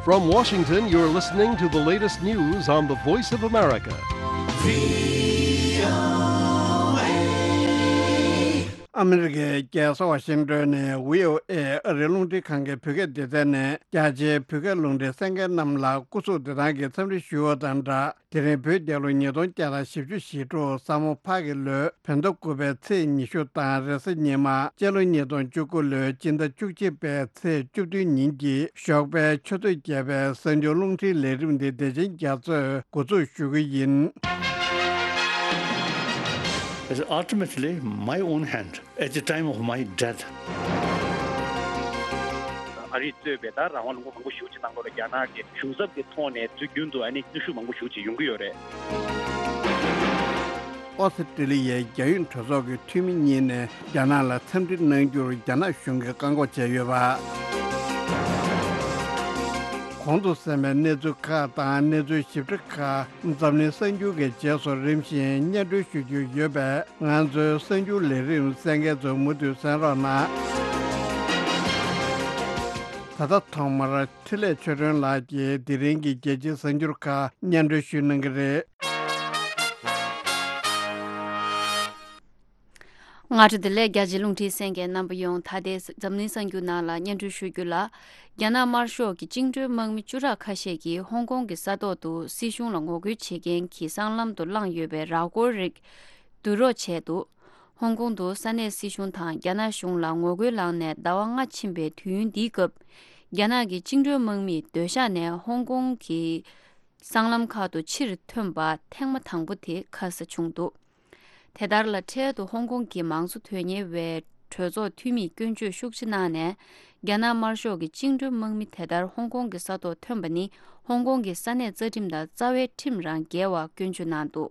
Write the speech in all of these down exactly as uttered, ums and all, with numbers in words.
From Washington, you're listening to the latest news on the Voice of America. ཨ་མི་རི་ཀའི་རྒྱལ་ས་ཝ་ཤིང་ཏོན་ནས་བྷི་ཨོ་ཨེ་ཨ་རིའི་རླུང་འཕྲིན་ཁང་གི་བོད་སྐད་སྡེ་ཚན་ནས་རྒྱ་ཆེའི་བོད་སྐད་རླུང་འཕྲིན་གསན་མཁན་རྣམས་ལ་སྐུ་གཟུགས་བདེ་ཐང་གི་འཚམས་འདྲི་ཞུ་བ་དང་སྦྲགས། དེ་རིང་བོད་རྒྱལ་ལོ་ཉིས་སྟོང་བརྒྱ་དང་བཞི་བཅུ་ཞེ་དྲུག་ས་མོ་ཕག་གི་ལོའི་བོད་ཟླ་དགུ་པའི་ཚེས་ཉི་ཤུ་དང་རེས་གཟའ་ཉི་མ། སྤྱི་ལོ་ཉིས་སྟོང་བཅུ་དགུ་ལོའི་སྤྱི་ཟླ་བཅུ་གཅིག་པའི་ཚེས་བཅུ་བདུན་ཉིན་གྱི་ཞོགས་པའི་ཆུ་ཚོད་བརྒྱད་པའི་གསར་འགྱུར་རླུང་འཕྲིན་ལས་རིམ་འདི་བདེ་ཆེན་རྒྱ་མཚོས་འགོ་འཛུགས་ཞུ་གི་ཡིན། It's ultimately my own hand at the time of my death. ཨ་རིས་གཙོས་པའི་ད་རང་དབང་ལུང་པ་མང་པོ་ཞེ་པོ་ཅིག་ནང་ལོགས་ལ་རྒྱ་ནག་གི་གཞུང་ཚབ་ཀྱི་ཐོག་ནས་དུས་རྒྱུན་དུ་ཨ་ནི་གནོན་ཤུགས་མང་པོ་ཞེ་པོ་ཅིག་ཡོང་གི་ཡོད་རེད། ཨོ་སི་ཀྲི་ལི་ཡའི་རྒྱ་ཡོངས་གྲོས་ཚོགས་ཀྱི་འཐུས་མི་གཉིས་ནས་རྒྱ་ནག་ལ་འཚམས་འདྲི་གནང་རྒྱུར་རྒྱ་ནག་གཞུང་གིས་བཀག་འགོག་བྱས་ཡོད་པ། གོང་དུ་གསན་པའི་གནས་ཚུལ་ཁག་དང་གནས་ཚུལ་ཞིབ་ཕྲ་ཁག་འཛམ་གླིང་གསར་འགྱུར་གྱི་རྗེས་སུ་རིམ་བཞིན་སྙན་སྒྲོན་ཞུ་རྒྱུ་ཡོད་པས། ང་ཚོའི་གསར་འགྱུར་ལས་རིམ་གསན་མཁན་ཚོ་མུ་མཐུད་གསན་རོགས་གནང་། ད་ལྟ་ཐོག་མར་འཕྲིན་ལས་ཆོས་སྒྲོན་ལགས་ཀྱིས་དེ་རིང་གི་རྒྱལ་སྤྱིའི་གསར་འགྱུར་ཁག་སྙན་སྒྲོན་ཞུ་གནང་གི་རེད། སྔ་དྲོ་བདེ་ལེགས། རྒྱ་ཆེའི་རླུང་འཕྲིན་གསན་མཁན་རྣམ་པ་ཡོངས། ད་ལྟའི་འཛམ་གླིང་གསར་འགྱུར་ནང་ལ་སྙན་སྒྲོན་ཞུ་རྒྱུ་ལ། རྒྱ་ནག་དམར་ཤོག་གི་བཅིངས་འགྲོལ་དམག་མི་བཅུ་ཕྲག་ཁ་ཤས་ཀྱིས་ཧོང་ཀོང་གི་ས་ཐོག་ཏུ་སྲིད་གཞུང་ལ་ངོ་རྒོལ་བྱེད་མཁན་གྱི་སྲང་ལམ་དུ་བསླངས་ཡོད་པའི་ར་སྐོར་རིགས་བསྡུ་རོགས་བྱས་འདུག་ཧོང་ཀོང་དུ་ས་གནས་སྲིད་གཞུང་དང་རྒྱ་ནག་གཞུང་ལ་ངོ་རྒོལ་ལངས་ནས་ཟླ་བ་ལྔ་ཕྱིན་པའི་དུས་ཡུན་འདིའི་སྐབས། རྒྱ་ནག་གི་བཅིངས་འགྲོལ་དམག་མིས་སྡོད་ཤག་ནས་ཧོང་ཀོང་གི་སྲང་ལམ་ཁག་ཏུ་ཕྱིར་ཐོན་པ་ཐེངས་མ་དང་པོ་དེ་ཁ་ས་བྱུང་འདུག་དེ་ལྟར་ལ། འཕྲལ་དུ་ཧོང་ཀོང་གི་མང་གཙོ་དོན་གཉེར་བའི་གྲོས་ཚོགས་འཐུས་མིས་སྐྱོན་བརྗོད་ཤུགས་ཆེ་གནང་ནས། རྒྱ་ནག་དམར་ཤོག་གི་བཅིངས་འགྲོལ་དམག་མི་དེ་ལྟར་ཧོང་ཀོང་གི་ས་ཐོག་ཐོན་པ་ནི་ཧོང་ཀོང་གི་ས་གནས་རྩ་ཁྲིམས་དང་རྩ་བའི་ཁྲིམས་རང་འགལ་བར་སྐྱོན་བརྗོད་གནང་འདུག་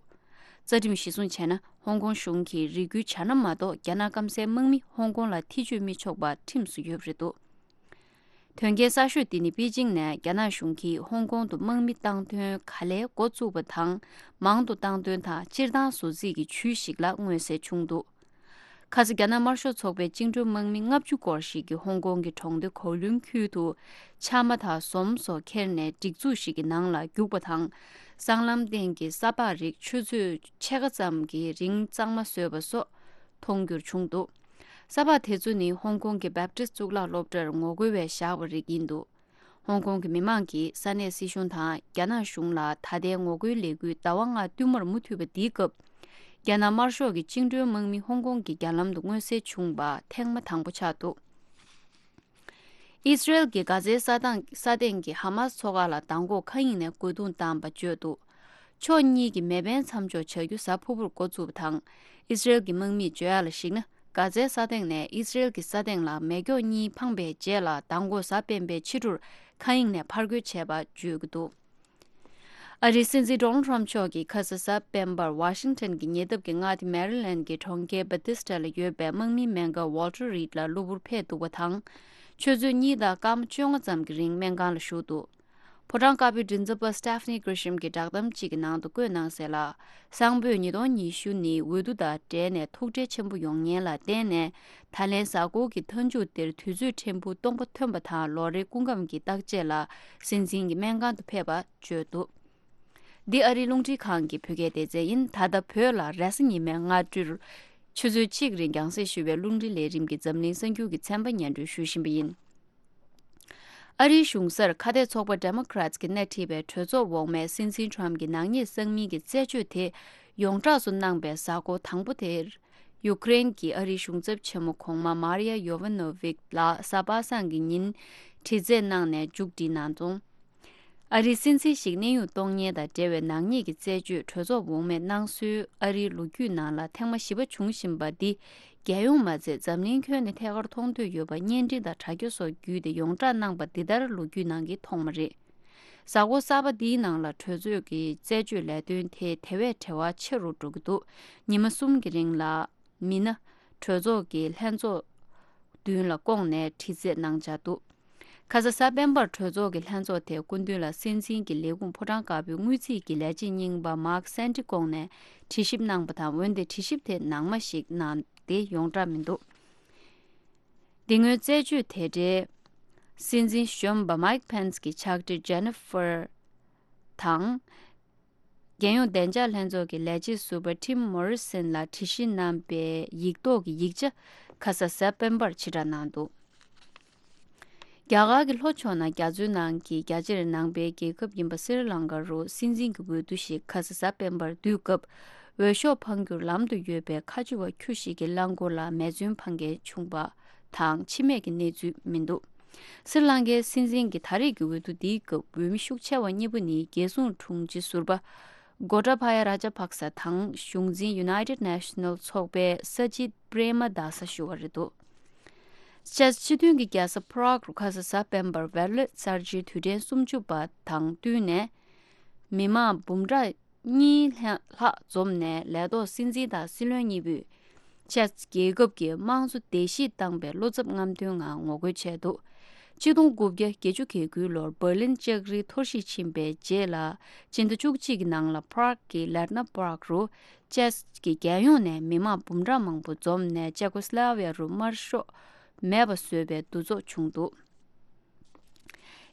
རྩ་ཁྲིམས་གཞིར་བཟུང་བྱས་ན། ཧོང་ཀོང་གཞུང་གིས་རེ་སྐུལ་བྱ་ན་མ་གཏོགས། རྒྱ་ནག་སྐམ་སའི་དམག་མི་ཧོང་ཀོང་ལ་ཐེ་ཇུས་མི་ཆོག་པ་ཁྲིམས་སུ་ཡོད་པ་རེད་འདུག་དོན་རྐྱེན་གསར་ཤོས་འདི་ནི་པེ་ཅིང་ནས་རྒྱ་ནག་གཞུང་གིས་ཧོང་ཀོང་དུ་དམག་མི་བཏང་འདོན་ག་ལེར་འགོ་བཙུགས་པ་དང་། མང་དུ་བཏང་འདོན་དང་སྤྱིར་བཏང་བཟོ་རྩིས་ཀྱི་ཇུས་ཤིག་ལ་མངོན་གསལ་བྱུང་འདུག་ཁ་ས་རྒྱ་ནག་དམར་ཤོག་ཚོགས་པའི་བཅིངས་འགྲོལ་དམག་མི་ལྔ་བཅུ་སྐོར་ཞིག་གིས་ཧོང་ཀོང་གི་གྲོང་སྡེ་གོ་ལུན་ཁུལ་དུ་ཆག་མ་དང་ཟོམ་སོགས་ཁྱེར་ནས་སྒྲིག་འཛུགས་ཤིག་གི་ནང་ལ་རྒྱུགས་པ་དང་། སྲང་ལམ་སྟེང་གི་ས་ཕག་རིགས་ཆུ་ཚོད་ཕྱེད་ཀ་ཙམ་གྱི་རིང་གཙང་མ་བཟོས་པ་སོགས་མཐོང་རྒྱུར་བྱུང་འདུག་ས་ཕག་དེ་ཚོ་ནི་ཧོང་ཀོང་གི་བེབ་ཏིས་གཙུག་ལག་སློབ་གྲྭར་ངོ་རྒོལ་བས་བཞག་པ་རིགས་ཡིན་འདུག་ཧོང་ཀོང་གི་མི་མང་གིས་ས་གནས་སྲིད་གཞུང་དང་རྒྱ་ནག་གཞུང་ལ་ད་ལྟའི་ངོ་རྒོལ་ལས་འགུལ་ཟླ་བ་ལྔ་བསྟུད་མར་མུ་མཐུད་པ་འདིའི་སྐབས། རྒྱ་ནག་དམར་ཤོག་གི་བཅིངས་འགྲོལ་དམག་མི་ཧོང་ཀོང་གི་རྒྱ་ལམ་དུ་མངོན་གསལ་བྱུང་བ་ཐེངས་མ་དང་པོ་ཆགས་འདུག་ཨི་སི་རེལ་གྱིས་གྷ་ཛའི་ས་ཐང་ས་སྟེང་གི་ཧ་མ་སི་ཚོགས་ཁག་ལ་མདང་དགོང་མཁའ་དབྱིངས་ནས་རྒོལ་རྡུང་བཏང་བ་བརྗོད་འདུག་ཕྱོགས་གཉིས་ཀྱི་མེ་འཕེན་མཚམས་འཇོག་བྱ་རྒྱུ་གཟའ་ཕུར་བུར་འགོ་བཙུགས་པ་དང་། ཨི་སི་རེལ་གྱི་དམག་མིས་བརྗོད་ཡག་ལ་གཞིགས་ན། གྷ་ཛའི་ས་སྟེང་ནས་ཨི་སི་རེལ་གྱི་ས་སྟེང་ལ་མེ་སྒྱོགས་གཉིས་འཕངས་པའི་རྗེས་ལ། མདང་དགོང་གཟའ་སྤེན་པའི་ཕྱི་དྲོར་མཁའ་དབྱིངས་ནས་ཕར་རྒོལ་བྱས་པ་བརྗོད་ཀྱི་འདུག་ཨ་རིའི་སྲིད་འཛིན་ཌོ་ནལ་ཊམ་མཆོག་གིས་ཁ་ས་གཟའ་སྤེན་པར་ཝ་ཤིང་ཊོན་གྱི་ཉེ་འདབས་ཀྱི་མངའ་སྡེ་མེ་རི་ལེན་གྱི་གྲོང་ཁྱེར་བྷ་ཏི་སི་ཊ་ལ་ཡོད་པའི་དམག་མིའི་སྨན་ཁང་ཝོལ་ཊར་རིཌ་ལ་གློ་བུར་ཕེབས་འདུག་པ་དང་། ཆུ་ཚོད་གཉིས་དང་སྐར་མ་བཅོ་ལྔ་ཙམ་གྱི་རིང་སྨན་ཁང་ལ་བཞུགས་འདུག་ཕོ་བྲང་དཀར་པོའི་མགྲིན་ཚབ་པ་སི་ཊེ་ཕ་ནི་ཀྲི་ཤམ་གྱིས་བསྒྲགས་གཏམ་གཅིག་གི་ནང་དུ་བཀོད་གནང་གསལ་ལ། སང་ཕོད་ཉིས་སྟོང་ཉི་ཤུ་ནི་འོས་བསྡུ་དང་འབྲེལ་ནས་ཐུགས་ཁྲལ་ཆེན་པོ་ཡོང་ཉེན་ལ་བརྟེན་ནས། ད་ལན་གཟའ་འཁོར་གྱི་མཐའ་མཇུག་འདིར་དུས་ཚོད་ཕྲན་བུ་སྟོང་པ་ཐོན་པ་དང་། ལོ་རེའི་སྐུ་ཁམས་ཀྱི་བརྟག་དཔྱད་ལ་སྲིད་འཛིན་གྱི་སྨན་ཁང་དུ་ཕེབས་པ་བརྗོད་འདུག་འདི་ཨ་རིའི་རླུང་འཕྲིན་ཁང་གི་བོད་སྐད་སྡེ་ཚན་ཡིན། ད་ལྟ་བོད་ལ་རེས་གཟའ་ཉི་མའི་སྔ་དྲོར་ཆུ་ཚོད་གཅིག་རིང་རྒྱང་སྲིང་ཞུ་བའི་རླུང་འཕྲིན་ལས་རིམ་གྱི་འཛམ་གླིང་གསར་འགྱུར་གྱི་ཚན་པ་སྙན་སྒྲོན་ཞུ་བཞིན་པ་ཡིན། ཨ་རིའི་གཞུང་སར་ཁ་གཏད་ཚོགས་པ་ཌེ་མོ་ཀ་རེ་ཊི་གིས་སྣེ་ཁྲིད་པའི་གྲོས་ཚོགས་འོག་མས་སྲིད་འཛིན་ཊམ་གྱི་ནག་ཉེས་གསང་མིན་གྱི་རྩད་གཅོད་དེ་ཡོངས་གྲགས་སུ་གནང་པའི་གཟའ་འཁོར་དང་པོ་དེར། ཡུ་ཀེ་རེན་གྱི་ཨ་རིའི་གཞུང་ཚབ་ཆེན་མོ་གོང་མ་མཱ་རི་ཡ་ཡོ་ཝ་ནོ་ཝིག་ལགས་གཟའ་པ་སངས་ཀྱི་ཉིན་དྲི་རྩད་གནང་ནས་མཇུག་སྒྲིལ་གནང་སོང་། ཨ་རིའི་སྲིད་འཛིན་ཞིག་གནས་དབྱུང་གཏོང་ཉེན་དང་འབྲེལ་བའི་ནག་ཉེས་ཀྱི་རྩད་གཅོད་གྲོས་ཚོགས་འོག་མས་གནང་སྲོལ་ཨ་རིའི་ལོ་རྒྱུས་ནང་ལ་ཐེངས་མ་བཞི་པ་འབྱུང་བཞིན་པ་འདི། རྒྱལ་ཡོངས་མ་ཚད་འཛམ་གླིང་ཁྱོན་ནས་ཐད་ཀར་མཐོང་ཐོས་ཡོད་པ་བརྙན་འཕྲིན་དང་དྲ་རྒྱ་སོགས་བརྒྱུད་དེ་ཡོངས་བསྒྲགས་གནང་པ་འདི་ལྟར་ལོ་རྒྱུས་ནང་གི་ཐོག་མ་རེད། གཟའ་འཁོར་གསར་པ་འདིའི་ནང་ལ་གྲོས་ཚོགས་ཀྱི་རྩད་གཅོད་ལས་དོན་དེ་དེ་བས་བྲེལ་བ་ཆེ་རུ་འགྲོ་གི་འདུག་ཉི་མ་གསུམ་གྱི་རིང་ལ། མི་སྣ། གྲོས་ཚོགས་ཀྱི་ལྷན་ཚོགས་མདུན་ལ་བསྐོངས་ནས་དྲི་རྩད་གནང་འཆར་འདུག་ཁ་ས་གཟའ་སྤེན་པར་གྲོས་ཚོགས་ཀྱི་ལྷན་ཚོགས་དེའི་སྐུ་མདུན་ལ་སྲིད་འཛིན་གྱི་ལས་ཁུངས་ཕོ་བྲང་དཀར་པོའི་དངུལ་རྩིས་ཀྱི་ལས་བྱེད་རྙིང་པ་མཱག་སན་ཏི་བསྐོངས་ནས་དྲི་ཞིབ་གནང་པ་དང་། འོན་ཏེ་དྲི་ཞིབ་དེ་ནང་མ་ཞིག་གནང་སྟེ་ཡོངས་གྲགས་མི་འདུག་འདི་སྔོན་རྩད་གཅོད་དེ་འདྲའི་ སྲིད་འཛིན་གཞོན་པ་མའིག་ཕེན་སི་གི་ཕྱག་བྲིས་ཇེ་ནི་ཧྥར་དང་། རྒྱལ་ཡོངས་བདེ་འཇགས་ལྷན་ཚོགས་ཀྱི་ལས་བྱེད་ཟུར་པ་ཊིམ་མོ་རི་སན་ལ་བྲིས་གཞི་གནང་པའི་ཡིག་ཐོག་གི་ཡིག་ཆ་ཁ་ས་གཟའ་སྤེན་པར་ཕྱིར་བསྒྲགས་གནང་འདུག་རྒྱ་གར་གྱི་ལྷོ་ཕྱོགས་ན་རྒྱ་མཚོའི་ནང་གི་རྒྱ་ཆེར་ནང་པའི་རྒྱལ་ཁབ་ཡིན་པ་སི་རི་ལང་ཀ་རུ་སྲིད་འཛིན་གྱི་འོས་བསྡུ་ཞིག་ཁ་ས་གཟའ་སྤེན་པར་བསྡུས་སྐབས། འོས་ཤོག་འཕང་རྒྱུར་ལམ་དུ་ཡོད་པའི་ཁ་ཆེ་བ་ཁྱུ་ཞིག་གི་རླངས་འཁོར་ལ་མེ་མཚོན་འཕང་མཁན་བྱུང་པ་དང་འཆི་རྨས་ཀྱི་གནས་ཚུལ་མི་འདུག་སི་རི་ལང་ཀའི་སྲིད་འཛིན་གྱི་ད་རེས་ཀྱི་འོས་བསྡུ་འདིའི་སྐབས་འོས་མི་ཤུགས་ཆེ་བ་གཉིས་པོ་ནི་རྒྱལ་སྲུང་དྲུང་ཆེ་ཟུར་པ་གོ་ཏཱ་བྷ་ཡ་རཱ་ཇཱ་པག་ས་དང་གཞུང་འཛིན་United National་ཚོགས་པའི་ས་ཇིད་པྲེ་མ་དཱ་ས་ཞུ་བ་རེད་འདུག་ཅེག་སྤྱི་མཐུན་གྱི་རྒྱལ་ས་Prague་རུ་ཁ་ས་གཟའ་སྤེན་པར་ཝེར་ལེ་གསར་བརྗེའི་དུས་དྲན་སུམ་ཅུ་པ་དང་བསྟུན་ནས་མི་མང་འབུམ་ཕྲག་གཉིས་ལྷག་འཛོམས་ནས་ལས་ཐོག་སྲིད་འཛིན་དང་སྲིད་བློན་གཉིས་པོས་ཅེག་རྒྱལ་ཁབ་ཀྱི་དམངས་གཙོ་བརྡལ་བཤིག་བཏང་པའི་བློ་འཚབ་རྔམ་སྟོན་ངང་ངོ་རྒོལ་བྱས་འདུག་ཆིག་སྟོང་དགུ་བརྒྱ་བརྒྱད་ཅུ་གྱ་དགུའི་ལོར་འབར་ལིན་ལྕགས་རི་འཐོར་ཞིག་ཕྱིན་པའི་རྗེས་ལ་སྤྱི་ཟླ་བཅུ་གཅིག་གི་ནང་ལ་Prague་གི་Lerner Park་རུ་ཅེག་གི་རྒྱལ་ཡོངས་ནས་མི་མང་འབུམ་ཕྲག་མང་པོ་འཛོམས་ནས་ཅེ་ཀོ་སི་ལོ་ཝི་ཡ་རུ་དམར་ཤོག་མེད་པ་བཟོས་པའི་འདུ་ཚོགས་བྱུང་འདུག་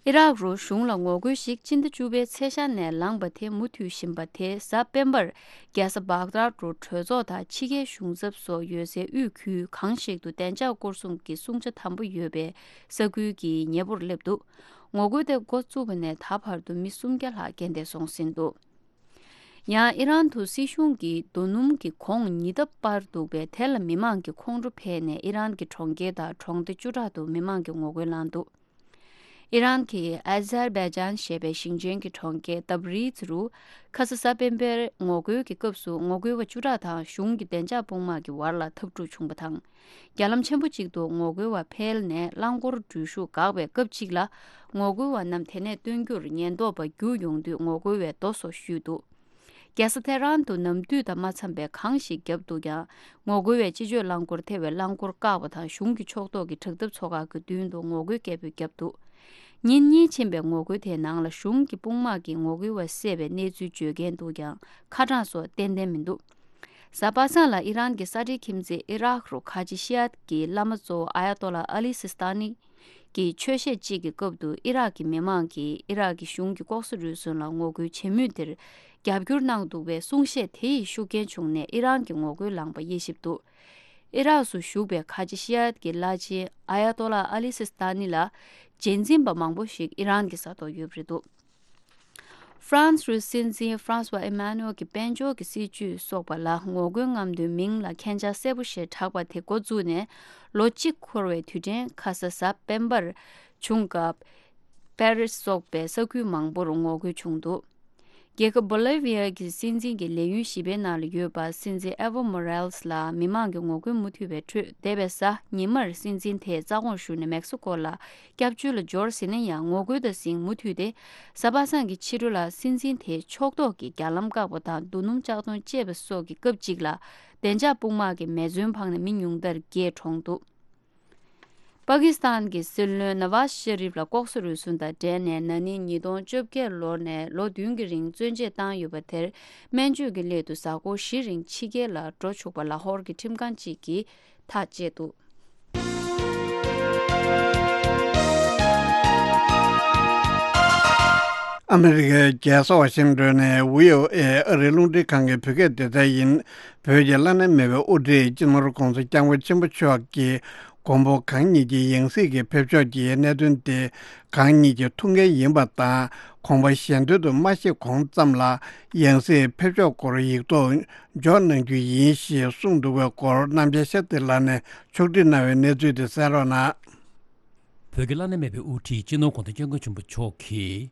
ཨི་རག་རུ་གཞུང་ལ་ངོ་རྒོལ་ཞིག་སྤྱི་ཟླ་བཅུ་པའི་ཚེས་ཤར་ནས་ལངས་པ་དེ་མུ་མཐུད་བཞིན་པ་དེ་གཟའ་སྤེན་པར་རྒྱལ་ས་བྷག་དཱད་རུ་གྲོས་ཚོགས་དང་ཕྱི་རྒྱལ་གཞུང་ཚབ་སོགས་ཡོད་སའི་དབུས་ཁུལ་གང་ཞིག་ཏུ་བདེ་འཇགས་སྐོར་སྲུང་གི་སྲུང་བྱ་དམ་པོ་ཡོད་པའི་ས་ཁུལ་གྱི་ཉེ་པོར་སླེབས་འདུག་ངོ་རྒོལ་དེ་འགོ་བཙུགས་པ་ནས་ད་བར་དུ་མི་སུམ་བརྒྱ་ལྷག་རྐྱེན་འདས་སོང་ཟིན་འདུག་ཡང་ཨི་རན་དུ་སྲིད་གཞུང་གིས་རྡོ་སྣུམ་གྱི་གོང་ཉིས་ལྟར་སྤར་འདུག་པས་དེ་ལ་མི་མང་གི་ཁོང་ཁྲོ་འཕེལ་ནས་ཨི་རན་གྱི་གྲོང་ཁྱེར་དང་གྲོང་སྡེ་བཅུ་ཕྲག་ཏུ་མི་མང་གིས་ངོ་རྒོལ་བསླངས་འདུག་ཨི་རན་གྱི་ཨ་ཛར་བྷེ་ཇན་ཞེས་པའི་ཞིང་ཆེན་གྱི་གྲོང་ཁྱེར་ཏབ་རིཛ་རུ་ཁ་ས་གཟའ་སྤེན་པའི་ངོ་རྒོལ་གྱི་སྐབས་སུ་ངོ་རྒོལ་བ་བཅུ་ཕྲག་དང་གཞུང་གི་བདེ་འཇགས་དཔུང་དམག་གི་བར་ལ་འཐབ་འཁྲུག་བྱུང་པ་དང་། རྒྱ་ལམ་ཆེན་པོ་གཅིག་ཏུ་ངོ་རྒོལ་བ་འཕེལ་ནས་རླངས་འཁོར་འགྲུལ་བཞུད་འགག་པའི་སྐབས་གཅིག་ལ་ངོ་རྒོལ་བ་རྣམས་དེ་ནས་བཏོན་རྒྱུར་ཉེན་རྟོག་པ་རྒྱུགས་ཡོང་དུས་ངོ་རྒོལ་བས་རྡོ་སོགས་གཞུས་འདུག་རྒྱལ་ས་ཐེ་རན་དུ་ནམ་དུས་དང་མ་འཚམས་པའི་གངས་ཤིག་བརྒྱབ་འདུག་ཀྱང་ངོ་རྒོལ་བས་སྤྱི་སྤྱོད་རླངས་འཁོར་ཐེ་བའི་རླངས་འཁོར་བཀག་པ་དང་གཞུང་གི་ཕྱོགས་གཏོགས་ཀྱི་དྲག་འཐབ་ཚོགས་ཁག་གི་མདུན་དུ་ངོ་རྒོལ་སྐད་འབོད་བརྒྱབ་འདུག་ཉིན་གཉིས་ཕྱིན་པའི་ངོ་རྒོལ་དེའི་ནང་ལ་གཞུང་གི་དཔུང་དམག་གིས་ངོ་རྒོལ་བ་བསད་པའི་གནས་ཚུལ་བརྗོད་མཁན་འདུག་ཀྱང་ཁ་གྲངས་སོགས་ཏན་ཏན་མི་འདུག་གཟའ་པ་སངས་ལ་ཨི་རན་གྱི་ས་འབྲེལ་ཁྱིམ་མཚེས་ཨི་རག་རུ་ཁ་ཆེ་ཤི་ཡཱཏ་ཀྱི་བླ་མ་གཙོ་བོ་ཨ་ཡ་ཏོ་ལ་ཨ་ལི་སི་སི་ཏཱ་ནི་གི་ཆོས་བཤད་ཅིག་གི་སྐབས་སུ་ཨི་རག་གི་མི་མང་གིས་ཨི་རག་གི་གཞུང་གི་ལྐོག་ཟ་རུལ་སུངས་ལ་ངོ་རྒོལ་བྱེད་མུས་དེར་རྒྱབ་སྐྱོར་གནང་འདུག་པའི་གསུང་བཤད་དེ་ཡི་ཤུགས་རྐྱེན་བྱུང་ནས་ཨི་རན་གྱི་ངོ་རྒོལ་ལངས་པ་དབྱེ་ཞིབ་འདུག་ཨི་རག་སུ་བཞུགས་པའི་ཁ་ཆེ་ཤི་ཡཱཏ་ཀྱི་བླ་ཆེན་ཨ་ཡ་ཏོ་ལ་ཨ་ལི་སི་སི་ཏཱ་ནི་ལ་རྗེས་འཛིན་པ་མང་པོ་ཞིག་ཨི་རན་གྱི་ས་ཐོག་ཡོད་པ་རེད་འདུག་ཧྥ་རན་སི་རུ་སྲིད་འཛིན་ཧྥ་རན་སི་ཝ་ཨི་མ་ནུ་ཨེལ་གྱི་དཔལ་འབྱོར་གྱི་སྲིད་ཇུས་སོགས་པ་ལ་ངོ་རྒོལ་རྔམ་སྟོན་མིང་ལ་མཁྱེན་རྒྱ་གསལ་པོ་ཞེས་གྲགས་པ་དེ་འགོ་བཙུགས་ནས་ལོ་གཅིག་འཁོར་བའི་དུས་དྲན་ཁ་ས་གཟའ་སྤེན་པར་བྱུང་སྐབས། པེ་རི་སི་སོགས་པའི་ས་ཁུལ་མང་པོར་ངོ་རྒོལ་བྱུང་འདུག་རྒྱལ་ཁབ་བོ་ལི་ཝི་ཡ་གི་སྲིད་འཛིན་གྱི་ལས་ཡུན་བཞི་པའི་ནང་ལ་ཡོད་པ་སྲིད་འཛིན་ཨེ་ཝོ་མོ་རལ་སི་ལ་མི་མང་གི་ངོ་རྒོལ་མུ་མཐུད་པའི་ཁྲོད་འདས་པའི་གཟའ་ཉི་མར་སྲིད་འཛིན་དེའི་རྩ་དགོངས་ཞུས་ནས་མེག་སི་ཀོ་ལ་སྐྱབས་བཅོལ་ལ་འབྱོར་ཟིན་ན་ཡང་ངོ་རྒོལ་དང་ཟིང་མུ་མཐུད་དེ་གཟའ་པ་སངས་ཀྱི་ཕྱི་དྲོ་ལ་སྲིད་འཛིན་དེའི་ཕྱོགས་གཏོགས་ཀྱི་རྒྱ་ལམ་བཀག་པ་དང་རྡོ་སྣུམ་ལྕགས་མདོང་བཅད་པ་སོགས་ཀྱི་སྐབས་གཅིག་ལ་བདེ་འཇགས་དཔུང་དམག་གིས་མེ་མཚོན་འཕངས་ནས་མི་ཉུང་མཐར་བརྒྱད་གྲོངས་འདུག་པ་ཀི་སི་ཐན་གྱི་སྲིད་བློན་ན་ཝཱ་ཤ་རིབ་ལ་ལྐོག་ཟ་རུལ་སུངས་དང་འབྲེལ་ནས་ན་ནིང་ཉིས་སྟོང་བཅོ་བརྒྱད་ལོར་ནས་ལོ་བདུན་གྱི་རིང་བཙོན་འཇལ་བཏང་ཡོད་པ་དེར་སྨན་བཅོས་ཀྱི་སླད་དུ་གཟའ་འཁོར་བཞི་རིང་ཕྱི་རྒྱལ་ལ་འགྲོ་ཆོག་པ་ལ་ཧོར་གྱི་ཁྲིམས་ཁང་གཅིག་གིས་ཐག་བཅད་འདུག་ཨ་མི་རི་ཀའི་རྒྱལ་ས་ཝ་ཤིང་ཏོན་ནས་བྷི་ཨོ་ཨེ་ཨ་རིའི་རླུང་འཕྲིན་ཁང་གི་བོད་སྐད་སྡེ་ཚན་ཡིན། བོད་ཀྱི་བླ་ན་མེད་པའི་དབུ་ཁྲིད་སྤྱི་ནོར་༧གོང་ས་༧སྐྱབས་མགོན་ཆེན་པོ་མཆོག་གིས་མགོན་པོ་གང་ཉིད་ཀྱི་ཡང་སྲིད་ཀྱི་ཕེབས་ཕྱོགས་ཀྱི་གནད་དོན་དེ་གང་ཉིད་ཀྱི་ཐུགས་འགན་ཡིན་པ་དང་། དགོངས་པ་གཞན་དོན་དུ་མ་བཞེས་གོང་ཙམ་ལ་ཡང་སྲིད་ཕེབས་ཕྱོགས་སྐོར་ཡིག་ཐོག་འཇོག་གནང་རྒྱུ་ཡིན་ཞེས་གསུངས་འདུག་པའི་སྐོར་རྣམ་རྒྱལ་ཤཱསྟྲི་ལགས་ནས་ཕྱོགས་སྒྲིག་གནང་བའི་གནས་ཚུལ་དེ་གསན་རོགས་གནང་། བོད་ཀྱི་བླ་ན་མེད་པའི་དབུ་ཁྲིད་སྤྱི་ནོར་༧གོང་ས་༧སྐྱབས་མགོན་ཆེན་པོ་མཆོག་གིས།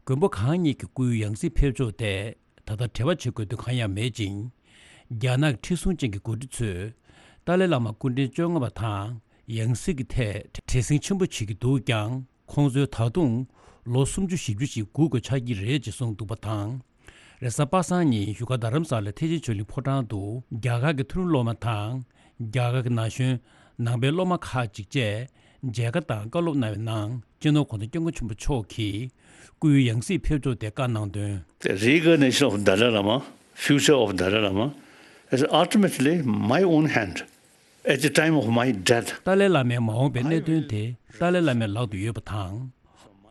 མགོན་པོ་གང་ཉིད་ཀྱི་སྐུའི་ཡང་སྲིད་ཕེབས་ཕྱོགས་ཐད་ད་ལྟ་འབྲེལ་བ་བྱེད་དགོས་དོན་གང་ཡང་མེད་ཅིང་། རྒྱ་ནག་ཁྲི་སྲོང་ཅན་གྱི་འགོ་ཁྲིད་ཚོས་ཏཱ་ལའི་བླ་མ་སྐུ་ཕྲེང་བཅོ་ལྔ་པ་དང་ཡང་སྲིད་ཀྱི་ཐད་བྲེལ་ཟིང་ཆེན་པོ་བྱེད་ཀྱི་འདུག་ཀྱང་། ཁོང་ཚོས་ད་དུང་ལོ་སུམ་ཅུ་བཞི་བཅུ་ཞིག་སྒུག་དགོས་ཆགས་ཀྱི་རེད་ཅེས་གསུངས་འདུག་པ་དང་། རེས་གཟའ་པ་སངས་ཉིན་བཞུགས་སྒར་རྡ་རམ་ས་ལའི་ཐེག་ཆེན་ཆོས་གླིང་ཕོ་བྲང་དུ་རྒྱ་གར་གྱི་མཐོ་རིམ་སློབ་མ་དང་། རྒྱ་གར་གྱི་ན་གཞོན་ནང་པའི་སློབ་མ་ཁག་ཅིག་བཅས་མཇལ་ཁ་དང་བཀའ་སློབ་གནང་བའི་ནང་། སྤྱི་ནོར་༧གོང་ས་༧སྐྱབས་མགོན་ཆེན་པོ་མཆོག་གིས་སྐུའི་ཡང་སྲིད་ཕེབས་ཕྱོགས་དེ་བཀའ་གནང་དོན། The reincarnation of Dalai Lama, future of Dalai Lama, is ultimately my own hand. At the time of my death, ཏཱ་ལའི་བླ་མའི་མ་འོངས་པའི་གནད་དོན་དེ་ཏཱ་ལའི་བླ་མའི་ལག་ཏུ་ཡོད་པ་དང་།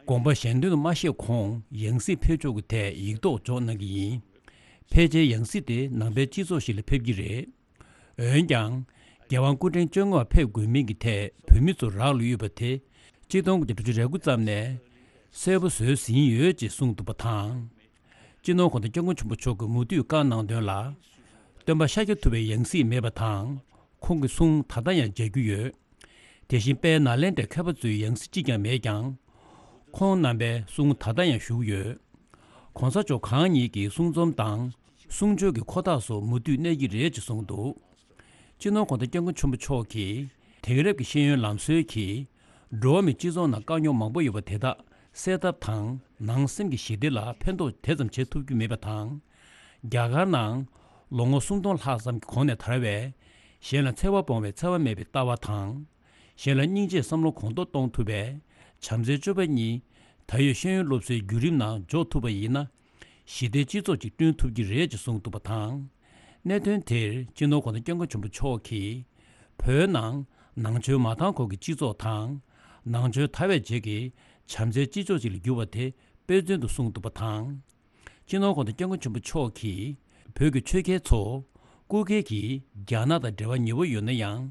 དགོངས་པ་གཞན་དོན་དུ་མ་བཞེས་གོང་ཡང་སྲིད་ཕེབས་ཕྱོགས་ཀྱི་ཐད་ཡིག་ཐོག་འཇོག་གནང་གི་ཡིན། ཕལ་ཆེར་ཡང་སྲིད་དེ་ནང་པའི་སྤྱི་ཚོགས་ཤིག་ལ་ཕེབས་ཀྱི་རེད། འོན་ཀྱང་། རྒྱལ་དབང་སྐུ་ཕྲེང་བཅོ་ལྔ་བ་ཕེབས་དགོས་མིན་གྱི་ཐད་བོད་མི་ཚོར་རག་ལུས་ཡོད་པ་དེ། ཆིག་སྟོང་དགུ་བརྒྱ་དྲུག་ཅུ་རེ་དགུ་ཙམ་ནས་གསལ་པོ་བཟོས་ཟིན་ཡོད་ཅེས་གསུངས་འདུག་པ་དང་། སྤྱི་ནོར་༧གོང་ས་༧སྐྱབས་མགོན་ཆེན་པོ་མཆོག་གིས་མུ་མཐུད་བཀའ་གནང་དོན་ལ། སྟོན་པ་ཤཱཀྱ་ཐུབ་པའི་ཡང་སྲིད་མེད་པ་དང་། ཁོང་གི་གསུང་ད་ལྟ་ཡང་མཇལ་རྒྱུ་ཡོད། དེ་བཞིན་དཔལ་ནཱ་ལེནྡྲའི་མཁས་པ་ཚོའི་ཡང་སྲིད་གཅིག་ཀྱང་མེད་ཀྱང་། ཁོང་རྣམ་པའི་གསུང་ད་ལྟ་ཡང་བཞུགས་ཡོད། གོང་ས་མཆོག་གང་ཉིད་ཀྱི་གསུང་རྩོམ་དང་། གསུང་ཆོས་ཀྱི་ཁོ་ཐག་སོགས་མུ་མཐུད་གནས་ཀྱི་རེད་ཅེས་གསུངས་འདུག་སྤྱི་ནོར་༧གོང་ས་༧སྐྱབས་མགོན་ཆེན་པོ་མཆོག་གིས་དེང་རབས་ཀྱི་ཤེས་ཡོན་ལམ་སྲོལ་གྱིས་འགྲོ་བ་མིའི་སྤྱི་ཚོགས་ནང་དཀའ་རྙོག་མང་པོ་ཡོད་པ་དེ་དག་སེལ་ཐབས་དང་ནང་སེམས་ཀྱི་ཞི་བདེ་ལ་ཕན་ཐོགས་དེ་ཙམ་བྱེད་ཐུབ་རྒྱུ་མེད་པ་དང་། རྒྱ་གར་ནང་ལོ་ངོ་སུམ་སྟོང་ལྷག་ཙམ་གྱི་གོང་ནས་དར་བའི་གཞན་ལ་འཚེ་བ་སྤོང་བའི་འཚེ་བ་མེད་པའི་ལྟ་བ་དང་། གཞན་ལ་སྙིང་རྗེའི་བསམ་བློ་གོང་མཐོར་གཏོང་ཐུབ་པའི་བྱམས་བརྩེའི་སྤྱོད་པ་གཉིས་ད་ཡོད་ཤེས་ཡོན་སློབ་གསོའི་བརྒྱུད་རིམ་ནང་འཇོག་ཐུབ་པ་ཡིན་ན། ཞི་བདེའི་སྤྱི་ཚོགས་ཅིག་བསྐྲུན་ཐུབ་ཀྱི་རེད་ཅེས་གསུངས་འདུག་པ་དང་། གནད་དོན་དེར་སྤྱི་ནོར་༧གོང་ས་༧སྐྱབས་མགོན་ཆེན་པོ་མཆོག་གིས་བོད་ནང་ནང་ཆོས་མ་དར་གོང་གི་སྤྱི་ཚོགས་དང་། ནང་ཆོས་དར་བའི་རྗེས་ཀྱི་བྱམས་བརྩེའི་སྤྱི་ཚོགས་ཅིག་ལ་འགྱུར་བ་དེ་དཔེ་མཚོན་དུ་གསུངས་འདུག་པ་དང་། སྤྱི་ནོར་༧གོང་ས་༧སྐྱབས་མགོན་ཆེན་པོ་མཆོག་གིས་བོད་ཀྱི་ཆོས་རྒྱལ་ཚོ་སྐུ་སྒེར་གྱིས་རྒྱ་ནག་དང་འབྲེལ་བ་ཉེ་བོ་ཡོད་ན་ཡང་།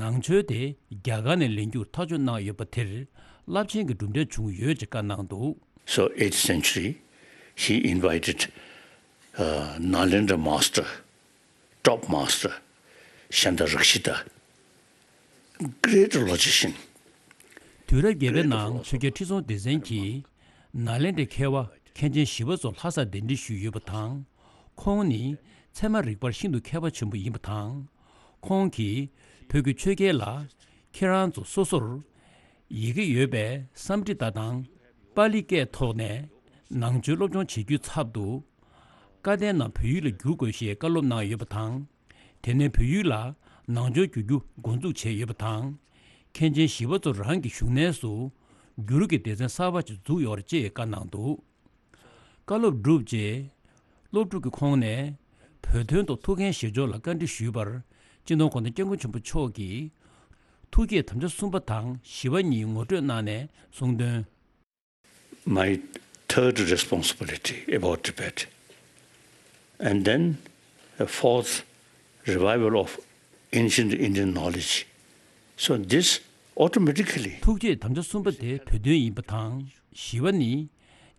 ནང་ཆོས་དེ་རྒྱ་གར་ནས་ལེན་རྒྱུར་ཐག་གཅོད་གནང་ཡོད་པ་དེར་རླབས་ཆེན་གྱི་གྲུབ་འབྲས་བྱུང་ཡོད་ཅེས་བཀའ་གནང་འདུག So eighth century, he invited uh, Nalendra master, top master, Shanta Rakshita, great logician. དུས་རབས་བརྒྱད་པའི་ནང་ཆོས་རྒྱལ་ཁྲི་སྲོང་ལྡེ་བཙན་གྱིས་ནཱ་ལེནྡྲའི་མཁས་པ་མཁན་ཆེན་ཞི་བ་འཚོ་ལྷ་སར་གདན་འདྲེན་ཞུས་ཡོད་པ་དང་། ཁོང་ནི་ཚད་མ་རིག་པར་ཤིན་ཏུ་མཁས་པ་ཆེན་པོ་ཡིན་པ་དང་། ཁོང་གིས་བོད་ཀྱི་ཆོས་རྒྱལ་ལ་ཁྱེད་རང་ཚོ་སོ་སོར་ཡི་གེ་ཡོད་པའི་སཾ་སྐྲྀ་ཏ་དང་པཱ་ལི་སྐད་ཐོག་ནས་ནང་ཆོས་སློབ་སྦྱོང་བྱེད་རྒྱུའི་ཚབ་ཏུ། བཀའ་བསྟན་རྣམས་བོད་ཡིག་ལ་བསྒྱུར་དགོས་ཞེས་བཀའ་སློབ་གནང་ཡོད་པ་དང་། དེ་ནས་བོད་ཡིག་ལ་ནང་ཆོས་བསྒྱུར་རྒྱུ་འགོ་འཛུགས་བྱས་ཡོད་པ་དང་། མཁན་ཆེན་ཞི་བ་འཚོ་རང་གི་བཞུགས་གནས་སུ་བསྒྱུར་གྱི་སྡེ་ཚན་གསར་པ་ཞིག་འཛུགས་ཡོད་རེད་ཅེས་བཀའ་གནང་འདུག་བཀའ་སློབ་གྲུབ་རྗེས། སློབ་ཕྲུག་གི་ཁོངས་ནས་བོད་དོན་ཐོག་ཐུགས་འགན་བཞེས་ཕྱོགས་ལ་བཀའ་འདྲི་ཞུས་པར། སྤྱི་ནོར་༧གོང་ས་༧སྐྱབས་མགོན་ཆེན་པོ་མཆོག་གིས། ཐུགས་བསྐྱེད་དམ་བཅའ་གསུམ་པ་དང་བཞི་པ་གཉིས་ངོ་སྤྲོད་གནང་ནས་གསུངས་དོན། My third responsibility about Tibet, and then a fourth revival of ancient Indian knowledge. So this automatically ཐུགས་བསྐྱེད་དམ་བཅའ་གསུམ་པ་དེ་བོད་དོན་ཡིན་པ་དང་། བཞི་པ་ནི།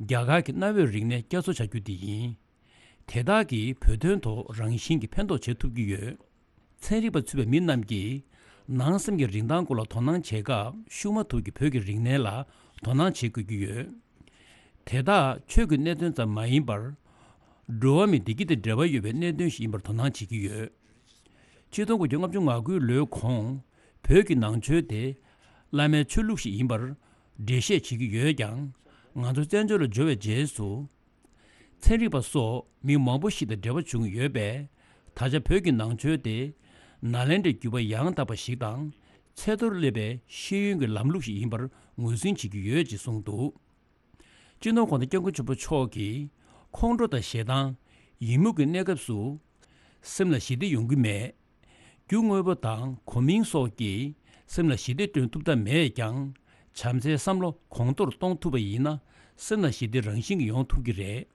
རྒྱ་གར་གྱི་གནའ་བོའི་རིག་གནས་བསྐྱར་གསོ་བྱ་རྒྱུ་དེ་ཡིན། དེ་དག་གིས་བོད་དོན་ཐོག་རང་བཞིན་གྱིས་ཕན་ཐོགས་བྱེད་ཐུབ་ཀྱི་ཡོད། ཚན་རིག་པ་ཚུད་པའི་མི་རྣམས་ཀྱིས་ནང་སེམས་ཀྱི་རིན་ཐང་སྐོར་ལ་དོ་སྣང་བྱེད་སྐབས་ཤུགས་མ་ཐུབ་ཀྱི་བོད་ཀྱི་རིག་གནས་ལ་དོ་སྣང་བྱེད་དགོས་ཀྱི་ཡོད། དེ་དག་ཆོས་ཀྱི་གནད་དོན་ཙམ་མ་ཡིན་པར། འགྲོ་བ་མིའི་བདེ་སྐྱིད་དང་འབྲེལ་བ་ཡོད་པའི་གནད་དོན་ཞིག་ཡིན་པར་དོ་སྣང་བྱེད་ཀྱི་ཡོད། ཆིག་སྟོང་དགུ་བརྒྱ་ལྔ་བཅུ་ང་དགུའི་ལོའི་གོང་བོད་ཀྱི་ནང་ཆོས་དེ་བླ་མའི་ཆོས་ལུགས་ཤིག་ཡིན་པར་འགྲེལ་བཤད་བྱེད་ཀྱི་ཡོད་ཀྱང་། ང་ཚོ་བཙན་བྱོལ་ལ་འབྱོར་བའི་རྗེས་སུ། ཚན་རིག་པ་སོགས་མི་མང་པོ་ཞིག་དང་འབྲེལ་བ་བྱུང་ཡོད་པས། ད་ཆ་བོད་ཀྱི་ནང་ཆོས་དེ་ནཱ་ལེནྡྲའི་བརྒྱུད་པ་ཡང་དག་པ་ཞིག་དང་། ཚད་མཐོར་སླེབས་པའི་ཤེས་ཡོན་གྱི་ལམ་ལུགས་ཤིག་ཡིན་པར་ངོས་འཛིན་བྱེད་ཀྱི་ཡོད་ཅེས་གསུངས་འདུག་སྤྱི་ནོར་༧གོང་ས་༧སྐྱབས་མགོན་ཆེན་པོ་མཆོག་གིས་ཁོང་ཁྲོ་དང་ཞེ་སྡང་། ཡི་མུག་གི་གནས་སྐབས་སུ། སེམས་ལ་ཞི་བདེ་ཡོང་གི་མེད། རྒྱུ་དངོས་པོ་དང་གོ་མིང་སོགས་ཀྱིས་སེམས་ལ་ཞི་བདེ་བསྐྲུན་ཐུབ་ཐབས་མེད་ཀྱང་། བྱམས་བརྩེའི་བསམ་བློ་གོང་མཐོར་གཏོང་ཐུབ་པ་ཡིན་ན། སེམས་ལ་ཞི་བདེ་རང་བཞིན་གྱིས་ཡོང་ཐུབ་ཀྱི་རེད།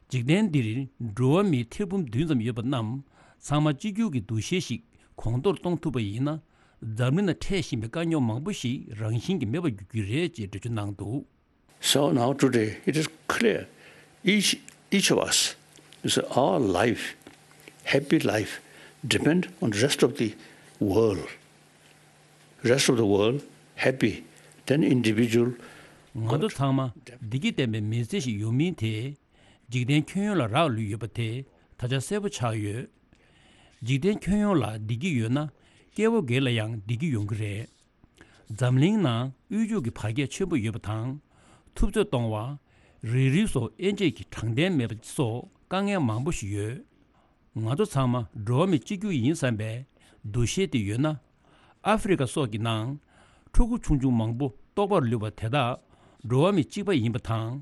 འཇིག་རྟེན་འདིར་འགྲོ་བ་མིའི་ཐེར་འབུམ་བདུན་ཙམ་ཡོད་པ་རྣམས་ཚང་མ་གཅིག་གྱུར་གྱི་འདུ་ཤེས་ཤིག་གོང་མཐོར་གཏོང་ཐུབ་པ་ཡིན་ན། འཛམ་གླིང་ན་འཕྲད་བཞིན་པའི་དཀའ་རྙོག་མང་པོ་ཞིག་རང་བཞིན་གྱིས་མེད་པར་འགྱུར་གྱི་རེད་ཅེས་འགྲེལ་བརྗོད་གནང་འདུག So now today it is clear, each, each of us, is our life, happy life, depend on the rest of the world. Rest of the world happy, then individual. ང་ཚོ་ཚང་མ་བདེ་སྐྱིད་ལྡན་པའི་མི་ཚེ་ཞིག་ཡོང་མིན་དེ། འཇིག་རྟེན་ཁྱོན་ཡོངས་ལ་རག་ལུས་ཡོད་པ་དེ་ད་ཆ་གསལ་པོ་ཆགས་ཡོད། འཇིག་རྟེན་ཁྱོན་ཡོངས་ལ་བདེ་སྐྱིད་ཡོད་ན། སྐྱེ་བོ་སྒེར་ལ་ཡང་བདེ་སྐྱིད་ཡོང་གི་རེད། འཛམ་གླིང་ནང་དབུལ་ཕྱུག་གི་བར་ཁྱད་ཆེན་པོ་ཡོད་པ་དང་། ཐུབ་ཚོད་གཏོང་བ། རིགས་རུས་སོགས་དབྱེ་འབྱེད་ཀྱི་དྲང་བདེན་མེད་པ་སོགས་དཀའ་ངལ་མང་པོ་ཞིག་ཡོད། ང་ཚོ་ཚང་མ་འགྲོ་བ་མི་གཅིག་གྱུར་ཡིན་བསམ་པའི་འདུ་ཤེས་དེ་ཡོད་ན། ཨ་ཧྥེ་རི་ཁ་སོགས་ཀྱི་ནང་ཕྲུ་གུ་ཆུང་ཆུང་མང་པོ་ལྟོགས་པར་ལུས་པ་དེ་དག་འགྲོ་བ་མི་གཅིག་པ་ཡིན་པ་དང་།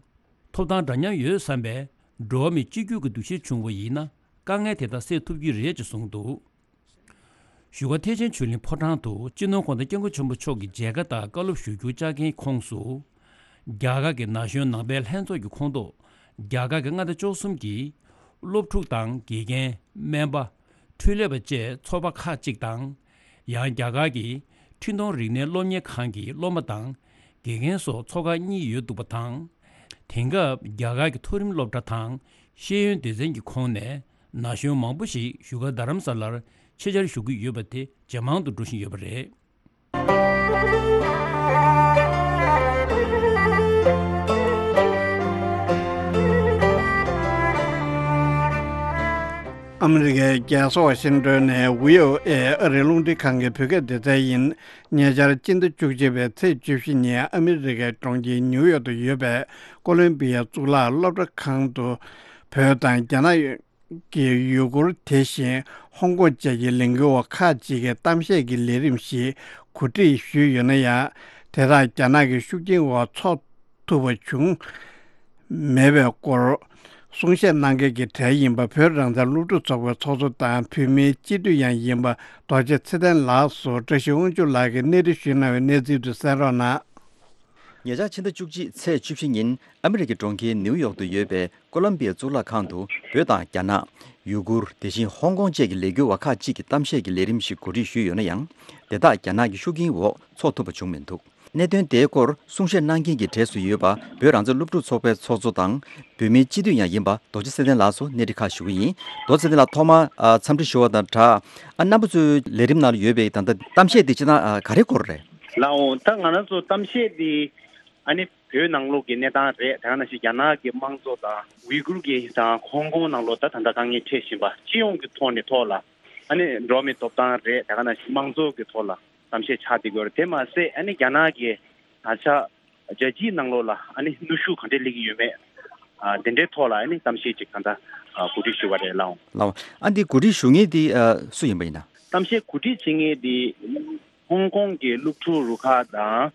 ཐོབ་ཐང་འདྲ་མཉམ་ཡོད་བསམ་པའི་འགྲོ་བ་མི་གཅིག་གྱུར་གྱི་འདུ་ཤེས་བྱུང་བ་ཡིན་ན། དཀའ་ངལ་དེ་དག་སེལ་ཐུབ་ཀྱི་རེད་ཅེས་གསུངས་འདུག་བཞུགས་སྒར་ཐེག་ཆེན་ཆོས་གླིང་ཕོ་བྲང་དུ་སྤྱི་ནོར་༧གོང་ས་༧སྐྱབས་མགོན་ཆེན་པོ་མཆོག་གི་མཇལ་ཁ་དང་བཀའ་སློབ་ཞུ་རྒྱུའི་བཅར་མཁན་ཁོངས་སུ། རྒྱ་གར་གྱི་ན་གཞོན་ནང་པའི་ལྷན་ཚོགས་ཀྱི་ཁོངས་གཏོགས། རྒྱ་གར་གྱི་མངའ་སྡེ་བཅུ་གསུམ་གྱི་སློབ་ཕྲུག་དང་དགེ་རྒན། སྨན་པ། འཕྲུལ་ལས་པ་བཅས་ཚོགས་པ་ཁག་ཅིག་དང་། ཡང་རྒྱ་གར་གྱི་འཕྲིན་གཏོང་རིག་གནས་སློབ་གཉེར་ཁང་གི་སློབ་མ་དང་དགེ་རྒན་སོགས་ཚོགས་ཁག་གཉིས་ཡོད་འདུག་པ་དང་། དེང་སྐབས་རྒྱ་གར་གྱི་མཐོ་རིམ་སློབ་གྲྭ་དང་ཤེས་ཡོན་སྡེ་ཚན་གྱི་ཁོངས་ནས་ན་གཞོན་མང་པོ་ཞིག་བཞུགས་སྒར་རྡ་རམ་ས་ལར་ཆེད་བཅར་ཞུ་གི་ཡོད་པ་དེ་ཇེ་མང་དུ་འགྲོ་བཞིན་ཡོད་པ་རེད། ཨ་མི་རི་ཀའི་རྒྱལ་ས་ཝ་ཤིང་ཏོན་ནས་བྷི་ཨོ་ཨེ་ཨ་རིའི་རླུང་འཕྲིན་ཁང་གི་བོད་སྐད་སྡེ་ཚན་ཡིན། ཉེ་ཆར་སྤྱི་ཟླ་བཅུ་གཅིག་པའི་ཚེས་བཅུ་བཞི་ཉིན་ཨ་མི་རི་ཀའི་གྲོང་ཁྱེར་ནིའུ་ཡོག་ཏུ་ཡོད་པའི་ཀོ་ལོམ་པི་ཡའི་གཙུག་ལག་སློབ་གྲྭ་ཁང་དུ་བོད་དང་རྒྱ་ནག་གི་ཡུ་གུར། དེ་བཞིན་ཧོང་ཀོང་བཅས་ཀྱི་ལས་འགུལ་བ་ཁག་ཅིག་གིས་གཏམ་བཤད་ཀྱི་ལས་རིམ་ཞིག་གོ་སྒྲིག་ཞུས་ཡོད་ན་ཡང་། དེ་དག་རྒྱ་ནག་གི་ཤུགས་རྐྱེན་འོག་འཚོགས་ཐུབ་པ་བྱུང་མེད་པའི་སྐོར་གསུང་བཤད་གནང་མཁན་གྱི་གྲས་ཡིན་པ་བོད་རང་བཙན་སློབ་ཕྲུག་ཚོགས་པའི་ཚོགས་གཙོ་དང་བོད་མིའི་སྤྱི་འཐུས་ཡང་ཡིན་པ་རྡོ་རྗེ་ཚེ་བརྟན་ལགས་སུ་བཀྲ་ཤིས་དབང་ཕྱུག་ལགས་ཀྱིས་གནས་འདྲི་ཞུས་གནང་བའི་གནས་ཚུལ་དུ་གསན་རོགས་གནང་། ཉེ་ཆར་ཕྱི་ཟླ་བཅུ་གཅིག་ཚེས་བཅུ་བཞི་ཉིན་ཨ་མི་རི་ཀའི་གྲོང་ཁྱེར་ནིའུ་ཡོག་ཏུ་ཡོད་པའི་ཀོ་ལམ་པི་ཡ་གཙུག་ལག་ཁང་དུ་བོད་དང་རྒྱ་ནག་ཡུ་གུར། དེ་བཞིན་ཧོང་ཀོང་བཅས་ཀྱི་ལས་འགུལ་བ་ཁག་ཅིག་གིས་གཏམ་བཤད་ཀྱི་ལས་རིམ་ཞིག་གོ་སྒྲིག་ཞུས་ཡོད་ན་ཡང་། དེ་དག་རྒྱ་ནག་གི་ཤུགས་རྐྱེན་འོག་འཚོགས་ཐུབ་པ་བྱུང་མི་འདུག། གནད་དོན་དེའི་སྐོར་གསུང་བཤད་གནང་མཁན་གྱི་གྲས་སུ་ཡོད་པ་བོད་རང་བཙན་སློབ་ཕྲུག་ཚོགས་པའི་ཚོགས་གཙོ་དང་། བོད་མིའི་སྤྱི་འཐུས་ཡང་ཡིན་པ་རྡོ་རྗེ་ཚེ་བརྟན་ལགས་སུ་གནས་འདྲི་ཁག་ཞུ་གི་ཡིན། རྡོ་རྗེ་ཚེ་བརྟན་ལགས་ཐོག་མར་ཨ་འཚམས་འདྲི་ཞུ་བ་དང་སྦྲགས། ཨ་རྣམ་པ་ཚོའི་ལས་རིམ་ནང་ལ་ཡོད་པའི་ད་ལྟ་གཏམ་བཤད་འདི་སྤྱིར་བཏང་ཨ་ག་རེ་སྐོར་རེད། ལགས་འོང་། ད་ང་རང་ཚོ་གཏམ་བཤད་འདི་ཨ་ནི་བོད་ནང་ལོགས་ཀྱི་གནས་སྟངས་རེད། དེ་ག་ནང་བཞིན་རྒྱ་ནག་གི་དམངས་གཙོ་དང་ཝི་གུར་གྱི་དང་ཧོང་ཀོང་ནང་ལོགས་ད་ད་ལྟ་དཀའ་ངལ་འཕྲད་བཞིན་པ་སྤྱི་ཡོངས་ཀྱི་ཐོག་ནས་ཐོག་ལ་ཨ་ནི་འགྲོ་བ་མིའི་ཐོབ་ཐང་རེད། དེ་ག་ནང་བཞིན་དམངས་གཙོ་གི་ཐོག་ལ་གཏམ་བཤད་ཆགས་བསྡད་ཀྱི་ཡོད་རེད། དེ་མ་ཟད་ཨ་ནི་རྒྱ་ནག་གི་ད་ཆ་རྒྱལ་སྤྱིའི་ནང་ལོགས་ལ་ཨ་ནི་གནོན་ཤུགས་ག་འདྲས་སླེབས་ཀྱི་ཡོད་མེད། ཨ་དེ་འདྲའི་ཐོག་ལ་ཨ་ནི་གཏམ་བཤད་ཅིག་ད་ལྟ་ཨ་གོ་སྒྲིག་ཞུས་པ་རེད། ལགས་འོང་། ལགས་འོང་། ཨ་འདི་གོ་སྒྲིག་ཞུ་མཁན་འདི་ཨ་སུ་ཡིན་པ་ཡིན་ན། གཏམ་བཤད་གོ་སྒྲིག་བྱེད་མཁན་འདི་ཧོང་ཀོང་གི་སློབ་ཕྲུག་རུ་ཁག་དང་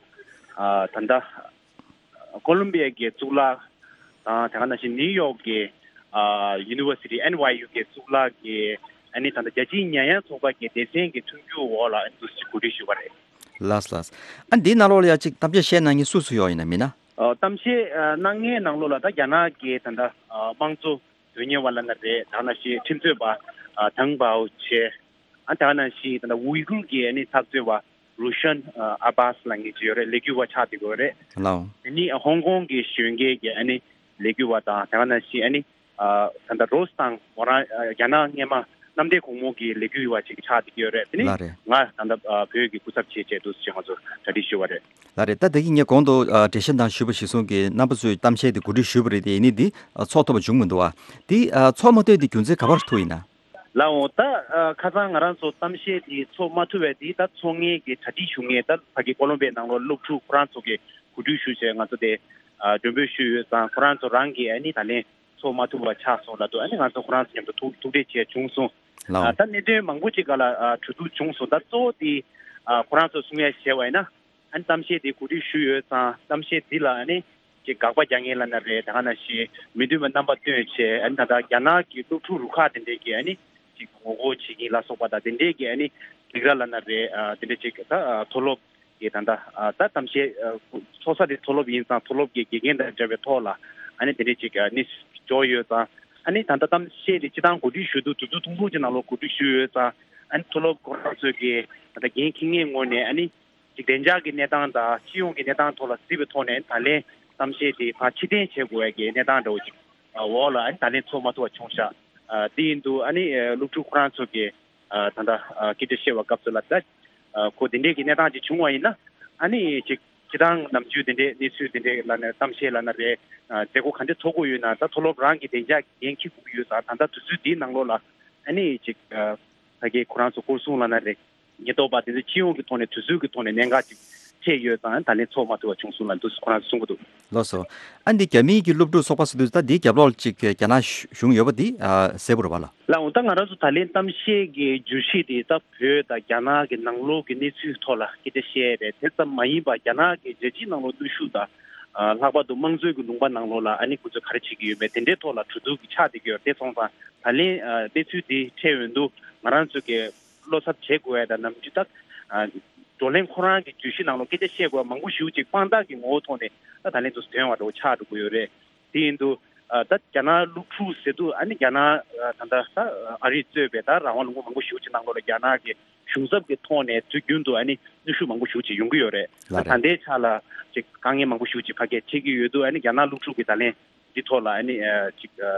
ཨ་ད་ལྟ་ཀོ་ལོམ་པི་ཡ་གི་གཙུག་ལག་དང་དེ་ག་ནང་བཞིན་ནིའུ་ཡོག་གི་ཨ་ཡུ་ནི་ཝར་སི་ཊི་ཨེན་ཝའེ་ཡུ་གི་གཙུག་ལག་གི་ཨ་ནི་ད་ལྟ་རྒྱལ་སྤྱིའི་ཉེ་ཡངས་ཚོགས་པ་གི་སྡེ་ཚན་གྱི་མཐུན་འགྱུར་འོག་ལ་ཨ་ནི་འདུག་སེ་གོ་སྒྲིག་ཞུས་པ་རེད། ལགས་ལགས། ཨ་འདིའི་ནང་ལོགས་ལ་ཡ་གཅིག་གཏམ་བཤད་བཤད་གནང་མཁན་སུ་སུ་ཡོད་ཡིན་ན་མིན་ན། ཨ་གཏམ་བཤད་ཨ་གནང་མཁན་ནང་ལོགས་ལ་ད་རྒྱ་ནག་གི་ད་ལྟ་ཨ་དམངས་གཙོ་དོན་གཉེར་བ་ལབ་ན་རེད། དེ་ག་ནང་བཞིན་ཁྲིམས་རྩོད་པ་ཨ་ཐང་པའོ་ཆེ། ཨ་དེ་ག་ནང་བཞིན་ད་ལྟ་ཝུའི་གུར་གྱི་ཨ་ནི་འཐབ་རྩོད་པ་རུ་ཤན་ཨ་ཨ་བྷ་སི་ལབ་མཁན་ཅིག་ཡོད་རེད། ལས་འགུལ་བ་ཆགས་བསྡད་ཡོད་རེད། ལའོ། དེ་ནི་ཧོང་ཀོང་གི་གཞོན་སྐྱེས་ཀྱི་ཨ་ནི་ལས་འགུལ་བ་དང་དེ་ག་ནང་བཞིན་ཨ་ནི་ཨ་ད་ལྟ་རོ་སི་དང་མོ་རང་ཨ་རྒྱ་ནག་སྔས་མ་གནམ་བདེ་སྒོ་མོ་གི་ལས་འགུལ་བ་ཅིག་ཆགས་བསྡད་ཡོད་རེད། དེ་ནི་ལགས་རེད། ང་ད་ལྟ་ཨ་བོད་ཀྱི་སྐུ་ཚབ་བྱས་བྱས་འདུག་ཅེས་ང་ཚོ་གྲ་སྒྲིག་ཞུས་པ་རེད། ལགས་རེད། ད་ད་གིན་ངས་གོང་དུ་ཨ་འགྲེལ་བཤད་དང་ཞུས་པ་གཞིར་བཟུང་གིས་རྣམ་པ་ཚོས་གཏམ་བཤད་དེ་གོ་སྒྲིག་ཞུས་པ་རེད་དེ། ཡིན་ནའི་འདི་ཨ་ཚོགས་ཐུབ་པ་བྱུང་མི་འདུག་བ། འདི་ཨ་ཚོགས་མ་ཐུབ་དེ་རྒྱུ་མཚན་ག་པར་ཐུག་ཡིན་ན། ལགས་འོང་། ད་ཨ་ཁ་སང་ང་རང་ཚོ་གཏམ་བཤད་དེ་ཚོགས་མ་ཐུབ་པའི་དེ་ད་ཚོགས་མཁན་གྱི་གྲ་སྒྲིག་ཞུ་མཁན་ད་ཕ་གི་ཀོ་ལོམ་པའི་ནང་ལོགས་སློབ་ཕྲུག་ཁོ་རང་ཚོ་གིས་གོ་སྒྲིག་ཞུ་བྱས་ང་ཚོ་དེ་ཨ་མགྲོན་འབོད་ཞུས་ཡོད་ཙང་ཁོ་རང་ཚོ་རང་གིས་ཨ་ནི་ད་ལན་ཚོགས་མ་ཐུབ་པ་ཆགས་སོང་ལབ་འདུག་ཨ་ནི་ང་ཚོ་ཁོ་རང་ཚོ་མཉམ་དུ་ཐུག་ཐུག་འཕྲད་བྱས་བྱུང་སོང་། ལའོ། ཨ་ད་གནད་དོན་མང་པོ་ཅིག་སྒང་ལ་ཨ་གྲོས་བསྡུར་བྱུང་སོང་། ད་གཙོ་བོ་དེ་ཨ་ཁོ་རང་ཚོ་གསུང་ཡ་བྱས་པ་ཡིན་ན། ཨ་ནི་གཏམ་བཤད་དེ་གོ་སྒྲིག་ཞུས་ཡོད་ཙང་གཏམ་བཤད་འདི་ལ་ཨ་ནི་ཅིག་དགག་པ་རྒྱག་མཁན་ལབ་ན་རེད། ད་ག་ནང་བཞིན་མི་མཐུན་པ་རྣམ་པ་སྟོན་བྱས། ཨ་ནི་ད་ལྟ་རྒྱ་ནག་གི་སློབ་ཕྲུག་རུ་ཁག་དེ་འདྲས་ཀྱིས་ཨ་ནི་ཅིག་ངོ་རྒོལ་བྱེད་མཁན་ལ་སོགས་པ་དང་དེ་འདྲས་ཀྱི་ཨ་ནི་སྡིགས་ར་ལབ་ན་རེད། ཨ་དེ་འདྲས་ཅིག་ད་ཨ་མཐོ་སློབ་ཀྱི་ད་ལྟ་ཨ་ད་གཏམ་བཤད་ཨ་ཚོགས་ས་དེ་མཐོ་སློབ་ཡིན་ཙང་མཐོ་སློབ་ཀྱི་དགེ་རྒན་དང་འབྲེལ་བའི་ཐོག་ལ་ཨ་ནི་དེ་འདྲས་ཅིག་ཨ་ནི་འབྱོར་ཡོད་ཙང་། ཨ་ནི་ད་ལྟ་གཏམ་བཤད་དེ་སྤྱིར་བཏང་གོ་སྒྲིག་ཞུ་དུས་དུས་ཚོད་ཐུང་ཐུང་ཅིག་ནང་ལོགས་གོ་སྒྲིག་ཞུས་ཡོད་ཙང་། ཨ་ནི་མཐོ་སློབ་ཁོ་རང་ཚོས་ཀྱི་ད་ལྟ་འགན་འཁྱེར་མཁན་ངོས་ནས་ཨ་ནི། ཅིག་བདེ་འཇགས་ཀྱི་གནས་སྟངས་དང་སྤྱི་ཡོངས་ཀྱི་གནས་སྟངས་ཐོག་ལ་གཟིགས་པའི་ཐོག་ནས་ད་ལན་གཏམ་བཤད་དེ་ཕར་ཕྱིར་འཐེན་བྱེད་དགོས་ཡ་གི་གནས་སྟངས་འདྲ་བོ་ཅིག་འོག་ལ་ཨ་ནི་ད་ལན་ཚོགས་མ་ཐུབ་པ་བྱུང་ཤག་ཨ་དེ་ཡིན་དུས་ཨ་ནི་ཨ་སློབ་ཕྲུག་ཁོ་རང་ཚོ་གི་ཨ་ད་ལྟ་ཨ་སྐད་ཆ་བཤད་པའི་སྐབས་སུ་ལ་ད་ཨ་ཁོ་དེ་འདྲས་ཀྱི་གནས་སྟངས་ཅིག་བྱུང་བ་ཡིན་ན་ཨ་ནི་ཅིག་སྤྱིར་བཏང་ནམ་རྒྱུན་དེ་འདྲས་གནས་ཚུལ་དེ་འདྲས་ལབ་ནས་གཏམ་བཤད་ལབ་ན་རེད། ཨ་མཛད་སྒོ་ག་འདྲས་ཚོགས་དགོས་ཡོད་ན་ད་མཐོ་སློབ་རང་གི་བདེ་འཇགས་ཀྱི་འགན་འཁྱེར་དགོས་ཀྱི་ཡོད་ཙང་། ད་ལྟ་དུས་ཚོད་འདིའི་ནང་ལོགས་ལ་ཨ་ནི་ཅིག་ཨ་ཕ་གི་ཁོ་རང་ཚོ་སྐོར་སྲུང་ལབ་ན་རེད། ཉེན་རྟོག་པ་དེ་ཚོ་སྤྱི་ཡོངས་ཀྱི་ཐོག་ནས་དུས་ཚོད་ཀྱི་ཐོག་ནས་གནད་འགག་ཅིག་འཕྲད་ཡོད་ཙང་ད་ལན་ཚོགས་མ་ཐུབ་པ་བྱུང་སོང་ལབ་འདུག་ཁོ་རང་ཚོ་གསུང་གི་འདུག་ལགས་སོ། ཨ་འདི་རྒྱ་མིའི་གི་སློབ་ཕྲུག་ཚོགས་པ་ཟེར་དུས་ད་འདིའི་རྒྱབ་ལོགས་ལ་ཅིག་རྒྱ་ནག་གཞུང་ཡོད་པ་འདི་ཨ་གསལ་པོ་རེད་པ་ལགས། ལགས་འོང་། ད་ང་རང་ཚོ་ད་ལན་གཏམ་བཤད་ཀྱི་བརྗོད་གཞི་དེ་ད་བོད་དང་རྒྱ་ནག་གི་ནང་ལོགས་ཀྱི་གནས་ཚུལ་ཐོག་ལ་སྐད་ཆ་བཤད་རེད། དེ་ཙམ་མ་ཡིན་པར་རྒྱ་ནག་གི་རྒྱལ་སྤྱིའི་ནང་ལོགས་གནོན་ཤུགས་དང་ཨ་ལྷག་པར་དུ་དམངས་གཙོའི་གི་ལུང་པ་ནང་ལོགས་ལ་ཨ་ནི་ཁོ་ཚོས་ག་རེ་བྱེད་ཀྱི་ཡོད་མེད་དེ་འདྲའི་ཐོག་ལ་གྲོས་བསྡུར་གྱི་ཆགས་བསྡད་ཀྱི་ཡོད་རེད། དེ་སོང་ཙང་ད་ལན་ཨ་གནས་ཚུལ་དེ་འཕྲད་ཡོང་དུས་ང་རང་ཚོ་གི་ བློ་འཚབ་བྱེད་དགོས་ཡ་དང་ནམ་རྒྱུན་ད་བགྲོ་གླེང་ཁོ་རང་གི་བརྗོད་གཞི་ནང་ལོགས་སྐད་ཆ་བཤད་དགོས་ཡ་མང་པོ་ཞེ་པོ་ཅིག་དཔང་རྟགས་ཀྱི་ངོ་བོ་ཐོག་ནས་ད་ད་ལན་དུ་ཐོན་པ་འདྲ་བོ་ཆགས་འགྲོ་གི་ཡོད་རེད། དེ་ཡིན་དུས་ཨ་ད་རྒྱ་ནག་སློབ་ཕྲུག་ཟེར་དུས་ཨ་ནི་རྒྱ་ནག་ཨ་ད་ལྟ་ད་ཨ་རིས་གཙོས་པའི་ད་རང་དབང་ལུང་པ་མང་པོ་ཞེ་པོ་ཅིག་ནང་ལོགས་ལ་རྒྱ་ནག་གི་གཞུང་ཚབ་ཀྱི་ཐོག་ནས་དུས་རྒྱུན་དུ་ཨ་ནི་གནོན་ཤུགས་མང་པོ་ཞེ་པོ་ཅིག་ཡོང་གི་ཡོད་རེད། ལགས་ད་རེད། ད་ལྟའི་ཆ་ལ་ཅིག་དཀའ་ངལ་མང་པོ་ཞེ་པོ་ཅིག་ཕ་གིར་འཕྲད་ཀྱི་ཡོད་དུས་ཨ་ནི་རྒྱ་ནག་སློབ་ཕྲུག་གི་ད་ལན་འདི་ཐོག་ལ་ཨ་ནི་ཨ་ཅིག་ཨ་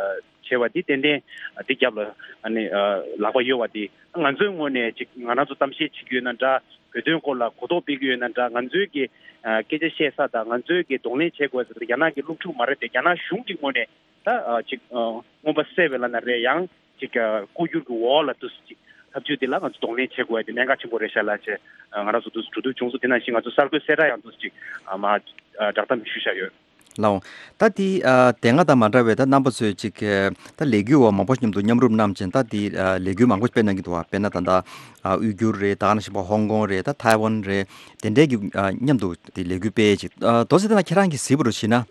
བྱས་པ་འདི་ཏན་ཏན་ཨ་འདི་རྒྱབ་ལ་ཨ་ནི་ཨ་ལག་པ་གཡོ་བ་འདི་ང་ཚོའི་ངོས་ནས་ཅིག་ང་རང་ཚོ་གཏམ་བཤད་བྱེད་ཀྱི་ཡོད་ན་འདྲ། བོད་དོན་སྐོར་ལ་གོ་རྟོགས་སྤེལ་གྱི་ཡོད་ན་འདྲ། ང་ཚོའི་གི་ཨ་སྐད་ཆ་བཤད་ས་དང་ང་ཚོའི་གི་གདོང་ལེན་བྱེད་དགོས་ས་དེ་རྒྱ་ནག་གི་སློབ་ཕྲུག་མ་རེད་དེ། རྒྱ་ནག་གཞུང་གི་ངོས་ནས་ད་ཨ་ཅིག་ཨ་མངོན་པ་གསལ་བའི་ལ་ན་རེད། ཡང་ཅིག་ཨ་ལྐོག་གྱུར་གྱི་འོག་ལ་དུ་ཅིག་ཐབས་ཇུས་དེ་ལ་ང་ཚོ་གདོང་ལེན་བྱེད་དགོས་ཡ་དེ་གནད་འགག་ཆེན་པོ་རེད་ཤག་ལ་ཅེས་ང་རང་ཚོ་དུ་གྲོས་བསྡུར་བྱུང་སོང་། དེ་ནང་བཞིན་ང་ཚོ་གསར་འགོད་གསལ་བསྒྲགས་ཡང་དུ་ཅིག་ཨ་མ་ཨ་བསྒྲགས་གཏམ་ཞུས་བཞག་ཡོད། ལའོ། ད་དེ་ཨ་དེ་སྔ་དང་མ་འདྲ་བའི་ད་རྣམ་པ་ཚོས་ཅིག་ཨ་ད་ལས་འགུལ་བ་མང་པོ་མཉམ་དུ་མཉམ་རུབ་གནང་བྱས། ད་དེ་ཨ་ལས་འགུལ་མང་པོ་སྤེལ་གནང་གི་འདུག་བ། དཔེར་ན་ད་ལྟ་ཨ་དབུས་འགྱུར་རེད། ད་ག་ནང་བཞིན་པ་ཧོང་ཀོང་རེད། ད་ཐའེ་ཝན་རེད། དེ་འདྲའི་གི་ཨ་མཉམ་དུ་དེ་ལས་འགུལ་སྤེལ་ཅིག་ཨ་དོ་ཚེ་དེ་ན་ཁྱེད་རང་གི་གཟིགས་པ་རུ་བྱས་ན།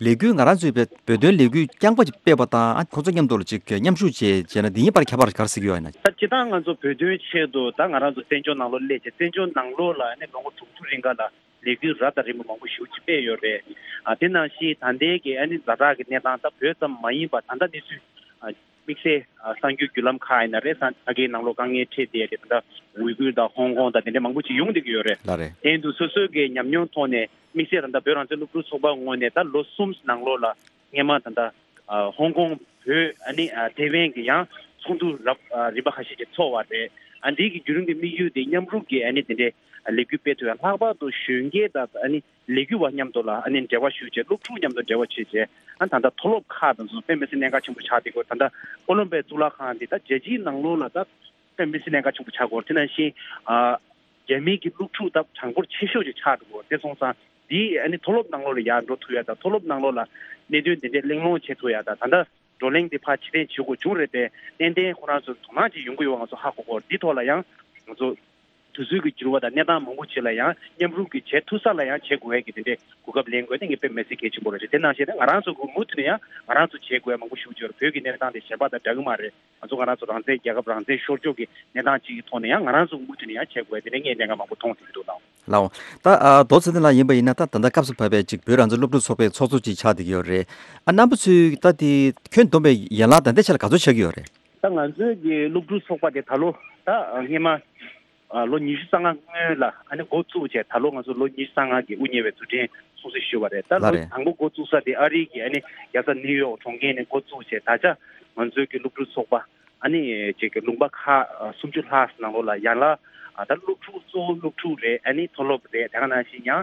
ལས་འགུལ་ང་རང་ཚོའི་བོད་བོད་དོན་ལས་འགུལ་རྐྱང་པ་ཅིག་སྤེལ་བ་དང་ཨ་ཁོང་ཚོ་མཉམ་དུ་ལ་ཅིག་མཉམ་ཞུགས་བྱས་བྱས་ན་འདི་གཉིས་བར་ཁྱད་པར་ག་རེ་གཟིགས་ཡོད་ཡིན་ན། ད་སྤྱིར་བཏང་ང་ཚོ་བོད་དོན་ཆེད་དུ་ད་ང་རང་ཚོ་བཙན་བྱོལ་ནང་ལོགས་སླེབས་བྱས་བཙན་བྱོལ་ནང་ལོགས་ལ་ཨ་ནི་ལོ་ངོ་དྲུག་ཅུ་རིང་ག་ལ་ལས་འགུལ་རབ་དང་རིམ་པ་མང་པོ་ཞེ་པོ་ཅིག་སྤེལ་ཡོད་རེད། ཨ་དེ་ནང་བཞིན་ད་ལྟའི་གི་ཨ་ནི་ཛ་དྲག་གི་གནས་སྟངས་ད་བོད་ཙམ་མ་ཡིན་པ་ད་ལྟ་གནས་ཚུལ་ཨ་དམིགས་བསལ་ཨ་གསར་འགྱུར་བརྒྱུད་ལམ་ཁག་ཡིན་ན་རེད། ས་ཕ་གིའི་ནང་ལོགས་དཀའ་ངལ་འཕྲད་བསྡད་རེད། ད་ལྟ་ཝི་གུར་དང་ཧོང་ཀོང་དང་དེ་འདྲ་མང་པོ་ཅིག་ཡོང་བསྡད་ཀྱི་ཡོད་རེད། ལགས་རེད། དེ་ཡིན་དུས་སོ་སོའི་གི་ཉམས་མྱོང་ཐོག་ནས་དམིགས་བསལ་ད་ལྟ་བོད་རང་བཙན་སློབ་ཕྲུག་ཚོགས་པ་ངོས་ནས་ད་ལོ་གསུམ་ནང་ལོགས་ལ་སྔས་མ་ད་ལྟ་ཨ་ཧོང་ཀོང་བོད་ཨ་ནི་ཨ་ཐེ་ཝན་གྱི་ཡང་ཚོགས་འདུ་རབ་ཨ་རིམ་པ་ཁ་ཤས་ཀྱི་ཚོགས་པ་རེད། ཨ་འདི་གི་བརྒྱུད་རིམ་གྱི་དམིགས་ཡུལ་དེ་མཉམ་རུབ་ཀྱི་ཨ་ནི་དེ་འདྲའི་ལས་འགུལ་སྤེལ་ཐུབ་ཡ། ལྷག་པར་དུ་གཞོན་སྐྱེས་དང་ཨ་ནི་ལས་འགུལ་བ་མཉམ་དུ་ལ་ཨ་ནི་འབྲེལ་བ་ཞུས་བྱས་སློབ་ཕྲུག་མཉམ་དུ་འབྲེལ་བ་བྱས་བྱས་ཨ་ད་ལྟ་མཐོ་སློབ་ཁག་དང་ཚོ་དཔེ་མི་སྲིད་གནད་འགག་ཆེན་པོ་ཆགས་བསྡད་ཀྱི་ཡོད། ད་ལྟ་ཀོ་ལོམ་པའི་གཙུག་ལག་ཁང་འདི་ད་རྒྱལ་སྤྱིའི་ནང་ལོགས་ལ་ད་དཔེ་མི་སྲིད་གནད་འགག་ཆེན་པོ་ཆགས་ཀྱི་ཡོད། དེ་ནང་བཞིན་ཨ་རྒྱ་མི་གི་སློབ་ཕྲུག་ད་གྲངས་འབོར་ཆེ་ཤོས་ཅིག་ཆགས་འགྲོ་གི་ཡོད། དེ་སོང་ཙང་འདི་ཨ་ནི་མཐོ་སློབ་ནང་ལོགས་ལ་ཡར་འགྲོ་ཐུབ་ཡ་དང་མཐོ་སློབ་ནང་ལོགས་ལ་གནད་དོན་དེ་འདྲའི་གླེང་སློང་བྱེད་ཐུབ་ཡ་དང་ད་ལྟ་བགྲོ་གླེང་འདི་ཕར་ཕྱིར་འཐེན་བྱེད་དགོས་བྱུང་རེད་དེ། ཏན་ཏན་ཁོ་རང་ཚོ་དོ་སྣང་ཅིག་ཡོང་གི་ཡོད་པ་ང་ཚོ་ཧ་གོ་གི་ཡོད། འདི་ཐོག་ལ་ཡང་ང་ཚོ་དུས་ཚོད་ཀྱི་འགྱུར་བ་དང་གནས་སྟངས་མང་པོ་ཅིག་ལ་ཡང་མཉམ་རུབ་ཀྱིས་བྱེད་ཐུབ་ས་ལ་ཡང་བྱེད་དགོས་ཡ་གི་དེ་འདྲའི་གོ་སྐབས་ལེན་དགོས་དེ་ངས་དཔེ་མི་སྲིད་གལ་ཆེན་པོ་རེད་ཅེས། དེ་ནང་བཞིན་ང་རང་ཚོ་གི་མུ་མཐུད་ནས་ཡང་ང་རང་ཚོ་བྱེད་དགོས་ཡ་མང་པོ་ཞེ་པོ་ཅིག་ཡོད་རེད། བོད་ཀྱི་གནས་སྟངས་དེ་གཞན་པ་དང་འདྲ་གི་མ་རེད། ང་ཚོ་ང་རང་ཚོ་རང་བཙན་རྒྱལ་ཁབ་རང་བཙན་ཤོར་ཕྱོགས་ཀྱི་གནས་སྟངས་ཅིག་གི་ཐོག་ནས་ཡང་ང་རང་ཚོ་མུ་མཐུད་ནས་ཡང་བྱེད་དགོས་ཡ་དེ་འདྲའི་ངས་གནད་འགག་མང་པོ་མཐོང་ཐུབ་ཀྱི་འདུག་ལགས། ལའོ། ད་ཨ་རྡོ་ཚེ་བརྟན་ལགས་ཡིན་པ་ཡིན་ན་ད་ད་ལྟ་སྐབས་སུ་བབས་པའི་ཅིག་བོད་རང་བཙན་སློབ་ཕྲུག་ཚོགས་པའི་ཚོགས་གཙོ་ཅིག་ཆགས་བསྡད་ཀྱི་ཡོད་རེད། ཨ་རྣམ་པ་ཚོས་ད་དེ་ཁྱོན་བསྡོམས་པའི་ཡན་ལག་ད་ལྟའི་ཆ་ལ་ག་ཚོད་ཆགས་ཀྱི་ཡོད་རེད། ད་ང་ཚོའི་གི་སློབ་ཕྲུག་ཚོགས་པ་དེ་ད་ལོ་ད་སྔས་མ་ཨ་ལོ་ཉི་ཤུ་རྩ་ལྔ་སྔོན་ལ་ཨ་ནི་འགོ་བཙུགས་བྱས་ད་ལོ་ང་ཚོ་ལོ་ཉི་ཤུ་རྩ་ལྔ་གི་དབུ་བརྙེས་པའི་དུས་དྲན་སྲུང་བརྩི་ཞུ་བ་རེད། ད་ལོ་ལགས་རེད། དང་པོ་འགོ་བཙུགས་ས་དེ་ཨ་རི་གི་ཨ་ནི་རྒྱལ་ས་ནིའུ་ཡོག་གྲོང་ཁྱེར་ནས་འགོ་བཙུགས་བྱས་ད་ཆ་ང་ཚོའི་གི་སློབ་ཕྲུག་ཚོགས་པ་ཨ་ནི་ཅིག་གི་ལུང་པ་ཁག་ཨ་སུམ་ཅུ་ལྷག་ནང་ལོགས་ལ་ཡན་ལག་ཨ་ད་སློབ་ཕྲུག་གཙོ་བོ་སློབ་ཕྲུག་རེད། ཨ་ནི་མཐོ་སློབ་རེད། དེ་ག་ནང་བཞིན་ཡང་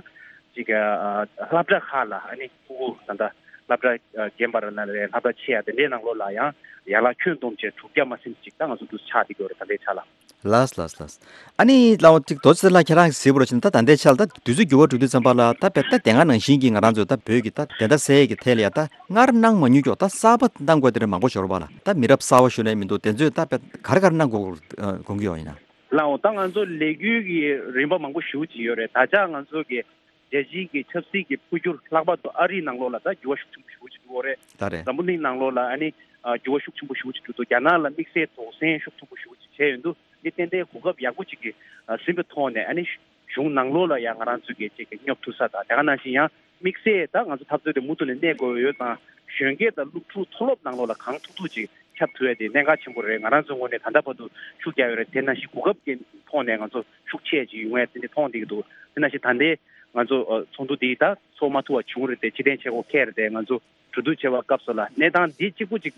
ཅིག་གི་ཨ་སློབ་གྲྭ་ཁག་ལ་ཨ་ནི་ཕྲུ་གུ་ད་ལྟ་སློབ་གྲྭ་ཨ་རྒན་པ་རེད་ན་རེད། སློབ་གྲྭ་ཆེ་ཡ་དེ་འདྲའི་ནང་ལོགས་ལ་ཡང་ཡན་ལག་ཁྱོན་བསྡོམས་བྱས་དྲུག་བརྒྱ་མ་ཟིན་ཅིག་ད་ང་ཚོ་འདུ་ཆགས་བསྡད་ཀྱི་ཡོད་རེད་ད་ལྟའི་ཆ་ལ། ལགས་ལགས་ལགས། ཨ་ནི་ལའོ་ཅིག་རྡོ་རྗེ་ལགས་ཁྱེད་རང་གིས་གཟིགས་པ་རུ་ཕྱིན་ད་ད་ལྟའི་ཆར་ད་དུས་ཚོད་འགྱུར་བ་འགྲོ་དུས་ཙམ་པ་ལ་ད་དཔེ་ད་དེ་སྔ་ནང་བཞིན་གྱི་ང་རང་ཚོས་ད་བོད་ཀྱི་ད་བདེན་མཐའ་གསལ་ཡས་ཀྱི་ཐད་ལ་ཡ་ད་སྔར་གནང་མ་མྱོང་ཀྱོག་ད་གསར་པ་གནང་དགོས་དེ་འདྲ་མང་པོ་ཤོར་བ་ལ་ད་མི་རབས་གསར་པ་ཞུ་ནས་མི་འདུག་དེ་ཚོས་ད་དཔེ་ག་རེ་ག་རེ་གནང་དགོས་དགོངས་ཀྱི་ཡོད་ཡིན་ན། ལའོ་ད་ང་ཚོ་ལས་འགུལ་གྱི་རིམ་པ་མང་པོ་ཞེ་པོ་ཅིག་ཡོད་རེད། ད་ཆ་ང་ཚོ་གི་རྒྱལ་སྤྱིའི་གི་ཆབ་སྲིད་ཀྱི་འཕོ་འགྱུར་ལྷག་པར་དུ་ཨ་རིའི་ནང་ལོགས་ལ་ད་འགྱུར་བ་ཤུགས་ཆེན་པོ་ཞེ་པོ་ཅིག་འགྲོ་གི་རེད། ད་རེད། འཛམ་བུ་གླིང་ནང་ལོགས་ལ་ཨ་ནི་ཨ་འགྱུར་བ་ཤུགས་ཆེན་པོ་ཞེ་པོ་ཅིག་འགྲོ་འདུག་རྒྱ་ནག་ལ་དམིགས་བསལ་དོགས་ཟོན་ཤུགས་ཆེན་པོ་ཞེ་པོ་ཅིག་བྱས་ཡོང་དུས་འདི་ཏན་ཏན་གོ་སྐབས་ཡག་པོ་ཅིག་གི་ཨ་ཟིན་པའི་ཐོག་ནས་ཨ་ནི་གཞུང་ནང་ལོགས་ལ་ཡང་ང་རང་ཚོས་གི་ཅིག་གི་སྙོབ་ཐུབ་ས་དང་དེ་ག་ནང་བཞིན་ཡང་དམིགས་བསལ་ད་ང་ཚོ་འཐབ་རྩོད་དེ་མུ་མཐུད་ནས་གནས་དགོས་ཡོད་ཙང་གཞོན་སྐྱེས་དང་སློབ་ཕྲུག་མཐོ་སློབ་ནང་ལོགས་ལ་གང་ཐུབ་ཐུབ་ཅིག་ཁྱབ་ཐུབ་ཡ་དེ་གནད་འགག་ཆེན་པོ་རེད། ང་རང་ཚོའི་ངོས་ནས་ད་ལྟ་བར་དུ་ཤུགས་རྒྱག་ཡོད་རེད། དེ་ནང་བཞིན་གོ་སྐབས་ཀྱི་ཐོག་ནས་ང་ཚོ་ཤུགས་ཆེ་ཅིག་ཡོང་ཡ་དེ་འདྲ་མཐོང་བསྡད་ཀྱི་འདུག་དེ་ནང་བཞིན་ད་ལྟའི་ང་ཚོ་ཨ་ཚོགས་འདུ་འདི་ད་ཚོགས་མ་ཐུབ་པ་བྱུང་རེད་དེ་ཕྱིར་འཐེན་བྱེད་དགོས་ཁེལ་རེད་དེ་ང་ཚོ་གྲོས་བསྡུར་བྱེད་པའི་སྐབས་སུ་ལ་གནས་སྟངས་འདི་གཅིག་པུ་གཅིག་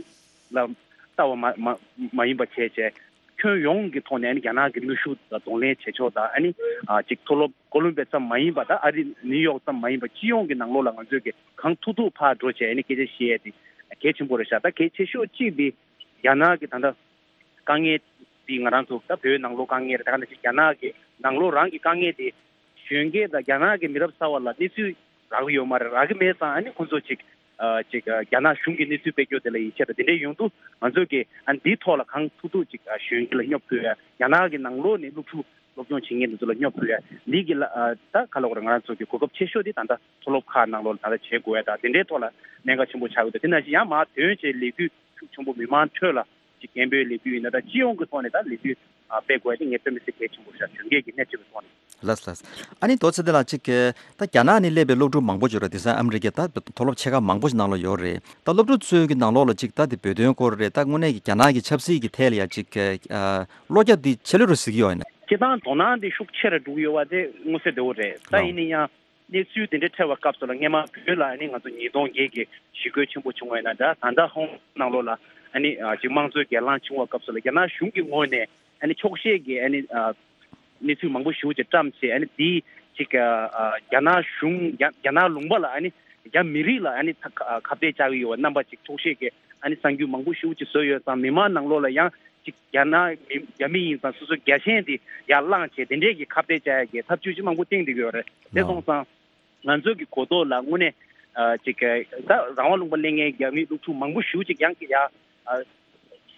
ལ་ལྟ་བ་མ་མ་མ་ཡིན་པ་བྱས་བྱས་ཁྱོན་ཡོངས་ཀྱི་ཐོག་ནས་ཨ་ནི་རྒྱ་ནག་གི་གནོན་ཤུགས་ལ་གདོང་ལེན་བྱེད་ཕྱོགས་དང་ཨ་ནི་ཨ་ཅིག་མཐོ་སློབ་ཀོ་ལོམ་བི་ཡ་ཙམ་མ་ཡིན་པ་ད་ཨ་རི་ནིའུ་ཡོག་ཙམ་མ་ཡིན་པ་སྤྱི་ཡོངས་ཀྱི་ནང་ལོགས་ལ་ང་ཚོས་ཀྱི་གང་ཐུབ་ཐུབ་ཕར་འགྲོ་བྱས་ཨ་ནི་སྐད་ཆ་བཤད་ཡས་དེ་གལ་ཆེན་པོ་རེད་ཤག་ད་གལ་ཆེ་ཤོས་གཅིག་འདི་རྒྱ་ནག་གི་ད་ལྟ་དཀའ་ངལ་འདི་ང་རང་ཚོ་ད་བོད་ནང་ལོགས་དཀའ་ངལ་རེད། ད་ག་ནང་བཞིན་རྒྱ་ནག་གི་ནང་ལོགས་རང་གི་དཀའ་ངལ་དེ་གཞོན་སྐྱེས་དང་རྒྱ་ནག་གི་མི་རབས་གསར་བ་ལ་གནས་ཚུལ་རག་གི་ཡོད་མ་རེད། རག་གི་མེད་ཙང་ཨ་ནི་ཁོང་ཚོ་ཅིག་ཨ་ཅིག་ཨ་རྒྱ་ནག་གཞུང་གི་གནས་ཚུལ་སྤེལ་རྒྱུ་དེ་ལ་ཡིད་ཆེས་དང་དེ་འདྲས་ཡོང་དུས་ང་ཚོས་ཀྱི་ཨ་འདིའི་ཐོག་ལ་གང་ཐུབ་ཐུབ་ཅིག་ཨ་གཞོན་སྐྱེས་ལ་སྙོབ་ཕུལ་ཡ། རྒྱ་ནག་གི་ནང་ལོགས་ནས་སློབ་ཕྲུག་སློབ་སྦྱོང་བྱེད་མཁན་དེ་ཚོ་ལ་སྙོབ་ཕུལ་ཡ། འདི་གི་ལ་ཨ་ད་ག་ལ་གོ་རེད། ང་རང་ཚོ་གི་གོ་སྐབས་ཆེ་ཤོས་དེ་ད་ལྟ་མཐོ་སློབ་ཁག་ནང་ལོགས་ལ་ད་ལྟ་བྱེད་དགོས་ཡ་ད་དེ་འདྲའི་ཐོག་ལ་གནད་འགག་ཆེན་པོ་ཆགས་ཡོད། ད་དེ་ནང་བཞིན་ཡང་མར་ཐོན་བྱས་ལས་འགུལ་ཤུགས་ཆེན་པོ་མི་མང་ཁྲོད་ལ་ཅིག་སྐད་འབོད་ལས་འགུལ་ཡིན་ན་ད་སྤྱི་ཡོངས་ཀྱི་ཐོག་ནས་ད་ལས་འགུལ་ ཨ་སྤེལ་དགོས་ཡ་དེ་ངས་དཔེ་མི་སྲིད་གལ་ཆེན་པོ་ཞིག་གཞོན་སྐྱེས་ཀྱི་སྣེ་ཁྲིད་པའི་ཐོག་ནས། ལགས་ལགས། ཨ་ནི་རྡོ་རྗེ་ལགས་ཅིག་གིས་ད་རྒྱ་ནག་ནས་སླེབས་པའི་སློབ་ཕྲུག་མང་པོ་ཡོད་རེད། དེང་སང་ཨ་མི་རི་ཀའི་ད་མཐོ་སློབ་ཆེ་ཁག་མང་པོ་ཞིག་ནང་ལ་ཡོད་རེད། ད་སློབ་ཕྲུག་ཚོའི་གི་ནང་ལོགས་ལ་ཅིག་ད་དེ་བོད་དོན་སྐོར་རེད། ད་དངོས་གནས་ཀྱི་རྒྱ་ནག་གི་ཆབ་སྲིད་ཀྱི་ཐད་ལ་ཡ་ཅིག་གི་ཨ་བློ་རྒྱ་དེ་ཆེ་ལོས་རུ་གཟིགས་ཡོད་ཡིན་ན། སྤྱིར་བཏང་དོ་སྣང་དེ་ཤུགས་ཆེ་རུ་འགྲོ་གི་ཡོད་པ་དེ་མངོན་གསལ་དོད་པོ་རེད། ད་ལགས། ཡིན་ན་ཡང་། གནས་ཚུལ་དེ་འདྲའི་འཕྲད་པའི་སྐབས་སུ་ལ་སྔས་མ་བོད་ལ་ཨ་ནི་ང་ཚོ་ཉིས་སྟོང་བརྒྱད་ཀྱི་ཞི་རྒོལ་ཆེན་པོ་བྱུང་བ་ཡིན་ན་འདྲ། ད་ལྟ་ཧོང་ནང་ལོགས་ལ་ཨ་ནི་ཨ་ཅིག་དམངས་གཙོའི་སྒེར་ལངས་བྱུང་བའི་སྐབས་སུ་ལ་རྒྱ་ནག་གཞུང་གི་ངོས་ནས་ཨ་ནི་འཁྱོག་བཤད་ཀྱི་ཨ་ནི་ཨ་གནས་ཚུལ་མང་པོ་ཞེ་པོ་ཅིག་བཀྲམ་བྱས། ཨ་ནི་དེ་ཅིག་ཨ་ཨ་རྒྱ་ནག་གཞུང་རྒྱ་རྒྱ་ནག་ལུང་པ་ལ་ཨ་ནི་རྒྱ་མི་རིགས་ལ་ཨ་ནི་ཁ་ཁ་གཏད་བཅག་གི་ཡོད་པ་རྣམ་པ་ཅིག་འཁྱོག་བཤད་ཀྱི་ཨ་ནི་གསར་འགྱུར་མང་པོ་ཞེ་པོ་ཅིག་བཟོས་ཡོད་ཙང་། མི་མང་ནང་ལོགས་ལ་ཡང་ཅིག་རྒྱ་ནག་མི་རྒྱ་མི་ཡིན་ཙང་སོ་སོའི་རྒྱ་ཆེན་དེ་ཡར་བསླངས་བྱས་དེ་འདྲས་ཀྱི་ཁ་གཏད་བཅག་ཡ་གི་ཐབས་ཇུས་ཅིག་མང་པོ་བཏིང་བསྡད་ཀྱི་ཡོད་རེད། དེ་སོང་ཙང་། ང་ཚོའི་གི་གོ་རྟོགས་ལ་དངོས་གནས་ཨ་ཅིག་གི་ད་རང་དབང་ལུང་པ་གླེང་མཁན་རྒྱ་མི་སློབ་ཕྲུག་མང་པོ་ཞེ་པོ་ཅིག་ཡང་གི་ཡ་ཨ་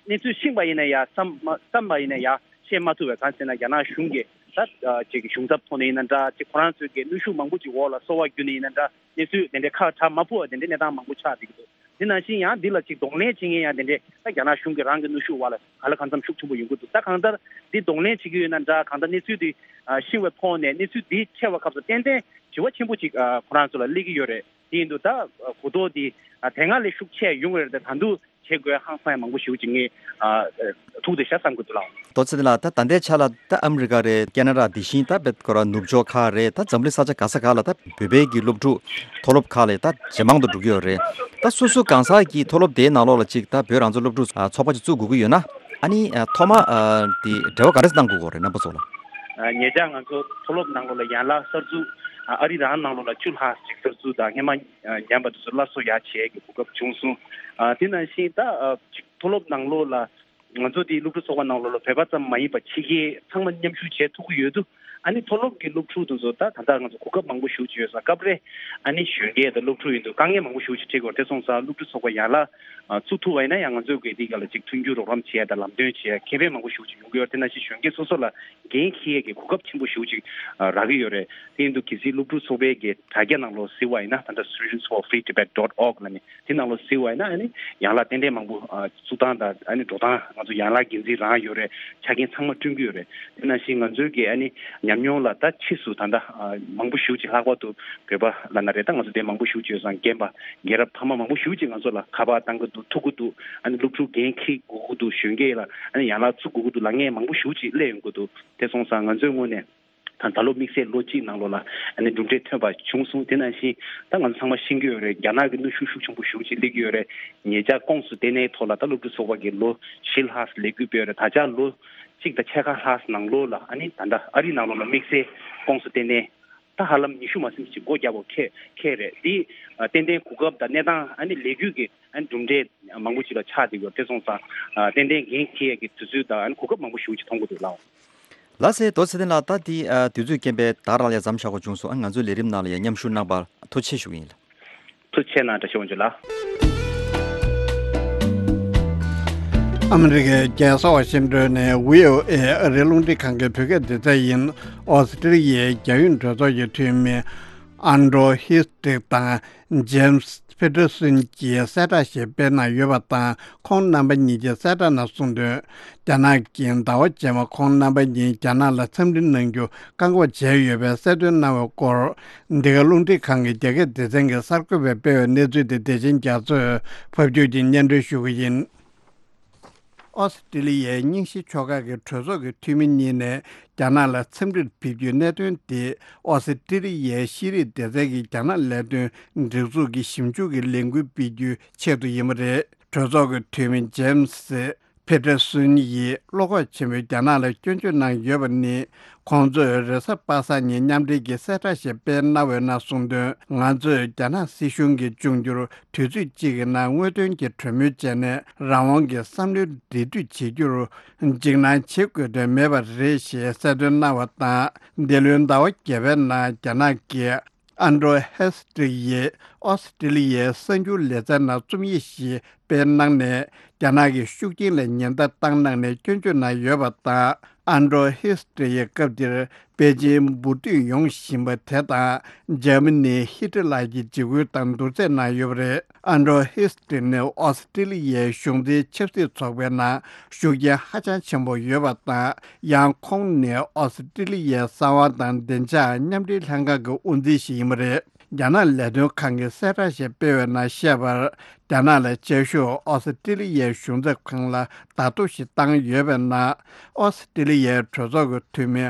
གནས་ཚུལ་ཤེས་པ་ཡིན་ན་ཡ་བསམ་མ་བསམ་པ་ཡིན་ན་ཡ་ཤེས་མ་ཐུབ་པའི། གང་ཟེར་ན་རྒྱ་ནག་གཞུང་གི་ད་ཨ་ཅིག་གི་གཞུང་ཚབ་ཐོག་ནས་ཡིན་ན་འདྲ། ཅིག་ཁོ་རང་ཚོའི་གི་གནོན་ཤུགས་མང་པོ་ཅིག་འོག་ལ་གསོ་བ་བརྒྱུད་ནས་ཡིན་ན་འདྲ། གནས་ཚུལ་དེ་འདྲའི་ཁ་གྲག་མ་ཕོག་པ་དེ་འདྲའི་གནས་སྟངས་མང་པོ་ཆགས་བསྡད་ཀྱི་འདུག་དེ་ནང་བཞིན་ཡང་འདི་ལ་ཅིག་གདོང་ལེན་བྱེད་མཁན་ཡང་དེ་འདྲའི་ད་རྒྱ་ནག་གཞུང་གི་རང་གི་གནོན་ཤུགས་འོག་ལ་གང་ལ་གང་འཚམ་ཤུགས་ཆེན་པོ་ཡོང་གི་འདུག་ད་གང་ལྟར་འདི་གདོང་ལེན་བྱེད་ཀྱི་ཡོད་ན་འདྲ། གང་ལྟར་གནས་ཚུལ་འདི་ཨ་ཤེས་པའི་ཐོག་ནས་གནས་ཚུལ་འདི་འཕྲད་པའི་སྐབས་སུ་ཏན་ཏན་དྲི་བ་ཆེན་པོ་ཅིག་ཨ་ཁོ་རང་ཚོ་ལ་སླེབས་ཀྱི་ཡོད་རེད། དེ་ཡིན་དུས་ད་གོ་རྟོགས་འདི་ཨ་དེ་སྔ་ལས་ཤུགས་ཆེ་ཡོང་གི་རེད། ད་ད་དུང་བྱེད་དགོས་ཧང་སང་ཡང་མང་པོ་ཞེ་པོ་ཅིག་ངས་ཨ་ཐུག་བསྡད་ཤག་བསམ་གྱི་འདུག་ལགས། རྡོ་རྗེ་ལགས། ད་ད་ལྟའི་ཆ་ལ་ད་ཨ་མི་རི་ཀ་རེད། ཁེ་ན་ཌ། དེ་བཞིན་ད་བེད་ཁོ་ར་ནུབ་ཕྱོགས་ཁག་རེད། ད་འཛམ་གླིང་ས་ཆ་ག་ས་ག་ལ་ད་བོད་པའི་གི་སློབ་ཕྲུག་མཐོ་སློབ་ཁག་ལ་ད་ཇེ་མང་དུ་འགྲོ་གི་ཡོད་རེད། ད་སོ་སོ་གང་ཟག་གི་མཐོ་སློབ་དེའི་ནང་ལོགས་ལ་ཅིག་ད་བོད་རང་བཙན་སློབ་ཕྲུག་ཨ་ཚོགས་པ་ཅིག་བཙུགས་དགོས་ཀྱི་ཡོད་ན། ཨ་ནི་ཨ་ཐོག་མ་ཨ་དེ་འབྲེལ་བ་ག་རེ་གནང་དགོས་ཀྱི་རེད་རྣམ་པ་ཚོ་ལ། ཨ་ཉེ་ཆར་ང་ཚོ་མཐོ་སློབ་ནང་ལོགས་ལ་ཡན་ལག་གསར་འཛུགས་ཨ་ཨ་རི་རང་ནང་ལོགས་ལ་བཅུ་ལྷག་ཅིག་གསར་འཛུགས་དང་། སྔས་མ་ཨ་ཉམས་པ་དེ་ཚོ་སླར་གསོ་ཡག་བྱེད་ཀྱི་གོ་སྐབས་བྱུང་སོང་། ཨ་དེ་ནང་བཞིན་ད་ཨ་ཅིག་མཐོ་སློབ་ནང་ལོགས་ལ་ང་ཚོ་དེའི་སློབ་ཕྲུག་ཚོགས་པ་ནང་ལོགས་ལ་བོད་པ་ཙམ་མ་ཡིན་པ་ཕྱི་རྒྱལ་ཚང་མ་མཉམ་ཞུགས་བྱེད་ཐུབ་ཀྱི་ཡོད་དུས། ཨ་ནི་མཐོ་སློབ་ཀྱི་སློབ་ཕྲུག་དེ་ཚོ་ད་ད་ལྟ་ང་ཚོ་གོ་སྐབས་མང་པོ་ཞེ་པོ་ཅིག་ཡོད་ཙང་། སྐབས་རེ་ཨ་ནི་གཞོན་སྐྱེས་དང་སློབ་ཕྲུག་ཡིན་དུས་དཀའ་ངལ་མང་པོ་ཞེ་པོ་ཅིག་འཕྲད་ཀྱི་ཡོད་རེད། དེ་སོང་ཙང་སློབ་ཕྲུག་ཚོགས་པ་ཡན་ལག་ཨ་བཙུགས་ཐུབ་པ་ཡིན་ན་ཡང་ང་ཚོས་གི་དེའི་སྒང་ལ་ཅིག་མཐུན་འགྱུར་རོགས་རམ་བྱེད་ཡ་དང་ལམ་སྟོན་བྱེད་ཡ་ཁེ་ཕན་མང་པོ་ཞེ་པོ་ཅིག་ཡོང་གི་ཡོད་རེད། དེ་ནང་བཞིན་གཞོན་སྐྱེས་སོ་སོ་ལ་འགན་འཁྱེར་ཡས་ཀྱི་གོ་སྐབས་ཆེན་པོ་ཞེ་པོ་ཅིག་ཨ་རག་གི་ཡོད་རེད། དེ་ཡིན་དུས་གལ་སྲིད་སློབ་ཕྲུག་ཚོགས་པའི་གི་དྲ་རྒྱ་ནང་ལོགས་གཟིགས་པ་ཡིན་ན། ད་ལྟ་Students for Free Tibet dot org ལབ་ནས་དེ་ནང་ལོགས་གཟིགས་པ་ཡིན་ན། ཨ་ནི་ཡན་ལག་ཏན་ཏན་མང་པོ་ཨ་བཙུགས་སྟངས་དང་། ཨ་ནི་འགྲོ་སྟངས། ང་ཚོ་ཡན་ལག་འགན་འཛིན་རང་ཡོད་རེད། ཆ་རྐྱེན་ཚང་མ་བསྐྲུན་གྱི་ཡོད་རེད། དེ་ནང་བཞིན་ང་ཚོའི་གི་ཨ་ནི་ཉམས་མྱོང་ལ་ད་ཕྱིས་སུ་ད་ལྟ་ཨ་མང་པོ་ཞེ་པོ་ཅིག་ལྷག་པར་དུ་བོད་པ་ལབ་ན་རེད། ད་ང་ཚོ་དེ་མང་པོ་ཞེ་པོ་ཅིག་ཡོད་ཙང་། རྒན་པ་རྒན་རབས་ཕ་མ་མང་པོ་ཞེ་པོ་ཅིག་ང་ཚོ་ལ་ཁ་པར་བཏང་གི་འདུག་ཐུག་གི་འདུག་ཨ་ནི་སློབ་ཕྲུག་འགན་འཁྱེར་དགོས་ཀྱི་འདུག་གཞོན་སྐྱེས་ལ་ཨ་ནི་ཡན་ལག་བཙུགས་དགོས་ཀྱི་འདུག་ལབ་མཁན་མང་པོ་ཞེ་པོ་ཅིག་སླེབས་ཡོང་གི་འདུག་དེ་སོང་ཙང་ང་ཚོའི་ངོས་ནས་ད་ད་ལོ་དམིགས་བསལ་ལོ་གཅིག་ནང་ལོགས་ལ་ཨ་ནི་གྲུབ་འབྲས་ཐོན་པ་བྱུང་སོང་། དེ་ནང་བཞིན་ད་ང་ཚོ་ཚང་མ་ཤེས་ཀྱི་ཡོད་རེད། རྒྱ་ནག་གི་གནོན་ཤུགས་ཤུགས་ཆེན་པོ་ཞེ་པོ་ཅིག་སླེབས་ཀྱི་ཡོད་རེད། ཉེ་ཆར་ཁོངས་སུ་ལྟེ་གནས་ཐོག་ལ་ད་སློབ་ཕྲུག་ཚོགས་པ་གི་ལོ་བཞི་ལྷག་ཙམ་ལས་འགུལ་སྤེལ་ཡོད་རེད། ད་ཆ་ལོ་གཅིག་དང་ཕྱེད་ཀ་ལྷག་ནང་ལོགས་ལ་ཨ་ནི་ད་ལྟ་ཨ་རི་ནང་ལོགས་ལ་དམིགས་བསལ་ཁོངས་སུ་ལྟེ་གནས་ད་ཧ་ལམ་ཉི་ཤུ་མ་ཟིན་ཅིག་སྒོ་བརྒྱབ་པ་ཁེལ་ཁེལ་རེད། འདི་ཨ་ཏན་ཏན་གོ་སྐབས་དང་གནས་སྟངས། ཨ་ནི་ལས་འགུལ་གྱི་ཨ་ནི་གྲུབ་འབྲས་མང་པོ་ཅིག་ལ་ཆགས་བསྡད་ཡོད། དེ་སོང་ཙང་ཨ་ཏན་ཏན་འགན་འཁྱེར་ཡས་ཀྱི་དུས་ཚོད་དང་། ཨ་ནི་གོ་སྐབས་མང་པོ་ཞེ་པོ་ཅིག་མཐོང་གི་འདུག་ལགས། ལགས་སེ། རྡོ་རྗེ་ཚེ་བརྟན་ལགས། ད་འདི་ཨ་དུས་ཚོད་རྐྱེན་པས་ད་རང་ལ་མཚམས་བཞག་དགོས་བྱུང་སོང་། ཨ་ང་ཚོའི་ལས་རིམ་ནང་ལ་ཡང་མཉམ་ཞུགས་གནང་བར་ཐུགས་རྗེ་ཆེ་ཞུ་གི་ཡིན། ཐུགས་རྗེ་ཆེ་གནང་། བཀྲ་ཤིས་དབང་ཕྱུག་ལགས། ཨ་མི་རི་ཀའི་རྒྱལ་ས་ཝ་ཤིང་ཏོན་ནས་བྷི་ཨོ་ཨེ་ཨ་རིའི་རླུང་འཕྲིན་ཁང་གི་བོད་སྐད་སྡེ་ཚན་ཡིན། ཨོ་སི་ཀྲི་ལི་ཡའི་རྒྱ་ཡོངས་གྲོས་ཚོགས་ཀྱི་འཐུས་མི་ཨན་ཌྲོ་ཧིས་ཏྲིག་དང་ཇེམ་སི་ཕི་ཏྲ་སུན་གྱིས་གསལ་བསྒྲགས་ཤིག་སྤེལ་གནང་ཡོད་པ་དང་། ཁོང་རྣམ་པ་གཉིས་ཀྱིས་གསལ་བསྒྲགས་ནང་གསུངས་དོན། རྒྱ་ནག་གིས་ཟླ་བ་རྗེས་མ་ཁོང་རྣམ་པ་གཉིས་རྒྱ་ནག་ལ་འཚམས་འདྲི་གནང་རྒྱུ་བཀག་འགོག་བྱས་ཡོད་པའི་གསལ་སྟོན་གནང་བའི་སྐོར། འདི་ག་རླུང་འཕྲིན་ཁང་གི་རྒྱ་སྐད་སྡེ་ཚན་གྱི་གསར་འགོད་པས་སྤེལ་བའི་གནས་ཚུལ་དེ་བདེ་ཆེན་རྒྱ་མཚོས་ཕབ་སྒྱུར་གྱིས་སྙན་སྒྲོན་ཞུ་གི་ཡིན། ཨོ་སི་ཀྲི་ལི་ཡའི་རྙིང་ཞེན་ཕྱོགས་ཁག་གི་གྲོས་ཚོགས་ཀྱི་འཐུས་མི་གཉིས་ནས་རྒྱ་ནག་ལ་འཚམས་འདྲིར་ཕེབས་རྒྱུའི་གནད་དོན་དེ། ཨོ་སི་ཀྲི་ལི་ཡའི་ཤེས་རིག་སྡེ་ཚན་གྱི་རྒྱ་ནག་ལས་དོན་སྒྲིག་འཛུགས་ཀྱི་ཞིབ་འཇུག་གི་ལས་འགུལ་སྤེལ་རྒྱུའི་ཆེད་དུ་ཡིན་པ་རེད། གྲོས་ཚོགས་ཀྱི་འཐུས་མི་ཇེམ་སི་ཕེ་ཏྲ་སུན་ཡིས་བློ་ཁོག་ཆེན་པོས་རྒྱ་ནག་ལ་སྐྱོན་བརྗོད་གནང་ཡོད་པ་ནི། ཁོང་ཚོས་རེས་གཟའ་པ་སངས་ཉིན་མཉམ་འབྲེལ་གྱི་གསལ་བསྒྲགས་ཤིག་སྤེལ་གནང་བའི་ནང་གསུངས་དོན། ང་ཚོས་རྒྱ་ནག་སྲིད་གཞུང་གིས་འབྱུང་འགྱུར་དུས་ཚོད་གཅིག་གི་ནང་དངོས་དོན་གྱི་གྲོས་མོལ་བྱས་ནས། རང་དབང་གི་བསམ་བློའི་འབྲེལ་མཐུད་བྱེད་རྒྱུར་འཇིགས་སྣང་བྱེད་དགོས་དོན་མེད་པ་རེད་ཞེས་གསལ་སྟོན་གནང་བ་དང་། འདི་ལོའི་ཟླ་བ་བརྒྱད་པའི་ནང་རྒྱ་ནག་གི་ཨན་ཌྲོ་ཧེས་ཏྲིག་ཡིས་ཨོ་སི་ཀྲི་ལི་ཡའི་གསར་འགྱུར་ལེ་ཚན་ནང་རྩོམ་ཡིག་ཞིག་སྤེལ་གནང་ནས། རྒྱ་ནག་གི་ཤུགས་རྐྱེན་ལ་ཉེན་བརྡ་བཏང་གནང་ནས་སྐྱོན་བརྗོད་གནང་ཡོད་པ་དང་། ཨན་ཌྲོ་ཧིས་ཊི་ཡི་སྐབས་འདིར་པེ་ཅིན་འབུར་དུད་ཡོང་བཞིན་པ་དེ་དང་འཇར་མ་ནི་ཧི་ཏི་ལར་གྱི་འཇིགས་སྐུལ་དང་བསྡུར་ཚད་གནང་ཡོད་པ་རེད། ཨན་ཌྲོ་ཧིས་ཊི་ནི་ཨོ་སི་ཀྲི་ལི་ཡའི་གཞུང་འཛིན་ཆབ་སྲིད་ཚོགས་པའི་ནང་ཤུགས་རྐྱེན་ཧ་ཅང་ཆེན་པོ་ཡོད་པ་དང་། ཡང་ཁོང་ནི་ཨོ་སི་ཀྲི་ལི་ཡའི་གསང་བ་དང་བདེ་འཇགས་མཉམ་འབྲེལ་ལྷན་ཁང་གི་དབུ་འཛིན་ཞིག་ཡིན་པ་རེད། རྒྱ་ནག་ལས་དོན་ཁང་གིས་གསལ་བསྒྲགས་ཤིག་སྤེལ་བའི་ནང་བཤད་པར། རྒྱ་ནག་ལ་བཅའ་བཞུགས་ཨོ་སི་ཀྲི་ལི་ཡའི་གཞུང་ཚབ་ཁང་ལ་བརྡ་ཐོ་ཞིག་བཏང་ཡོད་པའི་ནང་། ཨོ་སི་ཀྲི་ལི་ཡའི་གྲོས་ཚོགས་ཀྱི་འཐུས་མི་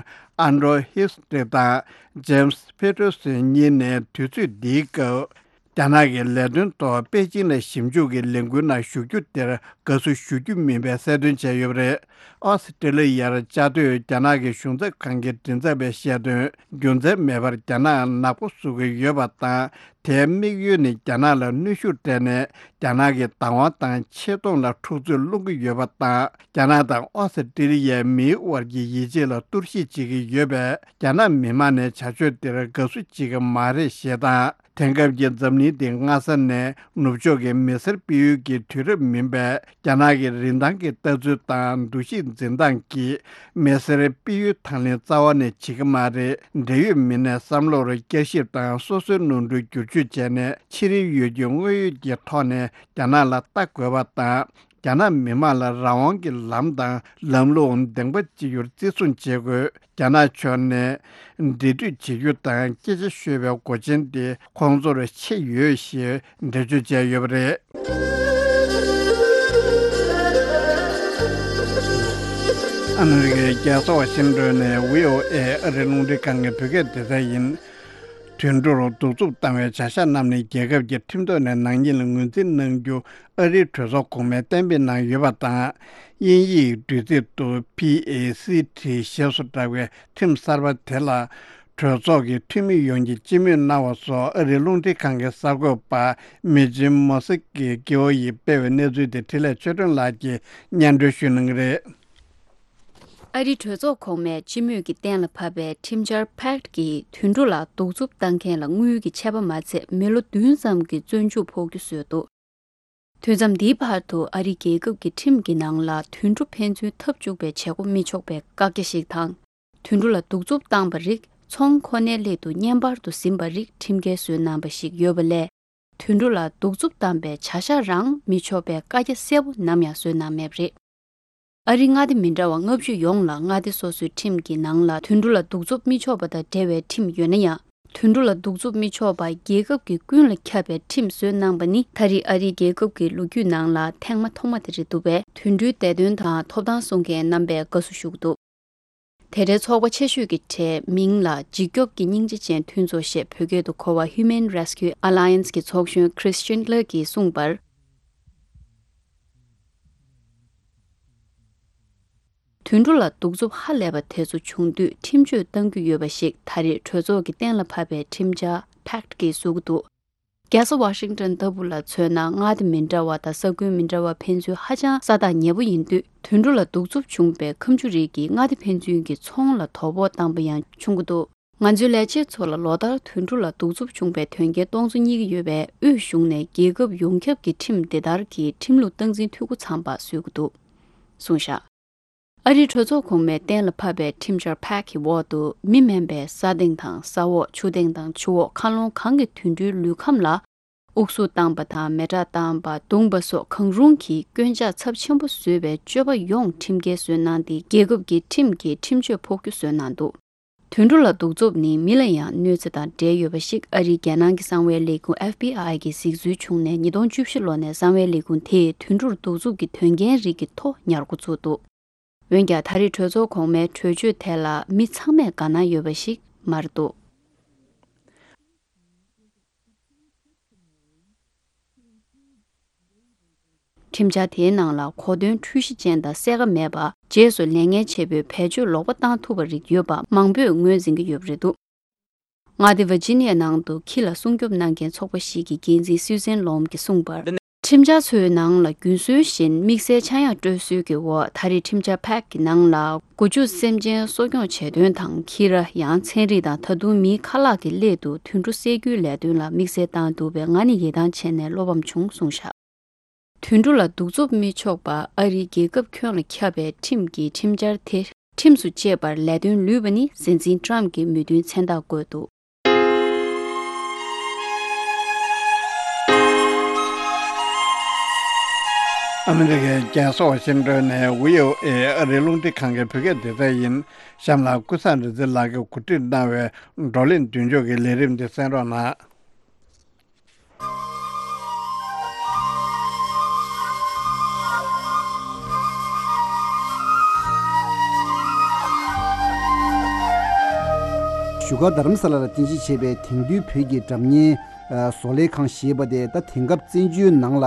ཨན་ཌྲོ་ཧིས་ཊི་དང་ཇེམ་སི་ཕེ་ཏེར་སོན་གཉིས་ནས་དུས་ཚོད་འདིའི་སྐབས། རྒྱ་ནག་གི་ལས་དོན་ཐོག་པེ་ཅིན་ལ་ཞིབ་འཇུག་གི་ལས་འགུལ་ནང་ཞུགས་རྒྱུ་དེར་དགའ་བསུ་ཞུ་རྒྱུ་མིན་པའི་གསལ་སྟོན་བྱས་ཡོད་པ་རེད། ཨོ་སི་ཀྲི་ལི་ཡར་བཅའ་སྡོད་རྒྱ་ནག་གི་གཞུང་ཚབ་ཁང་གི་མགྲིན་ཚབ་པས་བཤད་དོན། རྒྱུ་མཚན་མེད་པར་རྒྱ་ནག་ནག་པོ་བཟོ་གི་ཡོད་པ་དང་། དེའི་དམིགས་ཡུལ་ནི་རྒྱ་ནག་ལ་གནོན་ཤུགས་སྤྲད་ནས་རྒྱ་ནག་གི་བདག་དབང་དང་ཆེ་མཐོང་ལ་འཁྲུག་རྩོད་སློང་གི་ཡོད་པ་དང་། རྒྱ་ནག་དང་ཨོ་སི་ཀྲི་ལི་ཡའི་མིའི་དབར་གྱི་ཡིད་ཆེས་ལ་གཏོར་བཤིག་བྱེད་ཀྱི་ཡོད་པས། རྒྱ་ནག་མི་དམངས་ནས་བྱ་སྤྱོད་དེར་དགའ་བསུ་བྱེད་ཀྱི་མ་རེད་ཞེས་དང་། དེང་སྐབས་ཀྱི་འཛམ་གླིང་འདི་སྔ་ས་ནས་ནུབ་ཕྱོགས་ཀྱི་མི་སེར་སྤེལ་ཡུལ་གྱི་དུས་རབས་མིན་པས། རྒྱ་ནག་གི་རིན་ཐང་གི་ལྟ་ཚུལ་དང་འདུ་ཤེས་འཛིན་སྟངས་ཀྱིས་མི་སེར་སྤེལ་ཡུལ་དང་ལེན་རྩ་བ་ནས་བྱེད་ཀྱི་མ་རེད། འབྲེལ་ཡོད་མི་སྣའི་བསམ་བློར་བསྐྱར་ཞིབ་དང་སོ་སོའི་ནོར་འཁྲུལ་བསྒྱུར་བཅོས་བྱས་ནས། ཕྱི་རོལ་ཡུལ་གྱི་དངོས་ཡོད་ཀྱི་ཐོག་ནས་རྒྱ་ནག་ལ་ལྟ་དགོས་པ་དང་། རྒྱ་ནག་མི་དམངས་ལ་རང་དབང་གི་ལམ་དང་ལམ་ལུགས་བདེན་པ་ཅིག་ཡོད་བརྩི་སྲུང་བྱེད་དགོས། རྒྱ་ནག་ཕྱོགས་ནས་འབྲེལ་མཐུད་བྱེད་རྒྱུ་དང་སྐད་ཆ་ཤོད་པའི་སྒོ་ཆེན་དེ་ཁོང་ཚོར་ཆེ་ཡོད་ཞེས་འགྲེལ་བརྗོད་བྱས་ཡོད་པ་རེད། ཨ་མི་རི་ཀའི་རྒྱལ་ས་ཝ་ཤིང་ཏོན་ནས་བྷི་ཨོ་ཨེ་ཨ་རིའི་རླུང་འཕྲིན་ཁང་གི་བོད་སྐད་སྡེ་ཚན་ཡིན། དུད་འགྲོར་གདུག་རྩུབ་བཏང་བའི་བྱ་གཞག་རྣམས་ནི་རྒྱལ་ཁབ་ཀྱི་ཁྲིམས་ཐོག་ནས་ནང་འགན་ལ་ངོས་འཛིན་གནང་རྒྱུ་ཨ་རིའི་གྲོས་ཚོགས་གོང་མས་གཏན་འབེབས་གནང་ཡོད་པ་དང་། དབྱིན་ཡིག་འབྲི་ཚིག་ཏུ་ཕི་ཨེ་སི་ཊི་ཞེས་སུ་གྲགས་པའི་ཁྲིམས་གསར་པ་དེ་ལ། གྲོས་ཚོགས་ཀྱི་འཐུས་མི་ཡོངས་ཀྱིས་སྤྱི་མོས་གནང་བ་སོགས་ཨ་རིའི་རླུང་འཕྲིན་ཁང་གི་གསར་འགོད་པ་མི་ཇིམ་མོ་སི་ཀི་ཀི་ཨོ་ཡིས་སྤེལ་བའི་གནས་ཚུལ་དེ་འཕྲིན་ལས་ཆོས་སྒྲོན་ལགས་ཀྱིས་སྙན་སྒྲོན་ཞུ་གནང་གི་རེད། ཨ་རིའི་གྲོས་ཚོགས་གོང་མས་སྤྱི་མོས་ཀྱིས་གཏན་ལ་ཕབ་པའི་ཁྲིམས་འཆར་ཕེག་ཊི་གིས་དུད་འགྲོ་ལ་གདུག་རྩུབ་བཏང་མཁན་ལ་དངུལ་གྱི་ཆད་པ་མ་ཚད་མི་ལོ་བདུན་ཙམ་གྱི་བཙོན་འཇུག་ཕོག་རྒྱུ་བཟོས་འདུག་དུས་མཚམས་འདིའི་བར་དུ་ཨ་རིའི་རྒྱལ་ཁབ་ཀྱི་ཁྲིམས་ཀྱི་ནང་ལ་དུད་འགྲོ་ཕན་ཚུན་འཐབ་བཅུག་པའི་བྱེད་སྒོ་མི་ཆོག་པའི་བཀག་རྒྱ་ཞིག་དང་། དུད་འགྲོ་ལ་གདུག་རྩུབ་བཏང་པ་རིགས་ཚོང་ཁོ་ནའི་སླད་དུ་བརྙན་པར་དུ་ཟིན་པ་རིགས་ཁྲིམས་འགལ་བཟོས་གནང་པ་ཞིག་ཡོད་པ་ལས། དུད་འགྲོ་ལ་གདུག་རྩུབ་བཏང་པའི་བྱ་གཞག་རང་མི་ཆོག་པའི་བཀའ་རྒྱ་གསལ་པོ་ནམ་ཡང་བཟོས་གནང་མེད་པ་རེད། ཨ་རིའི་མངའ་སྡེ་མི་འདྲ་བ་ལྔ་བཅུ་ཡོངས་ལ་མངའ་སྡེ་སོ་སོའི་ཁྲིམས་ཀྱི་ནང་ལ་དུད་འགྲོ་ལ་གདུག་རྩུབ་མི་ཆོག་པ་དང་འབྲེལ་བའི་ཁྲིམས་ཡོད་ན་ཡང་། དུད་འགྲོ་ལ་གདུག་རྩུབ་མི་ཆོག་པ་རྒྱལ་ཁབ་ཀྱིས་ཀུན་ལ་ཁྱབ་པའི་ཁྲིམས་བཟོས་གནང་པ་ནི་ད་རེས་ཨ་རིའི་རྒྱལ་ཁབ་ཀྱི་ལོ་རྒྱུས་ནང་ལ་ཐེངས་མ་ཐོག་མ་དེ་རེད་འདུག་པས། དུད་འགྲོའི་བདེ་དོན་དང་ཐོབ་ཐང་སྲུང་མཁན་རྣམ་པས་དགའ་བསུ་ཞུ་གི་འདུག་དེ་འདྲའི་ཚོགས་པ་ཆེ་ཤོས་ཀྱི་གྲས་མིང་ལ་འཇིགས་སྐྱོབ་ཀྱི་སྙིང་རྗེ་ཅན་མཐུན་ཚོགས་ཞེས་བོད་སྐད་དུ་གོ་བ་Human Rescue Alliance གི་ཚོགས་གཞོན་Christian Lee གྱིས་གསུངས་པར། དུད་འགྲོ་ལ་གདུག་རྩུབ་ཧ་ལས་པ་དེ་ཚོ་བྱུང་དུས་ཁྲིམས་གཅོད་གཏང་རྒྱུ་ཡོད་པ་ཞིག་ད་རེས་གྲོས་ཚོགས་ཀྱིས་གཏན་ལ་ཕབ་པའི་ཁྲིམས་འཆར་ཕེག་ཊི་གིས་བཟོ་གི་འདུག་རྒྱལ་ས་ཝ་ཤིང་ཏོན་ལྟ་བུ་ལ་མཚོན་ན། མངའ་སྡེ་མི་འདྲ་བ་དང་ས་ཁུལ་མི་འདྲ་བ་ཕན་ཚུན་ཧ་ཅང་ས་ཐག་ཉེ་པོ་ཡིན་དུས། དུད་འགྲོ་ལ་གདུག་རྩུབ་བྱུང་པའི་ཁ་མཆུ་རིགས་ཀྱིས་མངའ་སྡེ་ཕན་ཚུན་གྱི་ཚོང་ལ་དོ་ཕོག་བཏང་པ་ཡང་བྱུང་གི་འདུག་ང་ཚོའི་ལས་བྱེད་ཚོ་ལ་ལོ་ལྟར་དུད་འགྲོ་ལ་གདུག་རྩུབ་བྱུང་པའི་དོན་རྐྱེན་སྟོང་ཚོ་རྙེད་ཀྱི་ཡོད་པས། དབུས་གཞུང་ནས་རྒྱལ་ཁབ་ཡོངས་ཁྱབ་ཀྱི་ཁྲིམས་འདི་ལྟར་གྱི་ཁྲིམས་ལུགས་སྟངས་འཛིན་འཐུས་སྒོ་ཚང་པ་བཟོ་གི་འདུག་གསུངས་བཞག་ཨ་རིའི་གྲོས་ཚོགས་གོང་མས་གཏན་ལ་ཕབ་པའི་ཁྲིམས་འཆར་ཕེག་ཊི་གི་འོག་ཏུ། མི་དམན་པའི་ས་སྟེང་དང་ས་འོག་ཆུ་སྟེང་དང་ཆུ་འོག་མཁའ་ཀློང་གང་གི་དུད་འགྲོའི་ལུས་ཁམས་ལ་དབུགས་སུ་བཏང་པ་དང་། མེ་སྲེག་བཏང་པ། བརྡུངས་པ་སོགས་གང་རུང་གི་སྐྱོན་ཆ་ཚབས་ཆེན་པོ་བཟོས་པའི་སྤྱོད་པ་ཡོངས་ཁྲིམས་འགལ་བཟོས་གནང་སྟེ། རྒྱལ་ཁབ་ཀྱི་ཁྲིམས་ཀྱི་ཁྲིམས་གཅོད་ཕོག་རྒྱུ་བཟོས་གནང་འདུག་དུད་འགྲོ་ལ་གདུག་རྩུབ་ནི་མི་ལ་ཡང་གནོད་འཚེ་དང་འབྲེལ་ཡོད་པ་ཞིག་ཨ་རིའི་རྒྱལ་ནང་གི་གསང་བའི་ལས་ཁུངས་ཨེཕ་བི་ཨའི་གིས་གཟིགས་ཚུལ་བྱུང་ནས། ཉིས་སྟོང་བཅུ་བཞི་ལོ་ནས་གསང་བའི་ལས་ཁུངས་དེས་དུད་འགྲོར་གདུག་རྩུབ་ཀྱི་དོན་རྐྱེན་རིགས་ཀྱི་ཐོ་ཉར་འགོ་བཙུགས་འདུག་འོན་ཀྱང་། ད་རེས་གྲོས་ཚོགས་གོང་མའི་གྲོས་ཆོད་དེ་ལ་མི་ཚང་མས་དགའ་སྣང་ཡོད་པ་ཞིག་མ་རེད་འདུག་ཁྲིམས་འཆར་དེའི་ནང་ལ་གོ་དོན་འཁྲུལ་གཞི་ཅན་དང་གསལ་ཁ་མེད་པ། རྗེས་སུ་ལས་ངན་བྱེད་པོས་བེད་སྤྱོད་ལོག་པ་བཏང་ཐུབ་པ་རིགས་ཡོད་པ་མང་པོས་ངོས་འཛིན་གྱི་ཡོད་པ་རེད་འདུག་མངའ་སྡེ་ཝར་ཇི་ནི་ཡ་ནང་དུ་ཁྱི་ལ་སྲུང་སྐྱོབ་གནང་མཁན་ཚོགས་པ་ཞིག་གི་འགན་འཛིན་སུའུ་ཛན་ལོམ་གྱིས་གསུངས་པར། ཁྲིམས་འཆར་ཚོའི་ནང་ལ་རྒྱུན་སྲོལ་བཞིན་དམིགས་བསལ་ཆག་ཡང་སྤྲོད་སྲོལ་གྱི་འོག་ད་རེས་ཁྲིམས་འཆར་ཕེག་ཊི་གི་ནང་ལ་སྒོ་ཕྱུགས་སེམས་ཅན་གསོ་སྐྱོང་བྱེད་དོན་དང་། ཁྱི་ར་ཡང་ཚན་རིག་དང་། ད་དུང་མིའི་ཁ་ལག་གི་སླད་དུ་དུད་འགྲོ་བསད་རྒྱུའི་ལས་དོན་ལ་དམིགས་བསལ་བཏང་འདུག་པས། ང་ནི་ཡིད་ཐང་ཆད་ནས་བློ་ཕམ་བྱུང་གསུངས་བཞག་དུད་འགྲོ་ལ་གདུག་རྩུབ་མི་ཆོག་པ་ཨ་རིའི་རྒྱལ་ཁབ་ཁྱོན་ལ་ཁྱབ་པའི་ཁྲིམས་ཀྱི་ཁྲིམས་འཆར་དེ། ཁྲིམས་སུ་བཅད་པར་ལས་དོན་ལུས་པ་ནི་སྲིད་འཛིན་ཊམ་གྱི་མོས་མཐུན་མཚན་རྟགས་བཀོད་འདུག། ཨ་མི་རི་ཀའི་རྒྱལ་ས་ཝ་ཤིང་ཏོན་ནས་བྷི་ཨོ་ཨེ་ཨ་རིའི་རླུང་འཕྲིན་ཁང་གི་བོད་སྐད་སྡེ་ཚན་ཡིན། གཤམ་ལ་ཀུན་བཟང་རིག་འཛིན་ལགས་ཀྱིས་གོ་སྒྲིག་གནང་བའི་བགྲོ་གླེང་མདུན་ལྕོག་གི་ལས་རིམ་འདི་གསན་རོགས་གནང་། བཞུགས་སྒར་རྡ་རམ་ས་ལ་ལ་རྟེན་གཞི་བྱས་པའི་དེང་དུས་བོད་ཀྱི་སྒྲ་བརྙན་བཟོ་ལས་ཁང་ཞེས་པ་དེ་ད་དེང་སྐབས་བཙན་བྱོལ་ནང་ལ་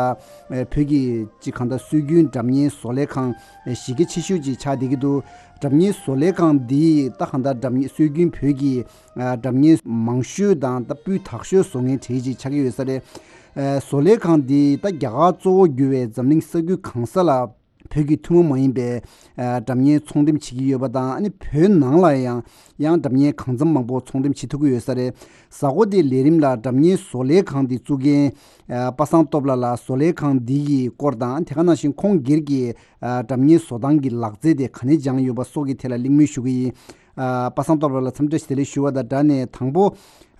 བོད་ཀྱི་ཅིག་གང་ལྟར་སྲོལ་རྒྱུན་སྒྲ་བརྙན་བཟོ་ལས་ཁང་གཞི་རྒྱ་ཆེ་ཤོས་ཅིག་ཆགས་བསྡད་ཀྱི་འདུག། སྒྲ་བརྙན་བཟོ་ལས་ཁང་འདིས་ད་གང་ལྟར་སྒྲ་བརྙན་སྲོལ་རྒྱུན་བོད་ཀྱི་ཨ་སྒྲ་བརྙན་མང་ཤོས་དང་ད་སྤུས་དག་ཤོས་བཟོ་མཁན་གྲས་ཅིག་ཆགས་ཀྱི་ཡོད་ས་རེད། ཨ་བཟོ་ལས་ཁང་འདི་ད་རྒྱ་གར་གཙོ་བོ་གྱུར་བའི་འཛམ་གླིང་ས་ཁུལ་གང་ས་ལ་བོད་ཀྱི་ཐུན་མོང་མ་ཡིན་པའི་ཨ་སྒྲ་བརྙན་ཚོང་འགྲེམས་བྱེད་ཀྱི་ཡོད་པ་དང་། ཨ་ནི་བོད་ནང་ལ་ཡང་ཡང་སྒྲ་བརྙན་གང་འཚམ་མང་པོ་ཚོང་འགྲེམས་བྱེད་ཐུབ་ཀྱི་ཡོད་ས་རེད། གཟའ་འཁོར་འདིའི་ལས་རིམ་ལ་སྒྲ་བརྙན་བཟོ་ལས་ཁང་འདི་བཙུགས་མཁན་ཨ་པ་སངས་སྟོབས་ལགས་ལ་བཟོ་ལས་ཁང་འདི་ཡི་སྐོར་དང་། དེ་ག་ནང་བཞིན་ཁོང་སྒེར་གྱི་ཨ་སྒྲ་བརྙན་བཟོ་སྟངས་ཀྱི་ལག་རྩལ་དེ་ག་ནས་སྦྱངས་ཡོད་པ་སོགས་ཀྱི་ཐད་ལ་གླེང་མོལ་ཞུ་གི་ཡིན། ཨ་པ་སངས་སྟོབས་ལགས་ལ་འཚམས་འདྲི་བདེ་ལེགས་ཞུ་བ་དང་སྦྲགས་ནས། དང་པོ་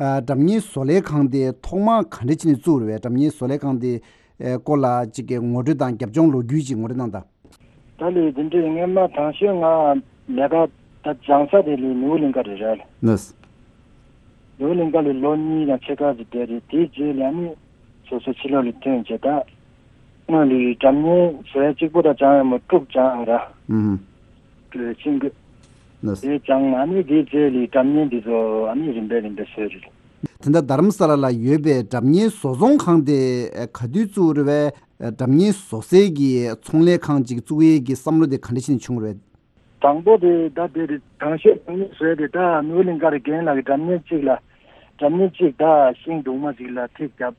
ཨ་སྒྲ་བརྙན་བཟོ་ལས་ཁང་དེ་ཐོག་མར་ག་འདྲ་བྱས་ནས་བཙུགས་རེད་པས། སྒྲ་བརྙན་བཟོ་ལས་ཁང་དེ་ཨ་སྐོར་ལ་ཅིག་གི་ངོ་སྤྲོད་དང་རྒྱབ་ལྗོངས་ལོ་རྒྱུས་ཅིག་ངོ་སྤྲོད་གནང་དང་། ད་ལས་དེ་འདྲའི་སྔོན་མ་དང་ཤོས་ང་ལས་ཀ་ད་སྦྱང་ས་དེ་ལས་ནིའུ་གླིང་ག་རེད་ར། ལགས། ནིའུ་གླིང་ག་ལས་ལོ་གཉིས་དང་ཕྱེད་ཀ་ཅིག་བསྡད་རེད། དེའི་རྗེས་ལ་ནི་སོ་སོ་ཕྱི་ལོགས་ལ་ཐོན་བྱས། ད་སྔོན་ལ་སྒྲ་བརྙན་བཟོ་ཡ་གཅིག་པོ་ད་སྦྱང་ཡ་མ་དྲུག་སྦྱང་ཡ་ར། ཨུམ། ཤིང་གི་ལགས། དེ་སྦྱང་ཨ་ནི་དེའི་རྗེས་ལ་སྒྲ་བརྙན་འདི་ཚོ་ཨ་ནི་རིམ་པས་རིམ་པས་བཟོས་རེད། དེ་འདྲ་རྡ་རམ་ས་ལ་ལ་ཡོད་པའི་སྒྲ་བརྙན་བཟོ་ཚོང་ཁང་དེ་ག་དུས་བཙུགས་རེད་པས། སྒྲ་བརྙན་བཟོ་སའི་གི་ཚོང་ལས་ཁང་ཅིག་བཙུགས་ཡས་ཀྱི་བསམ་བློ་དེ་ག་འདྲ་ཞིག་ནས་བྱུང་རེད། དང་པོ་དེ་ད་དེ་རེད། དང་ཤོས་སྒྲ་བརྙན་བཟོས་དེ་ད་ནིའུ་གླིང་ག་རེ་རྒན་ལགས་ཀྱི་སྒྲ་བརྙན་གཅིག་ལ་སྒྲ་བརྙན་གཅིག་ད་ཤིང་སྦྲུལ་མ་ཅིག་ལ་ཐིག་བརྒྱབ་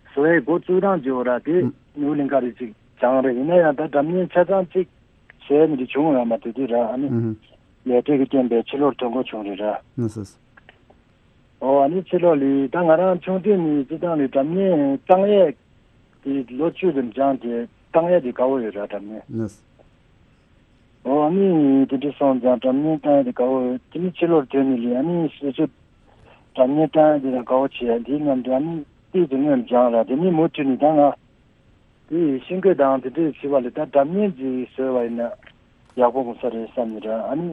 བཟོ་ཡས་འགོ་བཙུགས་སྟངས་བྱས་པ་ར། དེ་ཨུམ། ནིའུ་གླིང་ག་རེ་ཅིག་སྦྱངས་རེད། ཡིན་ན་ཡང་ད་སྒྲ་བརྙན་ཆ་ཚང་གཅིག་བཟོས་ནས་དེ་བྱུང་ཡོད་མ་རེད། དེ་དུས་ར་ཨ་ནི་ཨུམ། ལས་བྲེལ་གྱི་རྐྱེན་པས་ཕྱི་ལོགས་ཐོན་དགོས་བྱུང་རེད་ར། ལགས་སོ། ཨོ་ཨ་ནི་ཕྱི་ལོགས་ལ་ད་ང་རང་ཆུང་དུས་ནས་སྤྱིར་བཏང་ལ་སྒྲ་བརྙན་བཏང་ཡས་དེ་ལོ་བཅུ་ཙམ་སྦྱངས་ཏེ་བཏང་ཡས་དེ་དགའ་བོ་ཡོད་ར། སྒྲ་བརྙན། ལགས། ཨོ་ཨ་ནི་དེ་འདྲ་སོང་ཙང་སྒྲ་བརྙན་བཏང་ཡས་དེ་དགའ་བོ་ཡོད། དེ་ནི་ཕྱི་ལོགས་ཐོན་ནས་ལ་ཨ་ནི་སོ་སོ་སྒྲ་བརྙན་བཏང་ཡས་དེ་ལ་དགའ་བོ་བྱེད་ཡ་དེའི་མཉམ་དུ་ཨ་ནི་ཏིག་ཙམ་སྔོན་སྦྱངས་ར། དེ་ནི་མུ་མཐུད་ནས་ད་ང་དེ་ཤིང་བརྐོས་དང་དེ་འདྲས་བྱེད་པ་ལས་ད་སྒྲ་བརྙན་ཅིག་བཟོས་པ་ཡིན་ན་ཡག་པོ་འོང་ས་རེད་བསམ་ནས་ར། ཨ་ནི་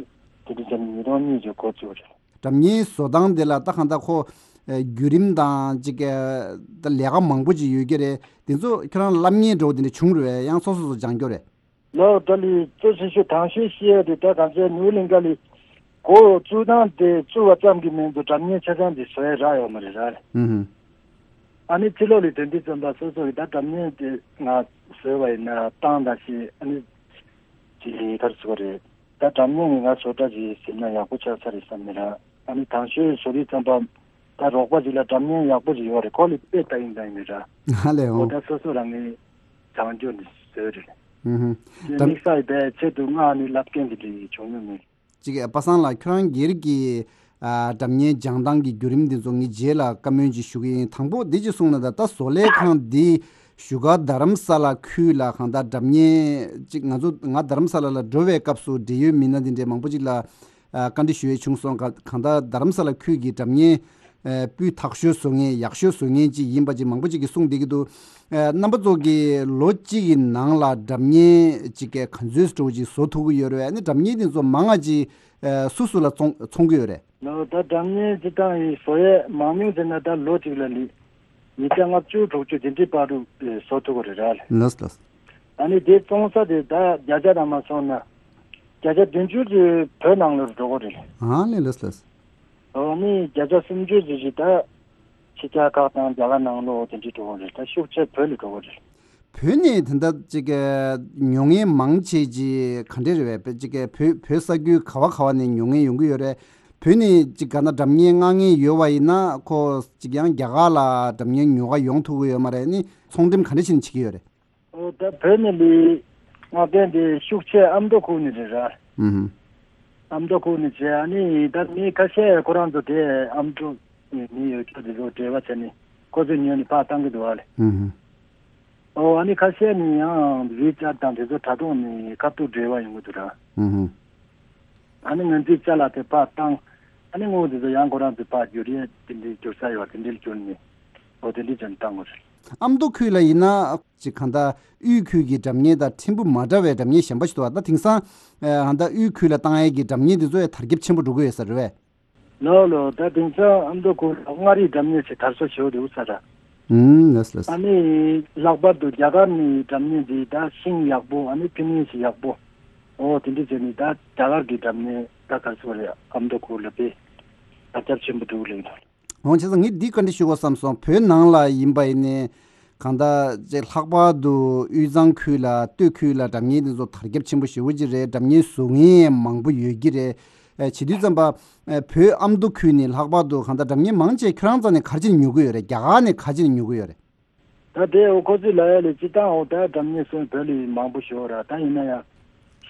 དེ་འདྲ་བྱས་ནས་ཉིས་སྟོང་གཉིས་ཀྱི་འགོ་བཙུགས་རེད། སྒྲ་བརྙན་བཟོ་སྟངས་དེ་ལ་ད་གང་ལྟར་ཁོ་ཨ་བརྒྱུད་རིམ་དང་ཅིག་ཨ་ད་ལས་ཀ་མང་པོ་ཅིག་ཡོད་ཀྱི་རེད། དེ་ཚོ་ཁྱོད་རང་བསླབ་མཁན་འདྲ་བོ་དེ་འདྲ་བྱུང་རེད་པས། ཡང་སོ་སོ་སོ་སྦྱངས་རྒྱུ་རེད། ལོ་ད་ལི་གཙོ་ཆེ་ཤོས་དང་ཤོས་བཤད་ཡ་དེ་ད་གང་ཚེ་ནིའུ་གླིང་ག་ལི་འགོ་བཙུགས་སྟངས་དེ་བཙུགས་པ་ཙམ་གྱིས་མིན་འདུག། སྒྲ་བརྙན་ཆ་ཚང་དེ་བཟོ་ཡ་རག་ཡོད་མ་རེད་ར། ཨུ་ཧུ། ཨ་ནི་ཕྱི་ལོགས་ལ་དོན་དུ་བརྩམས་པ་སོ་སོ་གི་ད་སྒྲ་བརྙན་དེ་ང་བཟོས་པ་ཡིན་ན་བཏང་ད་ཞེས་ཨ་ནི་ཅི་གར་ཚུགས་པ་རེད། ད་སྒྲ་བརྙན་ངས་ང་བཟོ་གྲྭ་ཅིག་ཟིན་ན་ཡག་པོ་ཆགས་ས་རེད་བསམ་ནས་ར། ཨ་ནི་དང་ཤོས་བཟོ་དུས་ཙམ་པ་ད་རོགས་པ་ཅིག་ལ་སྒྲ་བརྙན་ཡག་པོ་ཅིག་ཡོད་རེད། ཁོ་ལ་དཔེ་ལྟ་ཡིན་ལྟ་ཡིན་ར། ཧ་ལས་འོ། ད་སོ་སོ་རང་ངས་བྱང་ཆུབ་ནས་བཟོས་རེད། ཨུ་ཧུ། དེ་དམིགས་བསལ་པའི་ཆེད་དུ་ང་ནི་བསླབ་མཁན་དེ་འདྲ་ཡི་བྱུང་མྱོང་མེད། ཅིག་པ་སངས་ལགས་ཁྱོད་རང་སྒེར་གྱི་ཨ་སྒྲ་བརྙན་སྦྱང་སྟངས་ཀྱི་བརྒྱུད་རིམ་འདི་ཚོ་ངས་རྗེས་ལ་བཀའ་མོལ་ཅིག་ཞུ་གི་ཡིན། དང་པོ་འདི་ཅིག་གསུངས་ན། ད་ད་བཟོ་ལས་ཁང་འདི་བཞུགས་སྒར་རྡ་རམ་ས་ལ་ཁུལ་ལ་གང་ལྟར་སྒྲ་བརྙན་ཅིག་ང་ཚོ་ང་རྡ་རམ་ས་ལ་ལ་འགྲོ་བའི་སྐབས་སུ་འབྲེལ་ཡོད་མི་སྣ་འདི་འདྲའི་མང་པོ་ཅིག་ལ་ཨ་བཀའ་འདྲི་ཞུ་ཡས་བྱུང་སོང་། ག་གང་ལྟར་རྡ་རམ་ས་ལ་ཁུལ་གྱི་སྒྲ་བརྙན་ཨ་སྤུས་དག་ཤོས་བཟོ་མཁན་ཡག་ཤོས་བཟོ་མཁན་ཅིག་ཡིན་པ་ཅིག་མང་པོ་ཅིག་གིས་གསུངས་བསྡད་ཀྱི་འདུག། ཨ་རྣམ་པ་ཚོ་གིས་ལོ་གཅིག་གི་ནང་ལ་སྒྲ་བརྙན་ཅིག་ག་ཚོད་འདྲ་བོ་ཅིག་བཟོ་ཐུབ་ཀྱི་ཡོད་རེད། ཨ་ནི་སྒྲ་བརྙན་དེ་ཚོ་མང་ང་ཅིག་ཨ་སུ་སུ་ལ་བཙོང་བཙོང་གི་ཡོད་རེད། ལོ་ད་སྒྲ་བརྙན་སྤྱིར་བཏང་ཡིན་བཟོ་ཡས་མང་ཉུང་ཟེར་ན་ད་ལོ་གཅིག་ལ་ལི་ཉིས་བརྒྱ་ལྔ་བཅུ་དྲུག་ཅུ་དེ་འདྲའི་བར་དུ་བཟོ་ཐུབ་ཀྱི་རེད་ར། ལགས་ལགས། ཨ་ནི་དེ་བཙོང་ས་དེ་ད་བརྒྱ་ཆ་རང་མ་སོང་ན་བརྒྱ་ཆ་བདུན་ཅུ་ཙམ་བོད་ནང་ལོགས་འགྲོ་གི་རེད། ཨ་ལས་ལགས་ལགས། ཨོ་ནི་བརྒྱ་ཆ་སུམ་ཅུ་ཙམ་ཞིག་ད་ཕྱི་རྒྱལ་ཁག་དང་རྒྱ་གར་ནང་ལོགས་དེ་འདྲའི་འགྲོ་གི་རེད། ད་ཤུགས་ཆེ་བོད་ལ་འགྲོ་གི་རེད། བོད་ནས་དེ་འདྲ་ཅིག་གི་ཉོ་མཁན་མང་ཆེ་ཅིག་ག་འདྲས་རེད་པས། ཅིག་གི་བོད་བོད་ས་ཁུལ་ག་བ་ག་བ་ནས་ཉོ་མཁན་ཡོང་གི་ཡོད་རེད། བོད་ནས་ཅིག་ག་ན་སྒྲ་བརྙན་མངགས་མཁན་ཡོད་པ་ཡིན་ན་ཁོ་ཅིག་ཡང་རྒྱ་གར་ལ་སྒྲ་བརྙན་ཉོ་ག་ཡོང་ཐུབ་ཀྱི་ཡོད་མ་རེད། ནི་ཚོང་འགྲེམས་ག་འདྲ་ཞིག་བྱེད་ཀྱི་ཡོད་རེད། ཨོ་ད་བོད་ནས་ལི་མངགས་མཁན་དེ་ཤུགས་ཆེ་ཨ་མདོ་ཁུལ་ནས་རེད་ར། ཨུ་ཧུ། ཨ་མདོ་ཁུལ་ནས་བྱས། ཨ་ནི་ད་མི་ཁ་ཤས་ཁོ་རང་ཚོ་དེ་ཨ་མདོ་ནས་ཡོད་ཁྱོད་དེ་ཚོ་འབྲེལ་བ་བྱས་ནས་ཁོ་ཚོས་ཉོས་ནས་ཕར་བཏང་གི་འདུག་བ་ལེ། ཨུ་ཧུ། ཨོ་ཨ་ནི་ཁ་ཤས་ནི་ཡང་ཝི་ཅེཊ་དང་དེ་ཚོ་དྲ་ཐོག་ནས་ཁ་ཐུག་འབྲེལ་བ་ཡོང་གི་འདུག་ར། ཨུ་ཧུ། ཨ་ནི་ངོས་འཛིན་ཅ་ལག་དེ་ཕར་བཏང་། ཨ་ནི་དངུལ་དེ་ཚོ་ཡང་ཁོ་རང་ཚོས་ཕར་བསྒྱུར་ཡས་དེ་འདྲའི་བསྒྱུར་ས་ཡོད་པ་དེ་འདྲའི་བསྒྱུར་ནས། འོ་དེ་འདྲའི་བྱས་ནས་བཏང་དགོས་རེད། ཨ་མདོ་ཁུལ་ལ་ཡིན་ན་ཅིག་གང་ལྟར་དབུས་ཁུལ་གྱི་སྒྲ་སྙན་དང་ཕྲན་བུ་མ་འདྲ་བའི་སྒྲ་སྙན་གཞན་པ་ཞིག་འདུག་བ། ད་དེང་སང་ཨ་ད་དབུས་ཁུལ་ལ་བཏང་ཡས་ཀྱི་སྒྲ་སྙན་དེ་ཚོ་ཡང་དར་ཁྱབ་ཆེན་པོ་འགྲོ་གི་ཡོད་ས་རེད་པས། ལགས་ལགས། ད་དེང་སང་ཨ་མདོ་ཁུལ་ལ་མངའ་རིས་སྒྲ་སྙན་ཞེས་དར་སོ་ཞེ་པོ་འདུག་ས་ར། ཨུམ་ལགས་ལགས། ཨ་ནི་ལྷག་པར་དུ་རྒྱ་གར་ནས་སྒྲ་སྙན་འདི་ད་ཤིང་ཡག་པོ། ཨ་ནི་ཕི་ནིང་ཡག་པོ། འོ་དེ་འདྲ་བྱས་ནས་ད་རྒྱ་གར་གྱི་སྒྲ་སྙན་ད་ག་ཚོད་རེད། ཨ་མདོ་ཁུལ་ལ་དཔེ་དར་ཁྱབ་ཆེན་པོ་འདུག་ལབ་ཀྱི་འདུག། འོ་བྱས་ཙང་ངས་འདི་བཀའ་འདྲི་ཞུ་དགོས་བསམ་སོང་། བོད་ནང་ལ་ཡིན་པ་ཡིན་ནའི་གང་ལྟར་ཅིག་ལྷག་པར་དུ་དབུས་གཙང་ཁུལ་ལ་སྟོད་ཁུལ་ལ་སྒྲ་སྙན་འདི་ཚོ་དར་ཁྱབ་ཆེན་པོ་ཞེ་པོ་ཅིག་རེད། སྒྲ་སྙན་བཟོ་མཁན་མང་པོ་ཡོད་ཀྱི་རེད། ཨ་བྱེད་དུས་ཙམ་པ་ཨ་བོད་ཨ་མདོ་ཁུལ་ནས་ལྷག་པར་དུ་གང་ལྟར་སྒྲ་སྙན་མང་ཆེ་ཁྱོད་རང་རྩ་ནས་ག་རེ་བྱས་ནས་ཉོ་གི་ཡོད་རེད། རྒྱ་གར་ནས་ག་རེ་བྱས་ནས་ཉོ་གི་ཡོད་རེད། ད་དེ་འོ་ཁོ་ཚོས་ལབ་ཡ་ལས་སྤྱིར་བཏང་འོ་ད་སྒྲ་སྙན་བཟོ་མཁན་བོད་ལ་མང་པོ་ཞིག་ཡོད་ར། ད་ཡིན་ན་ཡང་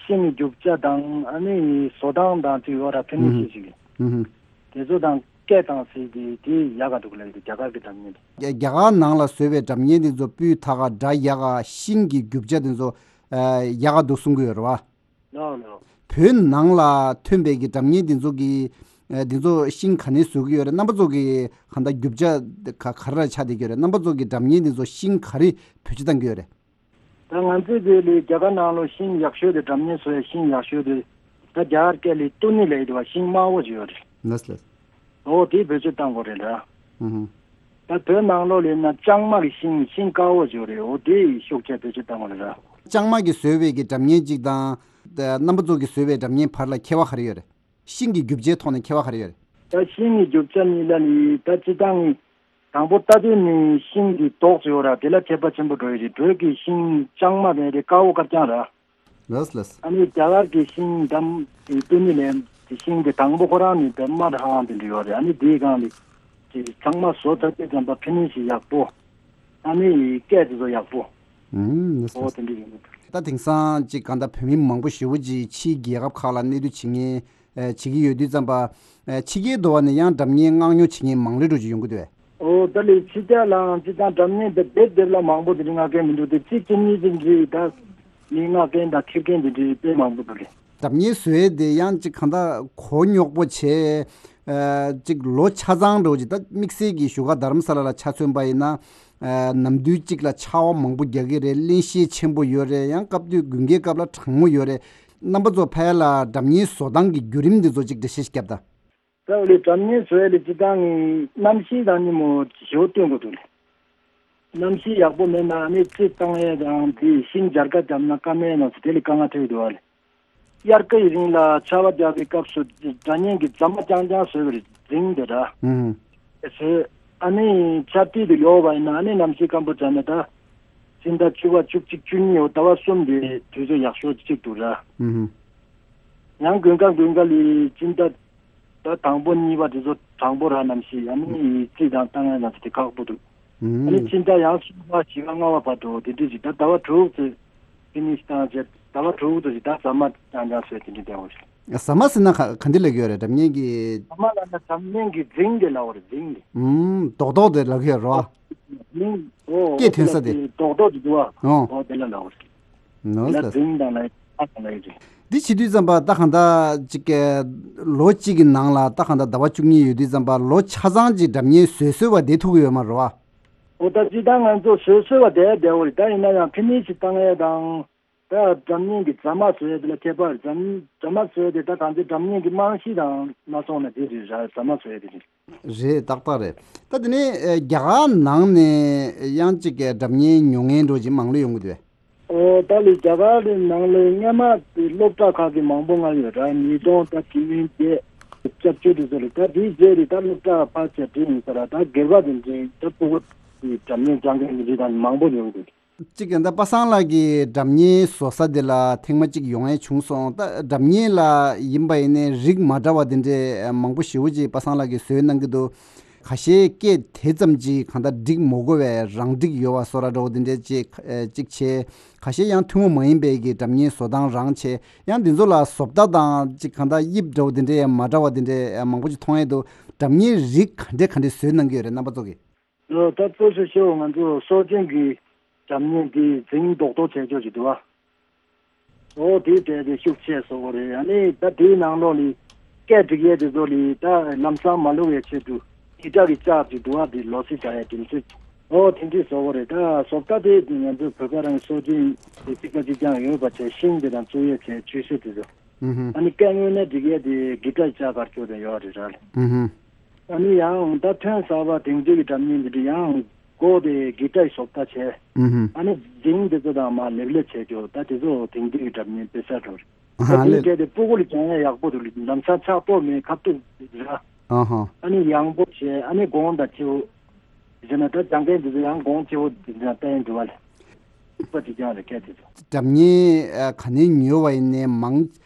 ཤིང་གི་རྒྱུ་ཆ་དང་ཨ་ནི་བཟོ་སྟངས་དང་ཅིག་ཡོད་ར། ཕི་ནིང་ཤིང་ཞིག་ཨུ་ཧུམ། དེ་ཚོ་དང་སྐད་དང་ཟེར་དེ་དེ་ཡག་ག་འདུག་ལབ་ཡོད། རྒྱ་གར་གྱི་སྒྲ་སྙན་དེ། རྒྱ་རྒྱ་གར་ནང་ལ་བཟོས་པའི་སྒྲ་སྙན་དེ་ཚོ་སྤུས་དག་ག་སྒྲ་ཡག་ག་ཤིང་གི་རྒྱུ་ཆ་དེ་ཚོ་ཨ་ཡག་ག་འདུག་གསུང་གི་ཡོད་རེད་བ། ལགས་ལགས། བོད་ནང་ལ་ཐོན་པའི་གི་སྒྲ་སྙན་འདི་ཚོ་གི་ཨ་འདི་ཚོ་ཤིང་ག་ནས་བཟོ་གི་ཡོད་རེད། རྣམ་པ་ཚོ་གི་གང་ལྟར་རྒྱུ་ཆ་ག་ག་རེ་ལ་ཆགས་བསྡད་ཀྱི་ཡོད་རེད། རྣམ་པ་ཚོ་གི་སྒྲ་སྙན་འདི་ཚོ་ཤིང་ག་རེ་བེད་སྤྱོད་བཏང་གི་ཡོད་རེད། ད་ང་ཚོའི་དེ་ལས་རྒྱ་གར་ནང་ལོ་ཤིང་ཡག་ཤོས་དེ་སྒྲ་སྙན་བཟོ་ཡ་ཤིང་ཡག་ཤོས་དེ་ད་རྒྱ་གར་སྐད་ལས་ཏུ་ནི་ལབ་ཡོད་པ། ཤིང་དམར་པོ་ཅིག་ཡོད་རེད། ལགས་ལགས། འོ་དེ་བེད་སྤྱོད་བཏང་དགོས་རེད་ལ། ཨུ་ཧུ། ད་བོད་ནང་ལོགས་ལ་ཡིན་ན་ལྕང་མ་གི་ཤིང་ཤིང་དཀར་པོ་ཅིག་ཡོད་རེད། འོ་དེ་ཤུགས་ཆེ་བེད་སྤྱོད་བཏང་དགོས་རེད་ལ། ལྕང་མ་གིས་བཟོས་པའི་གི་སྒྲ་སྙན་གཅིག་དང་། ད་རྣམ་པ་ཚོ་གིས་བཟོས་པའི་སྒྲ་སྙན་བར་ལ་ཁྱད་པར་ག་རེ་ཡོད་རེད། ཤིང་གི་རྒྱུ་ཆའི་ཐོག་ནས་ཁྱད་པར་ག་རེ་ཡོད་རེད། ད་ཤིང་གི་རྒྱུ་ཆ་གཉིས་ལ་ནི་ད་སྤྱིར་བཏང་ནི་དང་པོ་ལྟ་དུས་ནི་ཤིང་གི་མདོག་ཅིག་ཡོད་ར། དེ་ལ་ཁྱད་པར་ཆེན་པོ་འགྲོ་ཡི་རེད། བོད་ཀྱི་ཤིང་ལྕང་མ་དེ་དེ་དཀར་པོ་དཀར་རྐྱང་ར། ལགས་ལགས། ཨ་ནི་རྒྱ་གར་གྱི་ཤིང་འདམ་དེ་ཏུ་ནི་ལན་དེ་ཤིང་དེ་དང་པོ་ཁོ་རང་ནི་དེ་དམར་ཧང་དེ་འདྲ་ཡོད་རེད། ཨ་ནི་དེའི་སྒང་ལ་དེ་ཚང་མ་བཟོ་ཐུབ་དུས་ཙམ་པ་ཕི་ནིང་ཤིང་ཡག་པོ། ཨ་ནི་སྐད་དེ་ཚོ་ཡག་པོ། ཨུམ། འོ་དེ་འདྲ་ཡིན། ད་དེང་སང་ཅིག་གང་ལྟར་བོད་མི་མང་པོ་ཞེ་པོ་ཅིག་ཕྱིའི་རྒྱལ་ཁབ་ཁག་ལ་གནས་སྡོད་བྱེད་མཁན་ཨ་བྱེད་ཀྱི་ཡོད་དུས་ཙམ་པ། ཨ་ཕྱི་རྒྱལ་དུ་བ་ནས་ཡང་སྒྲ་སྙན་མངགས་ཉོ་བྱེད་མཁན་མང་རུ་འགྲོ་བཞིན་ཡོང་གི་འདུག་བས། ཨོ་ད་ལས་ཕྱི་རྒྱལ་ལའང་སྤྱིར་བཏང་སྒྲ་སྙན་དེ་སྡེབ་སྡེབ་ལ་མང་པོ་དེ་འདྲ་མངགས་མཁན་མི་འདུག་སྟེ། གཅིག་གཅིག་གཉིས་གཅིག་འདྲ་ད་མི་མངགས་མཁན་དང་འཁྱེར་མཁན་དེ་འདྲ་དཔེ་མང་པོ་འདུག་ལེ། སྒྲ་སྙན་བཟོ་ཡས་དེ་ཡང་ཅིག་གང་ལྟར་གོ་རྙོག་པོ་བྱས། ཨ་ཅིག་ལོ་ཆ་ཚང་འགྲོ་ཅིག་ད་དམིགས་བསལ་གྱི་བཞུགས་སྒར་རྡ་རམ་ས་ལ་ལ་ཆ་མཚོན་པ་ཡིན་ན། ཨ་ནམ་དུས་གཅིག་ལ་ཆར་པ་མང་པོ་རྒྱག་གི་རེད། བརླན་གཤེར་ཆེན་པོ་ཡོད་རེད། ཡང་སྐབས་དུས་དགུན་ཁའི་སྐབས་ལ་གྲང་མོ་ཡོད་རེད། རྣམ་པ་ཚོ་ཕ་ཡ་ལ་སྒྲ་སྙན་བཟོ་སྟངས་ཀྱི་བརྒྱུད་རིམ་འདི་ཚོ་ཅིག་འགྲེལ་བཤད་ཞིག་བརྒྱབ་དང་། ད་འོ་ལེ་སྒྲ་སྙན་བཟོ་ཡ་ལེ་སྤྱིར་བཏང་གི་གནམ་གཤིས་དང་ཉིན་མོ་ཞེ་པོ་བསྟུན་དགོས་འདུག་ལེ། གནམ་གཤིས་ཡག་པོ་མེད་ན་ཨ་ནི་རྩི་བཏང་ཡས་དང་དེ་ཤིང་སྦྱར་ཀ་བརྒྱབ་ན་སྐར་མའི་ནང་ཚོ་དེ་ལས་དཀའ་ངལ་འཕྲད་ཀྱི་འདུག་བ་ལེ། དབྱར་ཁའི་རིང་ལ་ཆར་པ་རྒྱག་པའི་སྐབས་སུ་སྒྲ་སྙན་གྱི་རྫ་མ་རྐྱང་རྐྱང་བཟོས་པ་རེད། རྫིང་དེ་འདྲ། ཨུམ། བཟོས། ཨ་ནི་ཆར་དུས་དེ་ཡོལ་བ་ཡིན་ན་ཨ་ནི་གནམ་གཤིས་སྐམ་པོ་ཆགས་ནས་ད་སྤྱི་ཟླ་བཅུ་པ་བཅུ་གཅིག་བཅུ་གཉིས་འོ་ཟླ་བ་གསུམ་དེ་དུས་ཚོད་ཡག་ཤོས་གཅིག་འདུག་ར། ཨུམ། ཡང་དགུན་ཁ་དགུན་ཁ་ལི་སྤྱི་ཟླ་ད་དང་པོ་གཉིས་པ་དེ་ཚོ་གྲང་པོ་ར། གནམ་གཤིས་ཨ་ནི་རྩི་དང་བཏང་ཡ་ན་དེ་ཁག་པོ་འདུག། ཨ་ནི་ཨུམ། ཕྱི་ཟླ་ཡང་གསུམ་པ་བཞི་པ་ལྔ་པ་བར་དུ་དེ་འདྲ་ཞིག་ད་ཟླ་བ་དྲུག་ཙམ་ཕི་ནིང་ཤིང་བཏང་རྗེས་ཟླ་བ་དྲུག་ཙམ་ཞིག་ད་ཟ་མ་རྐྱང་རྐྱང་བཟོས་དེ་འདྲ་བསྡད་ཡོད་རེད། ཟ་མ་ཟེར་ན་ག་ག་འདི་ལབ་ཀྱི་ཡོད་རེད། སྒྲ་སྙན་གྱི། ཟ་མ་ལབ་ན་སྒྲ་སྙན་གྱི་རྫིང་དེ་ལབ་པ་རེད། རྫིང་དེ། ཨུམ། རྡོག་རྡོག་དེ་ལབ་ཀྱི་ཡོད་རེད་བ། རྫིང་། ཨོ་སྐད་ཐོན་ས་དེ། རྡོག་རྡོག་དེ་འདུག་བ། ཨོ། ཨོ་དེ་ལ་ལབ་པ་རེད། ནོ་ལ་ལ། རྫིང་དང་ལ་ཨ་དང་ལ་ཡོད་རེད། འདི་བྱེད་དུས་ཙམ་པ་ད་གང་ལྟར་ཅིག་གི་ལོ་གཅིག་གི་ནང་ལ་ད་གང་ལྟར་ཟླ་བ་བཅུ་གཉིས་ཡོད་དུས་ཙམ་པ་ལོ་ཆ་ཚང་ཅིག་སྒྲ་སྙན་བཟོས་བཟོས་པ་བསྡད་ཐུབ་ཀྱི་ཡོད་མ་རེད་བ། ཨོ་ད་སྤྱིར་བཏང་ང་ཚོ་བཟོས་བཟོས་པ་བསྡད་བསྡད་འོ་རེད། ད་ཡིན་ན་ཡང་ཕི་ནིང་ཤིང་བཏང་ཡས་དང་། ད་སྒྲ་སྙན་གྱི་རྫ་མ་བཟོ་ཡས་དེ་ལ་ཁྱད་པར། རྫ་སྙན་རྫ་མ་བཟོ་ཡས་དེ་ད་གང་ཚེ་སྒྲ་སྙན་གྱི་རྨང་གཞི་དང་མ་སོང་ན་དེ་རེད་ར། རྫ་མ་བཟོ་ཡས་དེ་རེད། རེད། ཏག་ཏག་རེད། ད་དེ་ནས་ཨ་རྒྱ་གར་ནང་ནས་ཡང་ཅིག་གི་སྒྲ་སྙན་ཉོ་མཁན་འདྲ་ཅིག་མང་ལོས་ཡོང་གི་འདུག་པས། ཨོ་ད་ལི་རྒྱ་གར་རི་ནང་ལ་སྔས་མ་དེ་སློབ་གྲྭ་ཁག་གི་མང་པོ་ང་ཡོད་ར། ཉིས་སྟོང་ད་དྲུག་ཡིན་དེ་སྐྱབས་བཅོལ་དེ་ཚོ་ལ་ད་དེའི་རྗེས་ལ་ད་སློབ་གྲྭ་ཕར་ཆེར་འགྲིམ་ཡིན་ས་ར། ད་སྒེར་པ་དེ་འདྲའི་ད་ཕྲུ་གུ་དེ་སྒྲ་སྙན་སྦྱང་མཁན་གྱི་རིགས་དང་མང་པོ་ཡོང་གི་འདུག། གཅིག་ཡང་ད་པ་སངས་ལགས་ཀྱི་སྒྲ་སྙན་བཟོ་ས་དེ་ལ་ཐེངས་མ་གཅིག་ཡོང་ཡས་བྱུང་སོང་། ད་སྒྲ་སྙན་ལ་ཡིན་པ་ཡིན་ནའི་རིགས་མ་འདྲ་བ་དེ་འདྲའི་མང་པོ་ཞེ་པོ་ཅིག་པ་སངས་ལགས་ཀྱིས་བཟོས་གནང་གི་འདུག། ཁ་ཤས་སྐད་དེ་ཙམ་ཅིག་གང་ལྟར་འགྲིག་མ་དགོས་པའི་རང་འགྲིག་ཡོད་པ་བཟོ་འདྲ་འདྲ་བོ་དེ་འདྲའི་ཅིག་ཨ་ཅིག་བྱས། ཁ་ཤས་ཡང་ཐུན་མོང་མ་ཡིན་པའི་གི་སྒྲ་སྙན་བཟོ་སྟངས་རང་བྱས། ཡང་འདི་ཚོ་ལ་བཟོ་ལྟ་དང་ཅིག་གང་ལྟར་དབྱིབས་འདྲ་བོ་དེ་འདྲའི་མ་འདྲ་བ་དེ་འདྲའི་མང་པོ་ཅིག་མཐོང་ཡས་འདུག། སྒྲ་སྙན་རིགས་ག་འདྲ་ག་འདྲ་བཟོས་གནང་གི་ཡོད་རེད་རྣམ་པ་ཚོ་གིས། ལོ་ད་གཙོ་ཆེ་ཤོས་ང་ཚོ་སྲོག་ཅན་གྱི་སྒྲ་སྙན་འདི་འཛིང་རྡོག་རྡོག་བྱས་ཆོག་ཅིག་འདུག་བ། འོ་དེའི་གྲས་དེ་ཤུགས་ཆེ་བཟོ་གི་རེད། ཨ་ནི་ད་དེའི་ནང་ལོགས་ལ་སྐད་སྒྲིག་ཡས་དེ་ཚོ་ལ་ད་ལམ་སང་མ་ལུག་ཡས་ཆེད་དུ་ཀི་ཊར་གྱི་ལྕགས་ཀྱི་དུ་བ་དེ་ལོ་སི་བྱ་ཡས་དེ་ཚོ། འོ་དེ་འདྲས་བཟོ་གི་རེད། ད་བཟོ་ལྟ་དེ་ང་ཚོའི་བོད་པ་རང་སྲོལ་རྒྱུན་དེ་གཅིག་པ་གཅིག་རྐྱང་ཡོད་པ་བྱས། ཤིང་དེ་དང་བཙུགས་ཡས་བྱས་ཆུ་ཤུར་དེ་ཚོ། ཨ་ནི་སྐད་དངོས་གནས་སྒྲིག་ཡས་དེ་གི་ཊར་ལྕགས་དཀར་ཆོ་དེ་ཡོད་རེད་ར། ཨ་ནི་ཡང་ད་ཐོན་གསར་པ་དེང་དུས་ཀྱི་སྒྲ་སྙན་འདི་འདྲ་ཡང་སྒོ་དེ་གི་ཊར་བཟོ་ལྟ་བྱས། ཨ་ནི་རྫིང་དེ་ཚོ་དང་མ་ལེབ་ལེབ་བྱས་རྒྱུ་ད་དེ་ཚོ་དེང་དུས་ཀྱི་སྒྲ་སྙན་དཔེ་གསར་འགྲོ་རེད། ད་དེའི་གྲས་དེ་སྤུ་གུ་ལ་སྦྱང་ཡས་ཡག་པོ་འདུག་ལམ་སང་ཆག་ཏོ་མེད་ཁ་ཐུག་ར། ཨ་ནི་ཡང་པོ་བྱས། ཨ་ནི་གོང་དང་ཆེ་བོ་བྱས་ན་ད་སྦྱང་མཁན་དེ་ཚོ་ཡང་གོང་ཆེ་བོ་དེ་ཚོ་ཡང་བསྟན་འགྲོ་བ་ལས་པ་དེ་ཀྱང་རེད་སྐད་དེ་ཚོ། སྒྲ་སྙན་ག་ནས་ཉོས་པ་ཡིན་ནའི་མང་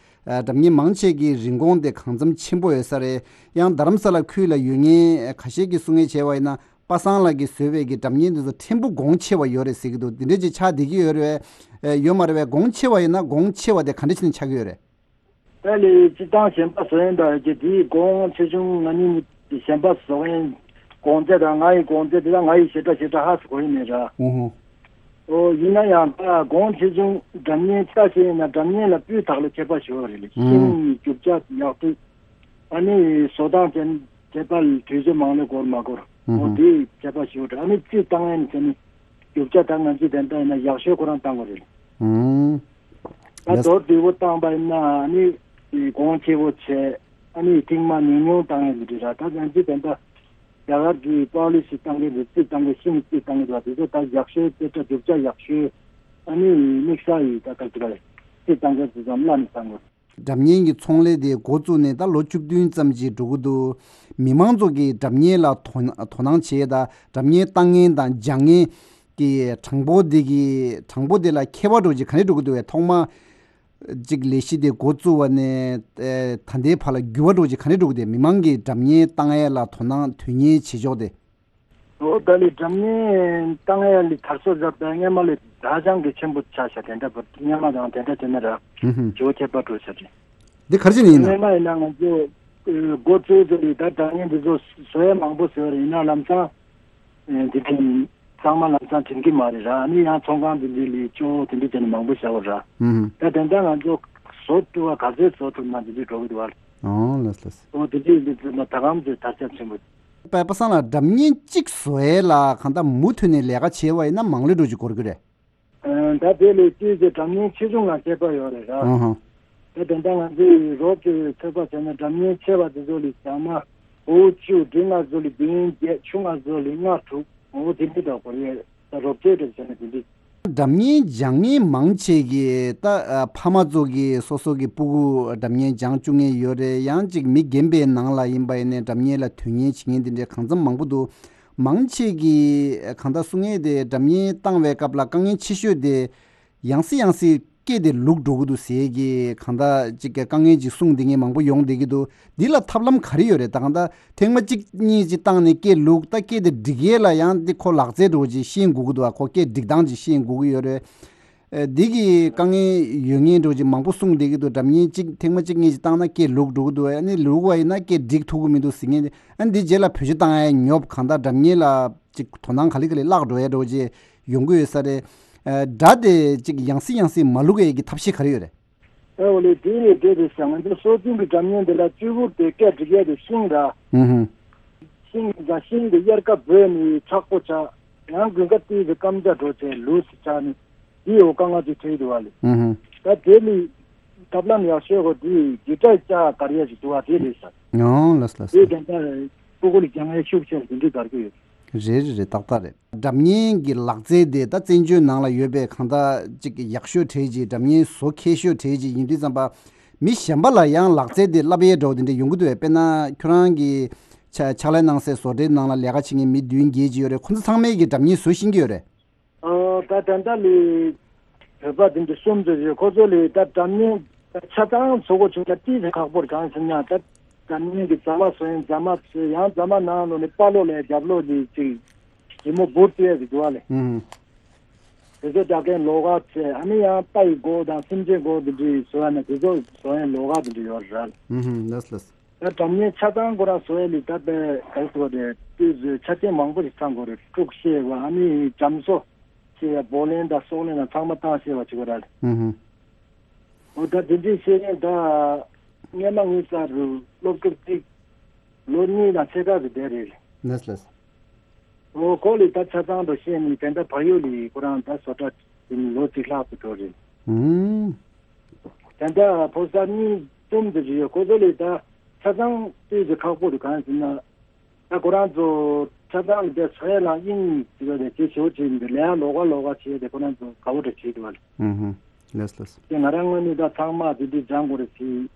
སྒྲ་སྙན་མང་ཆེ་གི་རིན་གོང་དེ་གང་འཚམ་ཆེན་པོ་ཡོད་ས་རེད། ཡང་རྡ་རམ་ས་ལ་ཁུལ་ལ་ཡོད་མཁན་ཁ་ཤས་ཀྱིས་གསུང་མཁན་བྱས་པ་ཡིན་ན། པ་སངས་ལགས་ཀྱིས་བཟོས་པའི་གི་སྒྲ་སྙན་འདི་ཚོ་ཕྲན་བུ་གོང་ཆེ་བ་ཡོད་རེད་ཟེར་གྱི་འདུག་འདི་འདྲ་ཅིག་ཆགས་བསྡད་ཀྱི་ཡོད་རེད། ཡོད་མ་རེད་པས། གོང་ཆེ་བ་ཡིན་ན་གོང་ཆེ་བ་དེ་ག་འདྲ་བྱས་ནས་ཆགས་ཀྱི་ཡོད་རེད། ད་ལས་སྤྱི་བཏང་གཞན་པ་བཟོ་ཡིན་པ་རེད་ཀྱི་དེའི་གོང་ཆེ་ཆུང་ང་གཉིས་གཞན་པ་བཟོ་ཡིན། གོང་ཚད་དང་ང་ཡི་གོང་ཚད་དེ་དང་ང་ཡི་ཞེ་དྲག་ཞེ་དྲག་ཧ་སུ་གོ་ཡིན་མེད་ར། ཨོ་ཧོ། ཨོ་ཡིན་ན་ཡང་ད་གོང་ཆེ་ཆུང་སྒྲ་སྙན་ལྟ་བྱས་ཡིན་ན་སྒྲ་སྙན་ལ་སྤུས་དག་ལ་ཁྱད་པར་ཞུ་བ་རེད་ལ། ཤིང་རྒྱུ་ཆ་ཡག་སྡུག་ཨ་ནི་བཟོ་སྟངས་ཅན་བྱེད་པ་ལ་དུས་ཚོད་མང་ལོས་འགོར་མ་འགོར། ཨོ་དེ་བྱེད་པ་ཞུ་དྲ། ཨ་ནི་རྩིས་བཏང་ཡན་ཟེར་ནི་རྒྱུ་ཆ་ད་ང་ཚོས་དེ་འདྲ་ཡིན་ན་ཡག་ཤོས་ཁོ་རང་བཏང་དགོས་རེད། ད་མདོར་བསྡུས་པོ་བཏང་པ་ཡིན་ན་ཨ་ནི་གོང་ཆེ་བོ་བྱས། ཨ་ནི་ཐེངས་མ་ཉུང་ཉུང་བཏང་ཡན་མི་འགྲིག་ར། ད་ང་ཚོས་དེ་འདྲ་རྒྱ་གར་གྱི་པོ་ལི་སི་བཏང་གི་རེད། རྩིས་བཏང་གི་ཤིང་རྩིས་བཏང་གི་རེད་པ། དེ་ཚོ་ད་ཡག་ཤོས་དེ་འདྲ་རྒྱུ་ཆ་ཡག་ཤོས་ཨ་ནི་དམིགས་བསལ་ཡིས་ད་ག་ཚོད་རེད་རྩིས་བཏང་གི་རེད་ཙམ་བླ་ནས་བཏང་དགོས། སྒྲ་སྙན་གྱི་ཚོང་ལས་དེ་འགོ་བཙུགས་ནས་ད་ལོ་བཅུ་བདུན་ཙམ་ཅིག་འགྲོ་གི་འདུག་མི་མང་ཚོ་གིས་སྒྲ་སྙན་ལ་དོ་དོ་སྣང་བྱེད་ཡས་དང་སྒྲ་སྙན་བཏང་མཁན་དང་སྦྱང་མཁན་གྱི་གྲངས་འབོར་དེ་གི་གྲངས་འབོར་དེ་ལ་ཁྱད་པར་འདྲ་བོ་ཅིག་ག་རེ་འགྲོ་གི་འདུག་པས། ཐོག་མ་ཅིག་ལས་གཞི་དེ་འགོ་བཙུགས་པ་ནས་ཨེ་ད་ལྟའི་བར་ལ་འགྱུར་བ་འདྲ་བོ་ཅིག་ག་རེ་འགྲོ་གི་འདུག་མི་མང་གིས་སྒྲ་སྙན་བཏང་ཡས་ལ་དོ་སྣང་དོན་གཉེར་བྱེད་ཕྱོགས་དེ། ཨོ་ད་ལི་སྒྲ་སྙན་བཏང་ཡ་ལི་དར་སྲོལ་རབ་དང་སྔས་མ་ལས་ད་ཅང་གི་ཆེན་པོ་ཆགས་ཤག་དེ་འདྲ་བུ་སྔས་མ་དང་དེ་འདྲ་བྱས་ན་ར་ཧུམ་ཧུམ། ཇོ་ཁྱད་པར་འགྲོ་ཤག་དེ། འདི་ག་རེ་བྱས་ནས་ཡིན་ན། སྔས་མ་ཡིན་ན་ང་ཚོ་འགོ་ཚུགས་ཚེ་ལི་ད་སྒྲ་སྙན་འདི་ཚོ་བཟོ་ཡ་མང་པོ་བཟོས་རེད། ཡིན་ན་ལམ་སང་འདི་དེ་ཚང་མ་ལམ་སང་དྲན་གི་མ་རེད་ར། ཨ་ནི་ཡང་ཚོང་ཁང་འདི་འདི་ལི་ཅོ་དེ་འདྲ་བྱས་ནས་མང་པོ་བཞག་པ་ར། ཧུམ་ཧུམ། ད་དེ་འདྲ་ང་ཚོ་བཟོ་ཐུབ་པ་ག་ཚོད་བཟོ་ཐུབ་ན་དེ་འདྲ་འགྲོ་གི་འདུག་བ། ཨོ་ལགས་ལགས། ཨོ་དེ་འདྲ་ཡིན་དུས་ད་གམ་ཚོད་དར་ཁྱབ་ཆེན་པོ། པ་པ་སངས་ལགས་སྒྲ་སྙན་གཅིག་བཟོ་ཡས་ལ་གང་ལྟར་མུ་མཐུད་ནས་ལས་ཀ་བྱས་པ་ཡིན་ན་མང་ལོས་འགྲོ་ཅིག་འགོར་གི་རེད། ཨ་ད་དེ་ལས་ཅིག་གི་སྒྲ་སྙན་ཆེ་ཆུང་ལ་ཁྱད་པར་ཡོད་རེད་ར། ཨ་ཧ། ད་དེ་འདྲ་ང་ཚོའི་རོབ་ཀྱི་ཚོད་དཔག་བྱས་ན་སྒྲ་སྙན་ཆེ་བ་དེ་ཚོ་ལས་ཟ་མ་འོ་བཅུ་འབྲིང་ང་ཚོ་ལས་བདུན་བརྒྱད་ཆུང་ང་ཚོ་ལས་ལྔ་དྲུག་འོ་དེ་འདྲ་འདྲ་འགོར་ཡས་ད་རོབ་ཚོད་འདྲ་བྱས་ན་དེ་འདྲ། སྒྲ་སྙན་སྦྱང་མཁན་མང་ཆེ་གིས་ད་ཨ་ཕ་མ་ཚོ་གིས་སོ་སོ་གི་སྤུ་གུ་སྒྲ་སྙན་སྦྱང་བཅུག་མཁན་ཡོད་རེད། ཡང་ཅིག་མི་རྒན་པའི་ནང་ལ་ཡིན་པ་ཡིན་ནའི་སྒྲ་སྙན་ལ་དོན་གཉེར་བྱེད་མཁན་དེ་འདྲའི་གང་འཚམ་མང་པོ་འདུག་མང་ཆེ་གིས་གང་ལྟར་གསུང་མཁན་དེ་སྒྲ་སྙན་བཏང་བའི་སྐབས་ལ་དཀའ་ངལ་ཆེ་ཤོས་དེ་ཡང་སེ་ཡང་སེ་སྐད་དེ་ལུག་འགྲོ་གི་འདུག་ཟེར་གི་གང་ལྟར་ཅིག་གི་དཀའ་ངལ་ཅིག་གསུངས་བསྡད་མཁན་མང་པོ་ཡོང་བསྡད་ཀྱི་འདུག་འདི་ལ་ཐབས་ལམ་ག་རེ་ཡོད་རེད། ད་གང་ལྟར་ཐེངས་མ་གཅིག་གཉིས་ཅིག་བཏང་ནས་སྐད་ལུག་ད་སྐད་དེ་འགྲིག་ཡས་ལ་ཡང་འདི་ཁོ་ལག་རྩལ་འདྲ་བོ་ཅིག་ཤེས་དགོས་ཀྱི་འདུག་ཨ་ཁོ་སྐད་སྒྲིག་སྟངས་ཅིག་ཤེས་དགོས་ཀྱི་ཡོད་རེད། ཨ་འདི་གི་དཀའ་ངལ་ཡོད་མཁན་འདྲ་བོ་ཅིག་མང་པོ་གསུངས་བསྡད་ཀྱི་འདུག་སྒྲ་སྙན་གཅིག་ཐེངས་མ་གཅིག་གཉིས་ཅིག་བཏང་ན་སྐད་ལུག་འགྲོ་གི་འདུག་ཨ་ནི་ལུག་པ་ཡིན་ན་སྐད་འགྲིག་ཐུབ་ཀྱི་མི་འདུག་ཟེར་མཁན་དེ། ཨ་འདི་རྗེས་ལ་བེད་སྤྱོད་བཏང་ཡས་ཉོབ་གང་ལྟར་སྒྲ་སྙན་ལ་ཅིག་དོ་སྣང་ག་ལེ་ག་ལེ་བརླག་འགྲོ་ཡས་འདྲ་བོ་ཅིག་ཡོང་གི་ཡོད་ས་རེད། ཨ་སྒྲ་དེ་ཅིག་ཡང་སེ་ཡང་སེ་མ་ལུག་ཡས་ཀྱི་ཐབས་ཤེས་ག་རེ་ཡོད་རེད། ཨེ་འོ་ལེ་དེ་ལས་དེ་རེད་ཤག་ང་ཚོ་སྲོལ་རྒྱུན་གྱི་སྒྲ་སྙན་འདི་ལ་གཅིག་པུ་དེ་སྐད་སྒྲིག་ཡས་དེ་ཤིང་ར། ཧུམ་ཧུམ། ཤིང་འདི་ཤིང་འདི་དབྱར་ཁ་བོས་ནས་མཁྲེགས་པོ་ཆགས། ཡང་དགུན་ཁ་དུས་དེ་སྐམ་ཆ་འགྲོ་བྱས་ལུས་སུ་ཆགས་ནས་དེ་འོ་དཀའ་ངལ་ཅིག་འཕྲད་འདུག་བ་ལེ། ཧུམ་ཧུམ། ད་དེ་ལས་ཐབས་ལམ་ཡག་ཤོས་གོ་དེ་གི་ཊར་ལྕགས་དཀར་ཡས་ཅིག་འདུག་བ་དེ་རེད་ཤག་ཨོ་ལགས་ལགས། དེ་དེ་འདྲ་སྤུ་གུ་ལ་སྦྱང་ཡས་ཤུགས་ཆེ་དེ་འདྲ་དགར་གི་ཡོད། རེད་རེད་རེད། ཏག་ཏག་རེད། སྒྲ་སྙན་གྱི་ལག་རྩལ་དེ་ད་བཙན་བྱོལ་ནང་ལ་ཡོད་པའི་གང་ལྟར་ཅིག་ཡག་ཤོས་གྲས་ཅིག་སྒྲ་སྙན་བཟོ་མཁས་ཤོས་གྲས་ཅིག་ཡིན་དུས་ཙམ་པ། མི་གཞན་པ་ལ་ཡང་ལག་རྩལ་དེ་བསླབ་ཡས་འདྲ་བོ་དེ་འདྲ་ཡོང་གི་འདུག་པས། དཔེར་ན་ཁྱོད་རང་གི་ཕྱག་ཕྱག་ལས་གནང་སའི་བཟོ་གྲྭའི་ནང་ལ་ལས་ཀ་བྱེད་མཁན་མི་བདུན་བརྒྱད་ཅིག་ཡོད་རེད། ཁོ་ཚོ་ཚང་མས་ཀྱི་སྒྲ་སྙན་བཟོ་ཤེས་ཀྱི་ཡོད་རེད། ཨ་ད་ད་ལྟ་ལས་བོད་པ་དེ་འདྲ་གསུམ་ཙམ་ཡོད། ཁོ་ཚོ་ལས་ད་སྒྲ་སྙན་ཆ་ཚང་བཟོ་དགོས་བྱུང་ན་ཏིས་ཁག་པོ་རེད། གང་ཟེར་ན་ད་སྒྲ་སྙན་གྱི་རྫ་མ་བཟོ་ཡིན། རྫ་མ་བཟོས་ཡང་རྫ་མ་ནང་ལོགས་ནས་དཔའ་ལོ་ལས་རྒྱབ་ལོགས་ནས་ཅིག་ཞིབ་མོ་འབུར་བཏོན་ཡས་ཟེར་གྱི་བ་ལས། ཨུ་ཧུ། དེ་ཚོ་རྒྱག་མཁན་ལོགས་ཀ་བྱས། ཨ་ནི་ཡང་རྟ་ཡི་མགོ་དང་སེམས་ཅན་མགོ་དེ་འདྲའི་བཟོ་ཡ་ན་དེ་ཚོ་བཟོ་ཡ་ལོགས་ཀ་དེ་འདྲ་ཡོད་རེད། ཨུ་ཧུ། ལགས་ལགས། ད་སྒྲ་སྙན་ཆ་ཚང་ཁོ་རང་བཟོ་ཡ་ལི་ད་པའི་ག་རེ་ཟེར་བ་རེད། དུས་ཚོད་ཆ་རྐྱེན་མང་པོ་ཞིག་ཚང་དགོས་རེད། དཀྲུག་ཤེས་པ་ཨ་ནི་འཇམ་བཟོ་ཤེས་པ་བོ་ལན་དང་སོག་ལན་དང་ཚང་མ་བཏང་ཤེས་པ་བྱེད་དགོས་རེད། ཨུ་ཧུ། འོ་ད་དེ་འདྲའི་བཤད་མཁན་ད་སྔས་མ་ངའི་རྩར་རུ་སློབ་ཕྲུག་གཅིག་ལོ་གཉིས་དང་ཕྱེད་ཀ་གི་དེ་རེད། ལགས་ལགས། འོ་ཁོ་ལས་ད་ཆ་ཚང་དུ་ཤེས་ནས་དེ་འདྲ་བག་ཡོད་ལས་ཁོ་རང་ད་བཟོ་གྲྭ་དེ་ནི་ལོ་གཅིག་ལྷག་ཏུ་འགྲོ་རེད། ཨུམ། དེ་འདྲ་ཕོ་གསར་གཉིས་གསུམ་དེ་རེད་ཡོད། ཁོ་ཚོ་ལས་ད་ཆ་ཚང་ལྟོས་ཀྱི་ཁག་པོ་རེད། གང་ཡིན་ཟེར་ན། ད་ཁོ་རང་ཚོ་ཆ་ཚང་ལ་བསྡད་ཚོ་ཡ་ལ་དབྱིངས་ཅིག་ལ་བསྡད་ཅེས་ཞོར་བྱས་འདི་ལས་ཡང་ལོགས་ཀ་ལོགས་ཀ་བྱས་ཏེ་ཁོ་རང་ཚོ་དགའ་བོ་འདྲ་བྱས་འདུག་བ། ཨུ་ཧུ། ལགས་ལགས། དེ་ང་རང་ངོས་ནས་ད་ཚང་མ་དེ་འདྲའི་སྦྱང་དགོས་རེད་ཟེར།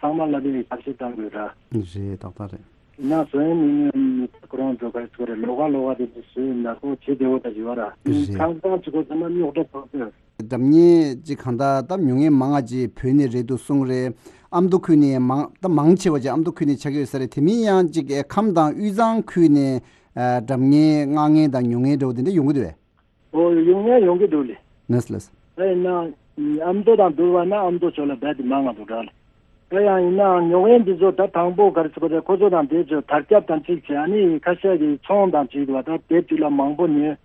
ཚང་མ་ལ་དེ་ཞབས་ཕྱི་གཏང་དགོས་ར། རེད། ཏག་ཏག་རེད། ཡིན་ན་བཟོ་ཡ་མི་ངོས་ནས་ཁོ་རང་ཚོ་ག་རེ་ཟེར་རེད། ལོགས་ཀ་ལོགས་ཀ་དེ་འདྲ་བཟོས་ན་ཁོ་བྱེད་བདེ་བོ་འདྲ་བྱེད་བ་ར། རེད། ཁང་ཚང་གཅིག་པོ་ཚང་མ་རྙོག་དྲ་ཕོག་ཚོད། སྒྲ་སྙན་ཅིག་གང་ལྟར་ད་མྱོང་མཁན་མང་ང་ཅིག་བོད་ནས་རེད་འདུག་གསུངས་རེད། ཨ་མདོ་ཁུལ་ནས་མང་ད་མང་ཆེ་བ་ཅིག་ཨ་མདོ་ཁུལ་ནས་ཆགས་ཀྱི་ཡོད་ས་རེད། དེ་མིན་ཡང་ཅིག་ཨེ་ཁམས་དང་དབུས་གཙང་ཁུལ་ནས་ཨ་སྒྲ་སྙན་མངགས་མཁན་དང་ཉོ་མཁན་འདྲ་བོ་དེ་འདྲ་ཡོང་གི་འདུག་བས། ཨོ་ཡོང་ཡ་ཡོང་གི་འདུག་ལེ། ལགས་ལགས། ད་ཡིན་ན་ཨ་མདོ་དང་བསྡུར་བ་ན་ཨ་མདོ་ཕྱོགས་ལ་རྦད་དེ་མང་ང་འདུག་འདྲ་ལེ། ད་ཡང་ཡིན་ནའང་ཉོ་མཁན་འདི་ཚོ་ད་དང་པོ་ག་རེ་ཟེར་དགོས་རེད། ཁོ་ཚོ་དང་དེ་ཚོ་དར་ཁྱབ་དང་གཅིག་བྱས། ཨ་ནི་ཁ་ཤས་ཀྱིས་ཚོང་དང་གཅིག་ལ་ད་དེབ་གཅིག་ལ་མང་པོ་ཉོས།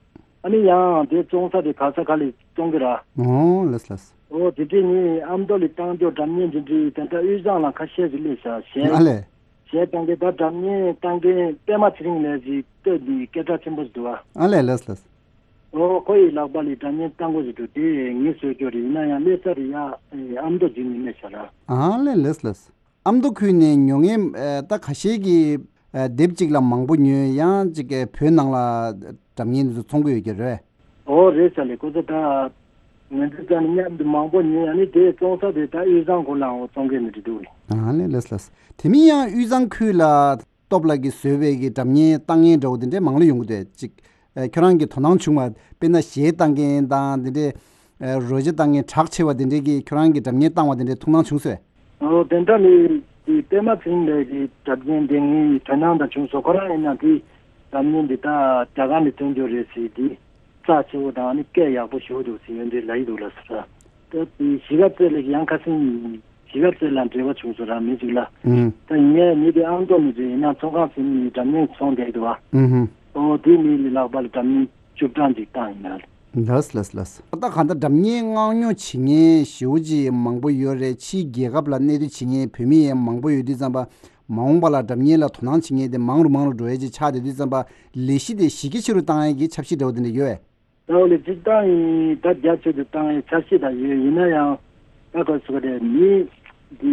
ཨ་ནི་ཡང་དེ་བཙོང་ས་དེ་ག་ས་ག་ལ་བཙོང་གི་ར། ཨོ་ལགས་ལགས། ཨོ་དེ་འདྲས་ནི་ཨ་མདོ་ལ་བཏང་རྒྱུ་སྒྲ་སྙན་དེ་འདྲས་དེ་འདྲ་དབུས་གཙང་ལ་ཁ་ཤས་ཀྱིས་སླེབས་ཤག་གཞས། ཨ་ལས། གཞས་བཏང་གི་ད་སྒྲ་སྙན་བཏང་མཁན་པད་མ་ཚེ་རིང་ལགས་ཀྱི་སྟོད་ནས་སྐད་གྲགས་ཆེན་པོ་ཞིག་འདུག་བ། ཨ་ལས། ལགས་ལགས། ཨོ་ཁོ་ཡི་ལག་པ་ལ་སྒྲ་སྙན་བཏང་དགོས་ཞིག་འདུག་དེ་ངས་བཟོས་རྒྱུ་རེད། ཡིན་ན་ཡང་སླེབས་ས་དེ་ཡ་ཨ་མདོ་བརྒྱུད་ནས་སླེབས་ཤག་ར། ཨ་ལས། ལགས་ལགས། ཨ་མདོ་ཁུལ་ནས་ཉོ་མཁན་ཨ་ད་ཁ་ཤས་ཀྱིས་ཨ་དེབ་གཅིག་ལ་མང་པོ་ཉོས། ཡང་གཅིག་གིས་བོད་ནང་ལ་སྒྲ་སྙན་འདི་ཚོ་འཚོང་གི་ཡོད་ཀྱི་རེད། ཨོ་རེད་ས་ལེ། ཁོ་ཚོ་ད་ང་ཚོ་ད་ནི་མཉམ་དུ་མང་པོ་ཉོས། ཡང་ནི་དེ་བཙོང་ས་དེ་ད་དབུས་གཙང་ཁུལ་ལའང་བཙོང་མཁན་ནི་འདྲ་འདུག་ལེ། ཨ་ལས། ལགས་ལགས། དེ་མིན་ཡང་དབུས་གཙང་ཁུལ་ལ་སྟོབས་ལགས་ཀྱིས་བཟོས་པའི་གི་སྒྲ་སྙན་བཏང་མཁན་འདྲ་བོ་དེ་འདྲས་མང་ལོས་ཡོང་གི་འདུག་གཅིག་ཨ་ཁྱོད་རང་གི་དོ་སྣང་བྱུང་བ། དཔེར་ན་གཞས་བཏང་མཁན་དང་དེ་འདྲས་ཨ་རོལ་ཆ་བཏང་མཁན་གྲགས་ཆེ་བ་དེ་འདྲས་ཀྱིས་ཁྱོད་རང་གི་སྒྲ་སྙན་བཏང་བ་དེ་འདྲས་ཐུགས་སྣང་བྱུང་སོང་། ཨོ་དེ་འདྲ་ལས་དེ་པད་མ་ཚེ་རིང་ལགས་ཀྱི་སྒྲ་སྙན་དེ་ངའི་དོ་སྣང་དང་བྱུང་སོང་། ཁོ་རང་ཡིན་ན་དེ་སྒྲ་སྙན་འདི་ད་རྒྱ་གར་ནས་ཐོན་རྒྱུ་རེད་ཟེར། དེ་རྩ་ཆེ་བོ་དང་ཨ་ནི་སྐད་ཡག་པོ་ཞེ་པོ་འདུག་ཟེར་ཡོད་འདྲ་ལབ་ཀྱི་འདུག་ལགས་སོ། ད་དེ་གཞིས་ཀ་རྩེ་ལགས་ཀྱི་ཡང་ཁ་སང་གཞིས་ཀ་རྩེ་ལ་འབྲེལ་བ་བྱུང་སོང་ར། མི་ཅིག་ལ། ཨུམ། ད་ངས་མི་དེ་ཨ་མདོ་མི་ཅིག་ཡིན་ན་ཚོང་ཁང་ཟིན་ནས་སྒྲ་སྙན་ཚོང་བསྡད་འདུག་བ། ཨུམ་ཧུམ། ཨོ་དེ་མི་ལ་ལག་པ་ལ་སྒྲ་སྙན་བཅུ་གྲངས་ཅིག་བཏང་ཡིན་ན། ལགས་ལགས་ལགས། ད་གང་ལྟར་སྒྲ་སྙན་མངགས་ཉོ་བྱེད་མཁན་ཞེ་པོ་ཅིག་མང་པོ་ཡོད་རེད། ཕྱིའི་རྒྱལ་ཁབ་ལ་གནས་སྡོད་བྱེད་མཁན་བོད་མི་ཡང་མང་པོ་ཡོད་དུས་ཙམ་པ། མ་འོངས་པ་ལ་སྒྲ་སྙན་ལ་དོ་སྣང་བྱེད་མཁན་དེ་མང་རུ་མང་རུ་འགྲོ་ཡས་ཅིག་ཆགས་བསྡད་དུས་ཙམ་པ། ལས་གཞི་དེ་གཞི་རྒྱ་ཆེ་རུ་བཏང་ཡས་ཀྱི་འཆར་གཞི་འདྲ་བོ་དེ་འདྲ་ཡོད་པས། ད་འོ་ལས་སྤྱིར་བཏང་ཡིན་ད་རྒྱ་ཆེ་རུ་བཏང་ཡས་འཆར་གཞི་ད་ཡོད། ཡིན་ན་ཡང་ད་ག་ཟེར་དགོས་རེད། མི་འདི་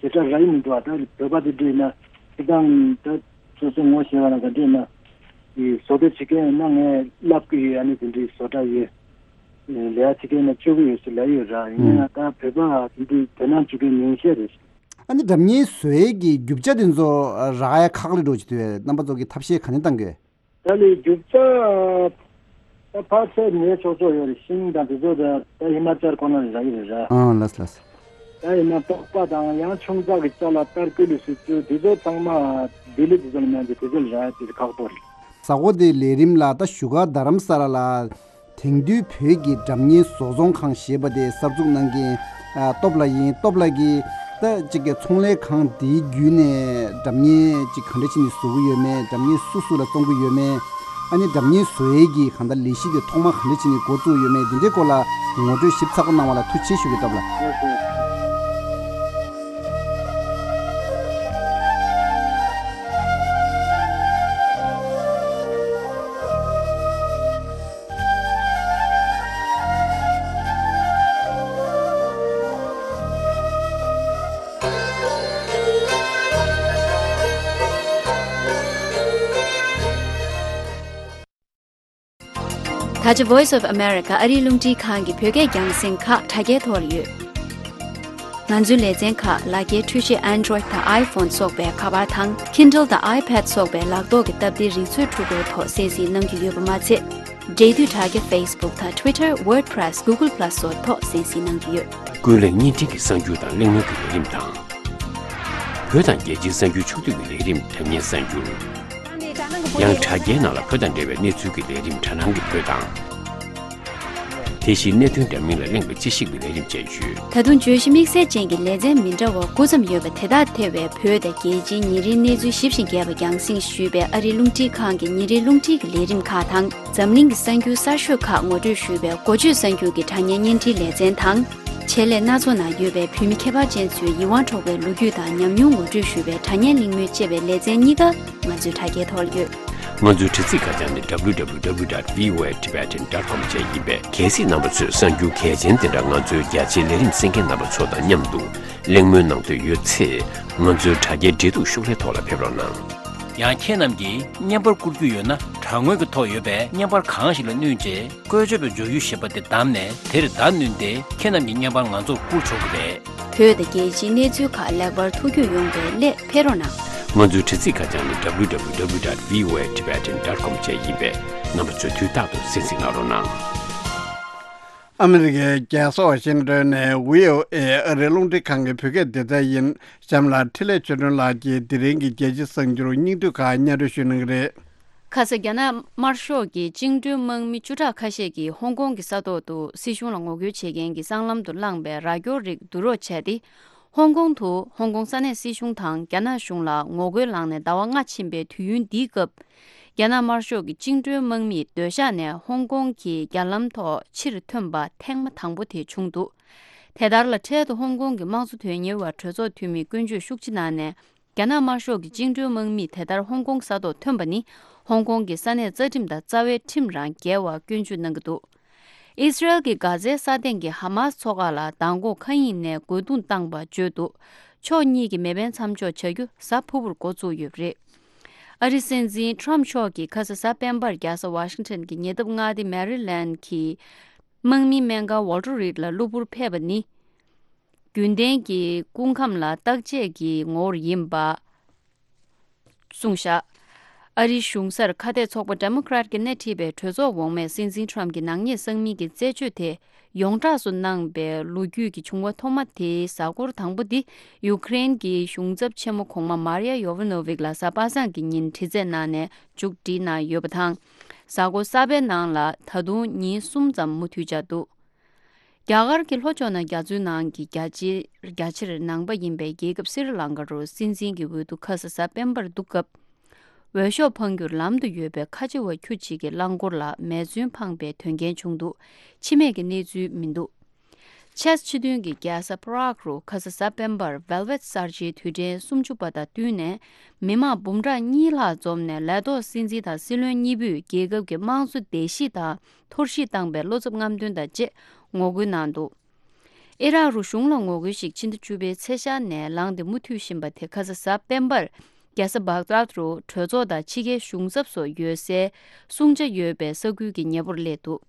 ཞེ་དྲག་རག་གི་མི་འདུག་བ། ད་བོད་པ་དེ་འདྲ་ཡིན་ན་སྤྱིར་བཏང་ད་སོ་སོ་ངོ་ཤེས་པ་ན་ག་འདྲ་ཡིན་ན་དེ་བཟོ་གྲྭ་བྱེད་མཁན་ཡིན་ན་ངས་བསླབ་ཀྱི་ཡོད། ཨ་ནི་དེ་འདྲའི་བཟོ་གྲྭ་ཡོད། ལས་ཀ་བྱེད་མཁན་ཡིན་ན་སྤྱོད་ཀྱི་ཡོད་ཟེར་ལབ་ཡོད་ར། ཡིན་ན་ཡང་ད་བོད་པ་དེ་འདྲའི་དོ་སྣང་བྱེད་མཁན་ཉུང་ཤས་རེད། ཨ་ནི་སྒྲ་སྙན་བཟོ་ཡས་ཀྱི་རྒྱུ་ཆ་དེ་ཚོ་རག་ཡ་ཁག་ལེ་འགྲོ་གི་འདུག་བས། རྣམ་པ་ཚོ་གིས་ཐབས་ཤེས་ག་ནས་བཏང་གི་ཡོད། ད་ལས་རྒྱུ་ཆ་ད་ཕར་ཚད་ཉོས་ཆོག་ཆོག་ཡོད་རེད། ཤིང་དང་དེ་ཚོ་ད་ད་ཧི་མ་ཅལ་ཁོ་ན་ལ་རག་གི་རེད་ར། ཨང་། ལགས་ལགས། ད་ཡིན་ན་པགས་པ་དང་ཡང་ཆུང་ཙག་གི་ཅ་ལག་ཏར་ཀུ་ལི་སི་ཚུ་དེ་ཚོ་ཚང་མ་ལྡི་ལི་དེ་ཚོ་ལ་མཉམ་དུ་དེ་ཚོ་ལ་རག་ཡ་དེ་ཁག་པོ་རེད། གཟའ་འཁོར་དེའི་ལས་རིམ་ལ་ད་བཞུགས་སྒར་རྡ་རམ་ས་ལ་ལ། དེང་དུས་བོད་ཀྱི་སྒྲ་སྙན་བཟོ་ཚོང་ཁང་ཞེས་པ་དེ་གསར་འཛུགས་གནང་མཁན་ཨ་སྟོབས་ལགས་ཡིན། སྟོབས་ལགས་ཀྱིས་ད་ཅིག་གི་ཚོང་ལས་ཁང་དེའི་བརྒྱུད་ནས་སྒྲ་སྙན་ཅིག་ག་འདྲ་བྱས་ནས་བཟོ་གི་ཡོད་མེད། སྒྲ་སྙན་སུ་སུ་ལ་བཙོང་གི་ཡོད་མེད། ཨ་ནི་སྒྲ་སྙན་བཟོ་ཡས་ཀྱི་གང་ལྟར་ལས་གཞི་དེ་ཐོག་མ་ག་འདྲ་བྱས་ནས་འགོ་བཙུགས་ཡོད་མེད། འདི་འདྲའི་སྐོར་ལ་ངོ་སྤྲོད་ཞིབ་ཚགས་པོ་གནང་བ་ལ་ཐུགས་རྗེ་ཆེ་ཞུ་གི། སྟོབས་ལགས། ད་ཆ་Voice of America ཨ་རིའི་རླུང་འཕྲིན་ཁང་གི་བོད་སྐད་རྒྱང་སྲིང་ཁག་དྲ་རྒྱའི་ཐོག་ལ་ཡོད། ང་ཚོའི་ལེ་ཚན་ཁག་ལག་འཁྱེར་འཕྲུལ་ཆས་Android་དང་iPhone་སོགས་པའི་ཁ་པར་དང་Kindle་དང་iPad་སོགས་པའི་ལག་ཐོག་གི་སྟབས་བདེའི་རིག་མཛོད་འཕྲུལ་འཁོར་ཐོག་གསན་གཟིགས་གནང་རྒྱུ་ཡོད་པ་མ་ཚད། འབྲེལ་མཐུད་དྲ་རྒྱ་Facebook་དང་Twitter། WordPress། Google Plus་སོགས་ཐོག་གསན་གཟིགས་གནང་རྒྱུ་ཡོད། ཀུན་གླེང་བརྙན་འཕྲིན་གྱི་གསར་འགྱུར་དང་གླེང་མོལ་གྱི་ལས་རིམ་དང་། བོད་དང་རྒྱལ་སྤྱིའི་གསར་འགྱུར་ཕྱོགས་བསྡུས་ཀྱི་ལས་རིམ་དྲ་བརྙན་གསར་འགྱུར། ཡང་དྲ་རྒྱའི་ནང་ལ་བོད་དང་འབྲེལ་བའི་གནས་ཚུལ་གྱི་ལས་རིམ་དྲ་སྣང་གི་བོད་དང་། དེ་བཞིན་གནད་དོན་འདྲ་མིན་ལ་གླེང་བའི་དཔྱད་ཞིབ་ཀྱི་ལས་རིམ་བཅས་ཡོད། ད་དུང་བརྗོད་གཞི་དམིགས་བསལ་ཅན་གྱི་ལེ་ཚན་མི་འདྲ་བ་དགུ་ཙམ་ཡོད་པ་དེ་དག་ཐེ་བའི་བོད་དང་རྒྱལ་སྤྱིའི་ཉིན་རེའི་གནས་ཚུལ་ཞིབ་ཅིང་རྒྱས་པ་རྒྱང་སྲིང་ཞུས་པའི་ཨ་རིའི་རླུང་འཕྲིན་ཁང་གི་ཉིན་རེའི་རླུང་འཕྲིན་གྱི་ལས་རིམ་ཁག་དང་། འཛམ་གླིང་གི་གསར་འགྱུར་གསར་ཤོས་ཁག་ངོ་སྤྲོད་ཞུས་པའི་འགོ་བརྗོད་གསར་འགྱུར་གྱི་དྲ་བརྙན་བརྙན་འཕྲིན་ལེ་ཚན་དང་། ཆེད་ལས་སྣ་ཚོགས་ནང་ཡོད་པའི་བོད་མི་ཁྱད་པར་ཅན་ཚོའི་ཡིད་དབང་འཕྲོག་པའི་ལོ་རྒྱུས་དང་ཉམས་མྱོང་ངོ་སྤྲོད་ཞུ་བའི་དྲ་བརྙན་གླེང་མོལ་ཅེས་པའི་ལེ་ཚན་གཉིས་ཀ་ང་ཚོའི་དྲ་རྒྱའི་ཐོག་ལ་ཡོད། ང་ཚོའི་དྲ་ཚིགས་ཁ་བྱང་ནི་www dot voatibetan dot com བཅས་ཡིན་པས། གལ་སྲིད་རྣམ་པ་ཚོས་གསར་འགྱུར་གལ་ཆེན་དེ་འདྲ་ང་ཚོའི་རྒྱ་ཆེའི་ལས་རིམ་གསན་མཁན་རྣམ་པ་ཚོ་དང་མཉམ་དུ་གླེང་མོལ་གནང་འདོད་ཡོད་ཚེ། ང་ཚོའི་དྲ་རྒྱའི་འབྲེལ་གཏུག་ཤོག་ལྷེ་ཐོག་ལ་ཕེབས་རོགས་གནང་། ཡང་ཁྱེད་རྣམས་ཀྱིས་བརྙན་པར་བསྐུར་རྒྱུ་ཡོད་ན། དྲ་ངོས་ཀྱི་ཐོག་ཡོད་པའི་བརྙན་པར་གང་ཞིག་ལ་བསྣུན་རྗེས། བཀོལ་སྤྱོད་པའི་མགྱོགས་ཡུལ་ཞེས་པ་དེ་བདམས་ནས། དེར་བརྡ་བསྣུན་ཏེ། ཁྱེད་རྣམས་ཀྱི་བརྙན་པར་ང་ཚོར་བསྐུར་ཆོག་གི་རེད། བོད་དང་རྒྱལ་སྤྱིའི་གནས་ཚུལ་ཁག་ལེགས་པར་ཐུགས་རྒྱུས་ཡོང་བའི་སླད་ཕེབས་རོགས་གནང་། ང་ཚོའི་དྲ་ཚིགས་ཁ་བྱང་ནི་www dot voatibetan dot com བཅས་ཡིན་པས། རྣམ་པ་ཚོས་དུས་རྟག་ཏུ་གསན་གཟིགས་གནང་རོགས་གནང་། ཨ་མི་རི་ཀའི་རྒྱལ་ས་ཝ་ཤིང་ཏོན་ནས་བྷི་ཨོ་ཨེ་ཨ་རིའི་རླུང་འཕྲིན་ཁང་གི་བོད་སྐད་སྡེ་ཚན་ཡིན། གཤམ་ལ་འཕྲིན་ལས་ཆོས་སྒྲོན་ལགས་ཀྱིས་དེ་རིང་གི་རྒྱལ་སྤྱིའི་གསར་འགྱུར་སྙིང་བསྡུས་ཁག་སྙན་སྒྲོན་ཞུ་གནང་གི་རེད། ཁ་ས་རྒྱ་ནག་དམར་ཤོག་གི་བཅིངས་འགྲོལ་དམག་མི་བཅུ་ཕྲག་ཁ་ཤས་ཀྱིས་ཧོང་ཀོང་གི་ས་ཐོག་ཏུ་སྲིད་གཞུང་ལ་ངོ་རྒོལ་བྱེད་མཁན་གྱི་སྲང་ལམ་དུ་བསླངས་པའི་ར་སྐྱོར་རིགས་བསྡུ་རོགས་བྱས་ཏེ། ཧོང་ཀོང་དུ་ཧོང་ཀོང་ས་གནས་སྲིད་གཞུང་དང་རྒྱ་ནག་གཞུང་ལ་ངོ་རྒོལ་ལངས་ནས་ཟླ་བ་ལྔ་ཕྱིན་པའི་དུས་ཡུན་འདིའི་སྐབས། རྒྱ་ནག་དམར་ཤོག་གི་བཅིངས་འགྲོལ་དམག་མིས་སྡོད་ཤག་ནས་ཧོང་ཀོང་གི་རྒྱ་ལམ་ཐོག་ཕྱིར་ཐོན་པ་ཐེངས་མ་དང་པོ་དེ་བྱུང་འདུག་དེ་ལྟར་ལ། འཕྲལ་དུ་ཧོང་ཀོང་གི་དམངས་གཙོ་དོན་གཉེར་བ་གྲོས་ཚོགས་འཐུས་མི་དཀོན་མཆོག་ཤུག་ཅི་ནན་ནས། རྒྱ་ནག་དམར་ཤོག་གི་བཅིངས་འགྲོལ་དམག་མིས་དེ་ལྟར་ཧོང་ཀོང་ས་ཐོག་ཐོན་པ་ནི། ཧོང་ཀོང་གི་ས་གནས་རྩ་ཁྲིམས་དང་རྩ་བའི་ཁྲིམས་རང་འགལ་བར་སྐྱོན་བརྗོད་གནང་གི་འདུག་ཨི་སི་རེལ་གྱིས་གྷ་ཛའི་ས་སྟེང་གི་ཧ་མཱ་སི་ཚོགས་ཁག་ལ་མདང་དགོང་མཁའ་དབྱིངས་ནས་རྒོལ་རྡུང་བཏང་པ་བརྗོད་འདུག་ཕྱོགས་གཉིས་ཀྱི་མེ་འཕེན་མཚམས་འཇོག་བྱ་རྒྱུ་གཟའ་ཕུར་བུར་འགོ་བཙུགས་ཡོད་པ་རེད། ཨ་རིའི་སྲིད་འཛིན་ཁྲོམ་མཆོག་གིས་ཁ་ས་གཟའ་སྤེན་པར་རྒྱལ་ས་ཝ་ཤིང་ཊོན་གྱི་ཉེ་འདབས་མངའ་སྡེ་མེ་རི་ལན་གྱི་དམག་མིའི་སྨན་ཁང་ཝོལ་ཊར་རིཌ་ལ་གློ་བུར་ཕེབས་པ་ནི། རྒྱུན་ལྡན་གྱི་སྐུ་ཁམས་ལ་བརྟག་དཔྱད་ཀྱི་ངོ་བོར་ཡིན་པ། གསུངས་བཞག་ཨ་རིའི་གཞུང་སར་ཁ་གཏད་ཚོགས་པ་ཌེ་མོ་ཀྲ་ཊི་ཀྱིས་སྣེ་ཁྲིད་པའི་གྲོས་ཚོགས་འོག་མས་སྲིད་འཛིན་ཁྲོམ་གྱི་ནག་ཉེས་བསགས་མིན་གྱི་རྩད་གཅོད་དེ་ཡོངས་གྲགས་སུ་གནང་པའི་ལོ་རྒྱུས་ཀྱི་བྱུང་བ་ཐོག་མ་དེའི་གཟའ་འཁོར་དང་པོ་འདི། ཡུ་ཀེ་རེན་གྱི་གཞུང་ཚབ་ཆེན་མོ་གོང་མ་མར་ཡ་ཡོ་ཝ་ནོ་ཝིག་ལ་གཟའ་པ་སངས་ཀྱི་ཉིན་དྲི་རྩད་གནང་ནས་མཇུག་སྒྲིལ་གནང་ཡོད་པ་དང་། གཟའ་འཁོར་གསར་པའི་ནང་ལ་ད་དུང་ཉིན་གསུམ་ཙམ་མུ་མཐུད་བཅར་འདུག་རྒྱ་གར་གྱི་ལྷོ་ཕྱོགས་ན་རྒྱ་མཚོའི་ནང་གི་རྒྱ་ཆེར་རྒྱ་ཆེར་ནང་པ་ཡིན་པའི་རྒྱལ་ཁབ་སི་རི་ལང་ཀ་རུ་སྲིད་འཛིན་གྱི་འོས་བསྡུ་ཁ་ས་གཟའ་སྤེན་པར་འདུག་སྐབས། འོས་ཤོག་འཕང་རྒྱུར་ལམ་དུ་ཡོད་པའི་ཁ་ཆེ་བ་ཁྱུ་གཅིག་གི་རླངས་འཁོར་ལ་མེ་མཚོན་འཕངས་པའི་དོན་རྐྱེན་བྱུང་འདུག་འཆི་རྨས་ཀྱི་གནས་ཚུལ་མི་འདུག་ཅེག་སྤྱི་མཐུན་གྱི་རྒྱལ་ས་པ་རག་རུ་ཁ་ས་གཟའ་སྤེན་པར་ཝེལ་ཝེད་གསར་བརྗེའི་དུས་དྲན་སུམ་ཅུ་པ་དང་བསྟུན་ནས། མི་མང་འབུམ་ཕྲག་གཉིས་ལྷག་འཛོམས་ནས་ལས་ཐོག་སྲིད་འཛིན་དང་སྲིད་བློན་གཉིས་པོས་རྒྱལ་ཁབ་ཀྱི་དམངས་གཙོ་བརྡལ་བཤིག་དང་འཐོར་བཤིག་བཏང་པའི་བློ་འཚབ་རྔམ་སྟོན་དང་བཅས་ངོ་རྒོལ་གནང་འདུག་ཨི་རག་རུ་གཞུང་ལ་ངོ་རྒོལ་ཞིག་ཕྱི་ཟླ་བཅུ་པའི་ཚེས་ཤར་ནས་ལངས་ཏེ་མུ་མཐུད་བཞིན་པ་དེ་ཁ་ས་གཟའ་སྤེན་པར་རྒྱལ་ས་བྷག་དཱད་རུ་གྲོས་ཚོགས་དང་ཕྱི་རྒྱལ་གཞུང་ཚབ་སོགས་ཡོད་སའི་སྲུང་བྱ་ཡོད་པའི་ས་ཁུལ་གྱི་ཉེ་པོར་སླེབས་འདུག་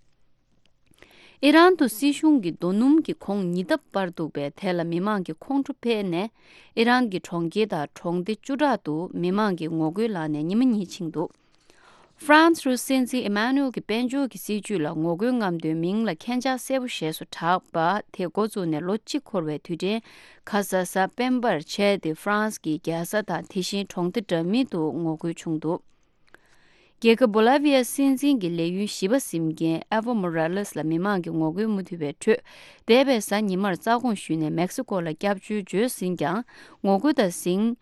ཨི་རན་དུ་སྲིད་གཞུང་གི་རྡོ་སྣུམ་གྱི་གོང་ཉིས་ལྡབ་སྤར་འདུག་པས། དེ་ལ་མི་མང་གི་ཁོང་ཁྲོ་འཕེལ་ནས། ཨི་རན་གྱི་གྲོང་ཁྱེར་དང་གྲོང་སྡེ་བཅུ་ཕྲག་ཏུ་མི་མང་གིས་ངོ་རྒོལ་ལངས་ནས་ཉི་མ་གཉིས་ཕྱིན་འདུག་ཧྥ་རན་སི་རུ་སྲིད་འཛིན་ཨི་མ་ནུ་ཨེལ་གྱི་དཔལ་འབྱོར་གྱི་སྲིད་ཇུས་ལ་ངོ་རྒོལ་རྔམ་སྟོན་མིང་ལ་མཁྱེན་སྦྱར་གསལ་པོ་ཞེས་སུ་གྲགས་པ་དེ་འགོ་བཙུགས་ནས་ལོ་གཅིག་འཁོར་བའི་དུས་དྲན་ཁ་ས་གཟའ་སྤེན་པར་བྱས་ཏེ། ཧྥ་རན་སི་གི་རྒྱལ་ས་དང་དེ་བཞིན་གྲོང་སྡེ་འདྲ་མིན་དུ་ངོ་རྒོལ་བྱུང་འདུག་རྒྱལ་ཁབ་བོ་ལ་ཝི་ཡའི་སྲིད་འཛིན་གྱི་ལས་ཡུན་བཞི་པ་ཟིན་མཁན་ཨེ་ཝོ་མོ་ར་ལེས་ལ་མི་མང་གི་ངོ་རྒོལ་མུ་མཐུད་པའི་ཁྲོད། འདས་པའི་གཟའ་ཉི་མར་རྩ་དགོངས་ཞུས་ནས་མེག་སི་ཀོ་ལ་སྐྱབས་བཅོལ་བྱོལ་ཟིན་ཀྱང་། ངོ་རྒོལ་དང་ཟིང་།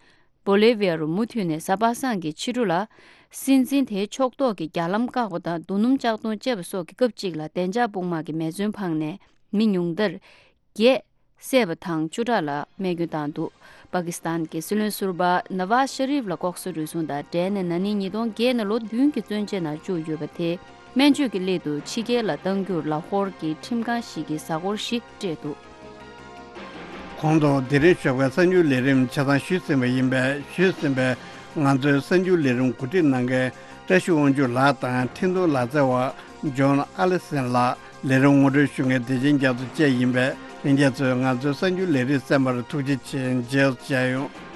བོ་ལི་ཝི་ཡ་རུ་མུ་མཐུད་ནས་གཟའ་པ་སངས་ཀྱི་ཕྱི་དྲོ་ལ། སྲིད་འཛིན་དེའི་ཕྱོགས་གཏོགས་ཀྱི་རྒྱ་ལམ་བཀག་པ་དང་རྡོ་སྣུམ་བཅག་སྡོམ་བཅས་པ་སོགས་ཀྱི་སྐབས་གཅིག་ལ་བདེ་འཇགས་དཔུང་དམག་གིས་མེ་མཚོན་འཕངས་ནས་མི་ཉུང་མཐར། བརྒྱད། བསད་པ་དང་བཅུ་ཕྲག་ལ་རྨས་སྐྱོན་བཏང་འདུག་པ་ཀི་སི་ཐན་གྱི་སྲིད་བློན་ཟུར་པ་ནཱ་ཝཱཛ་ཤ་རིབ་ལ་ལྐོག་ཟ་རུལ་སུངས་དང་འབྲེལ་ནས་ན་ནིང་ཉིས་སྟོང་བརྒྱད་ནས་ལོ་བདུན་གྱི་བཙོན་འཇལ་ནང་བཅུག་ཡོད་པ་དེ་སྨན་བཅོས་ཀྱི་སླད་དུ་ཕྱི་རྒྱལ་ལ་གཏང་རྒྱུར་ལ་ཧོར་གྱི་ཁྲིམས་ཁང་ཞིག་གིས་གཟའ་འཁོར་བཞི་སྤྲད་འདུག་གོང་དུ་དེ་རིང་ཞོགས་པའི་གསར་འགྱུར་ལས་རིམ་ཆ་ཚང་ཞུས་ཟིན་པ་ཡིན་པས། ཞུས་ཟིན་པའི་ང་ཚོའི་གསར་འགྱུར་ལས་རིམ་གོ་སྒྲིག་གནང་མཁན་བཀྲ་ཤིས་དབང་ཕྱུག་ལགས་དང་འཕྲིན་གཏོང་ལག་རྩལ་བ་ཇོན་ཨ་ལི་སན་ལགས། ལས་རིམ་ངོ་སྤྲོད་ཞུ་མཁན་བདེ་ཆེན་རྒྱ་མཚོ་བཅས་ཡིན་པས། ལྷན་རྒྱས་ཚོས་ང་ཚོའི་གསར་འགྱུར་ལས་རིམ་གསན་པར་ཐུགས་རྗེ་ཆེ། མཇལ་བྱ་ཡོང་།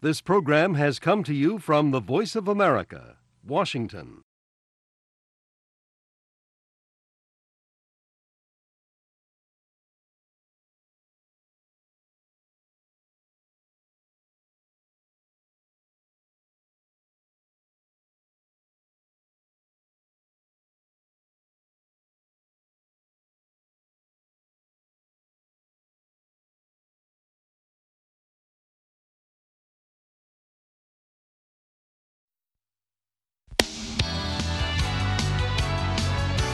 This program has come to you from the Voice of America, Washington.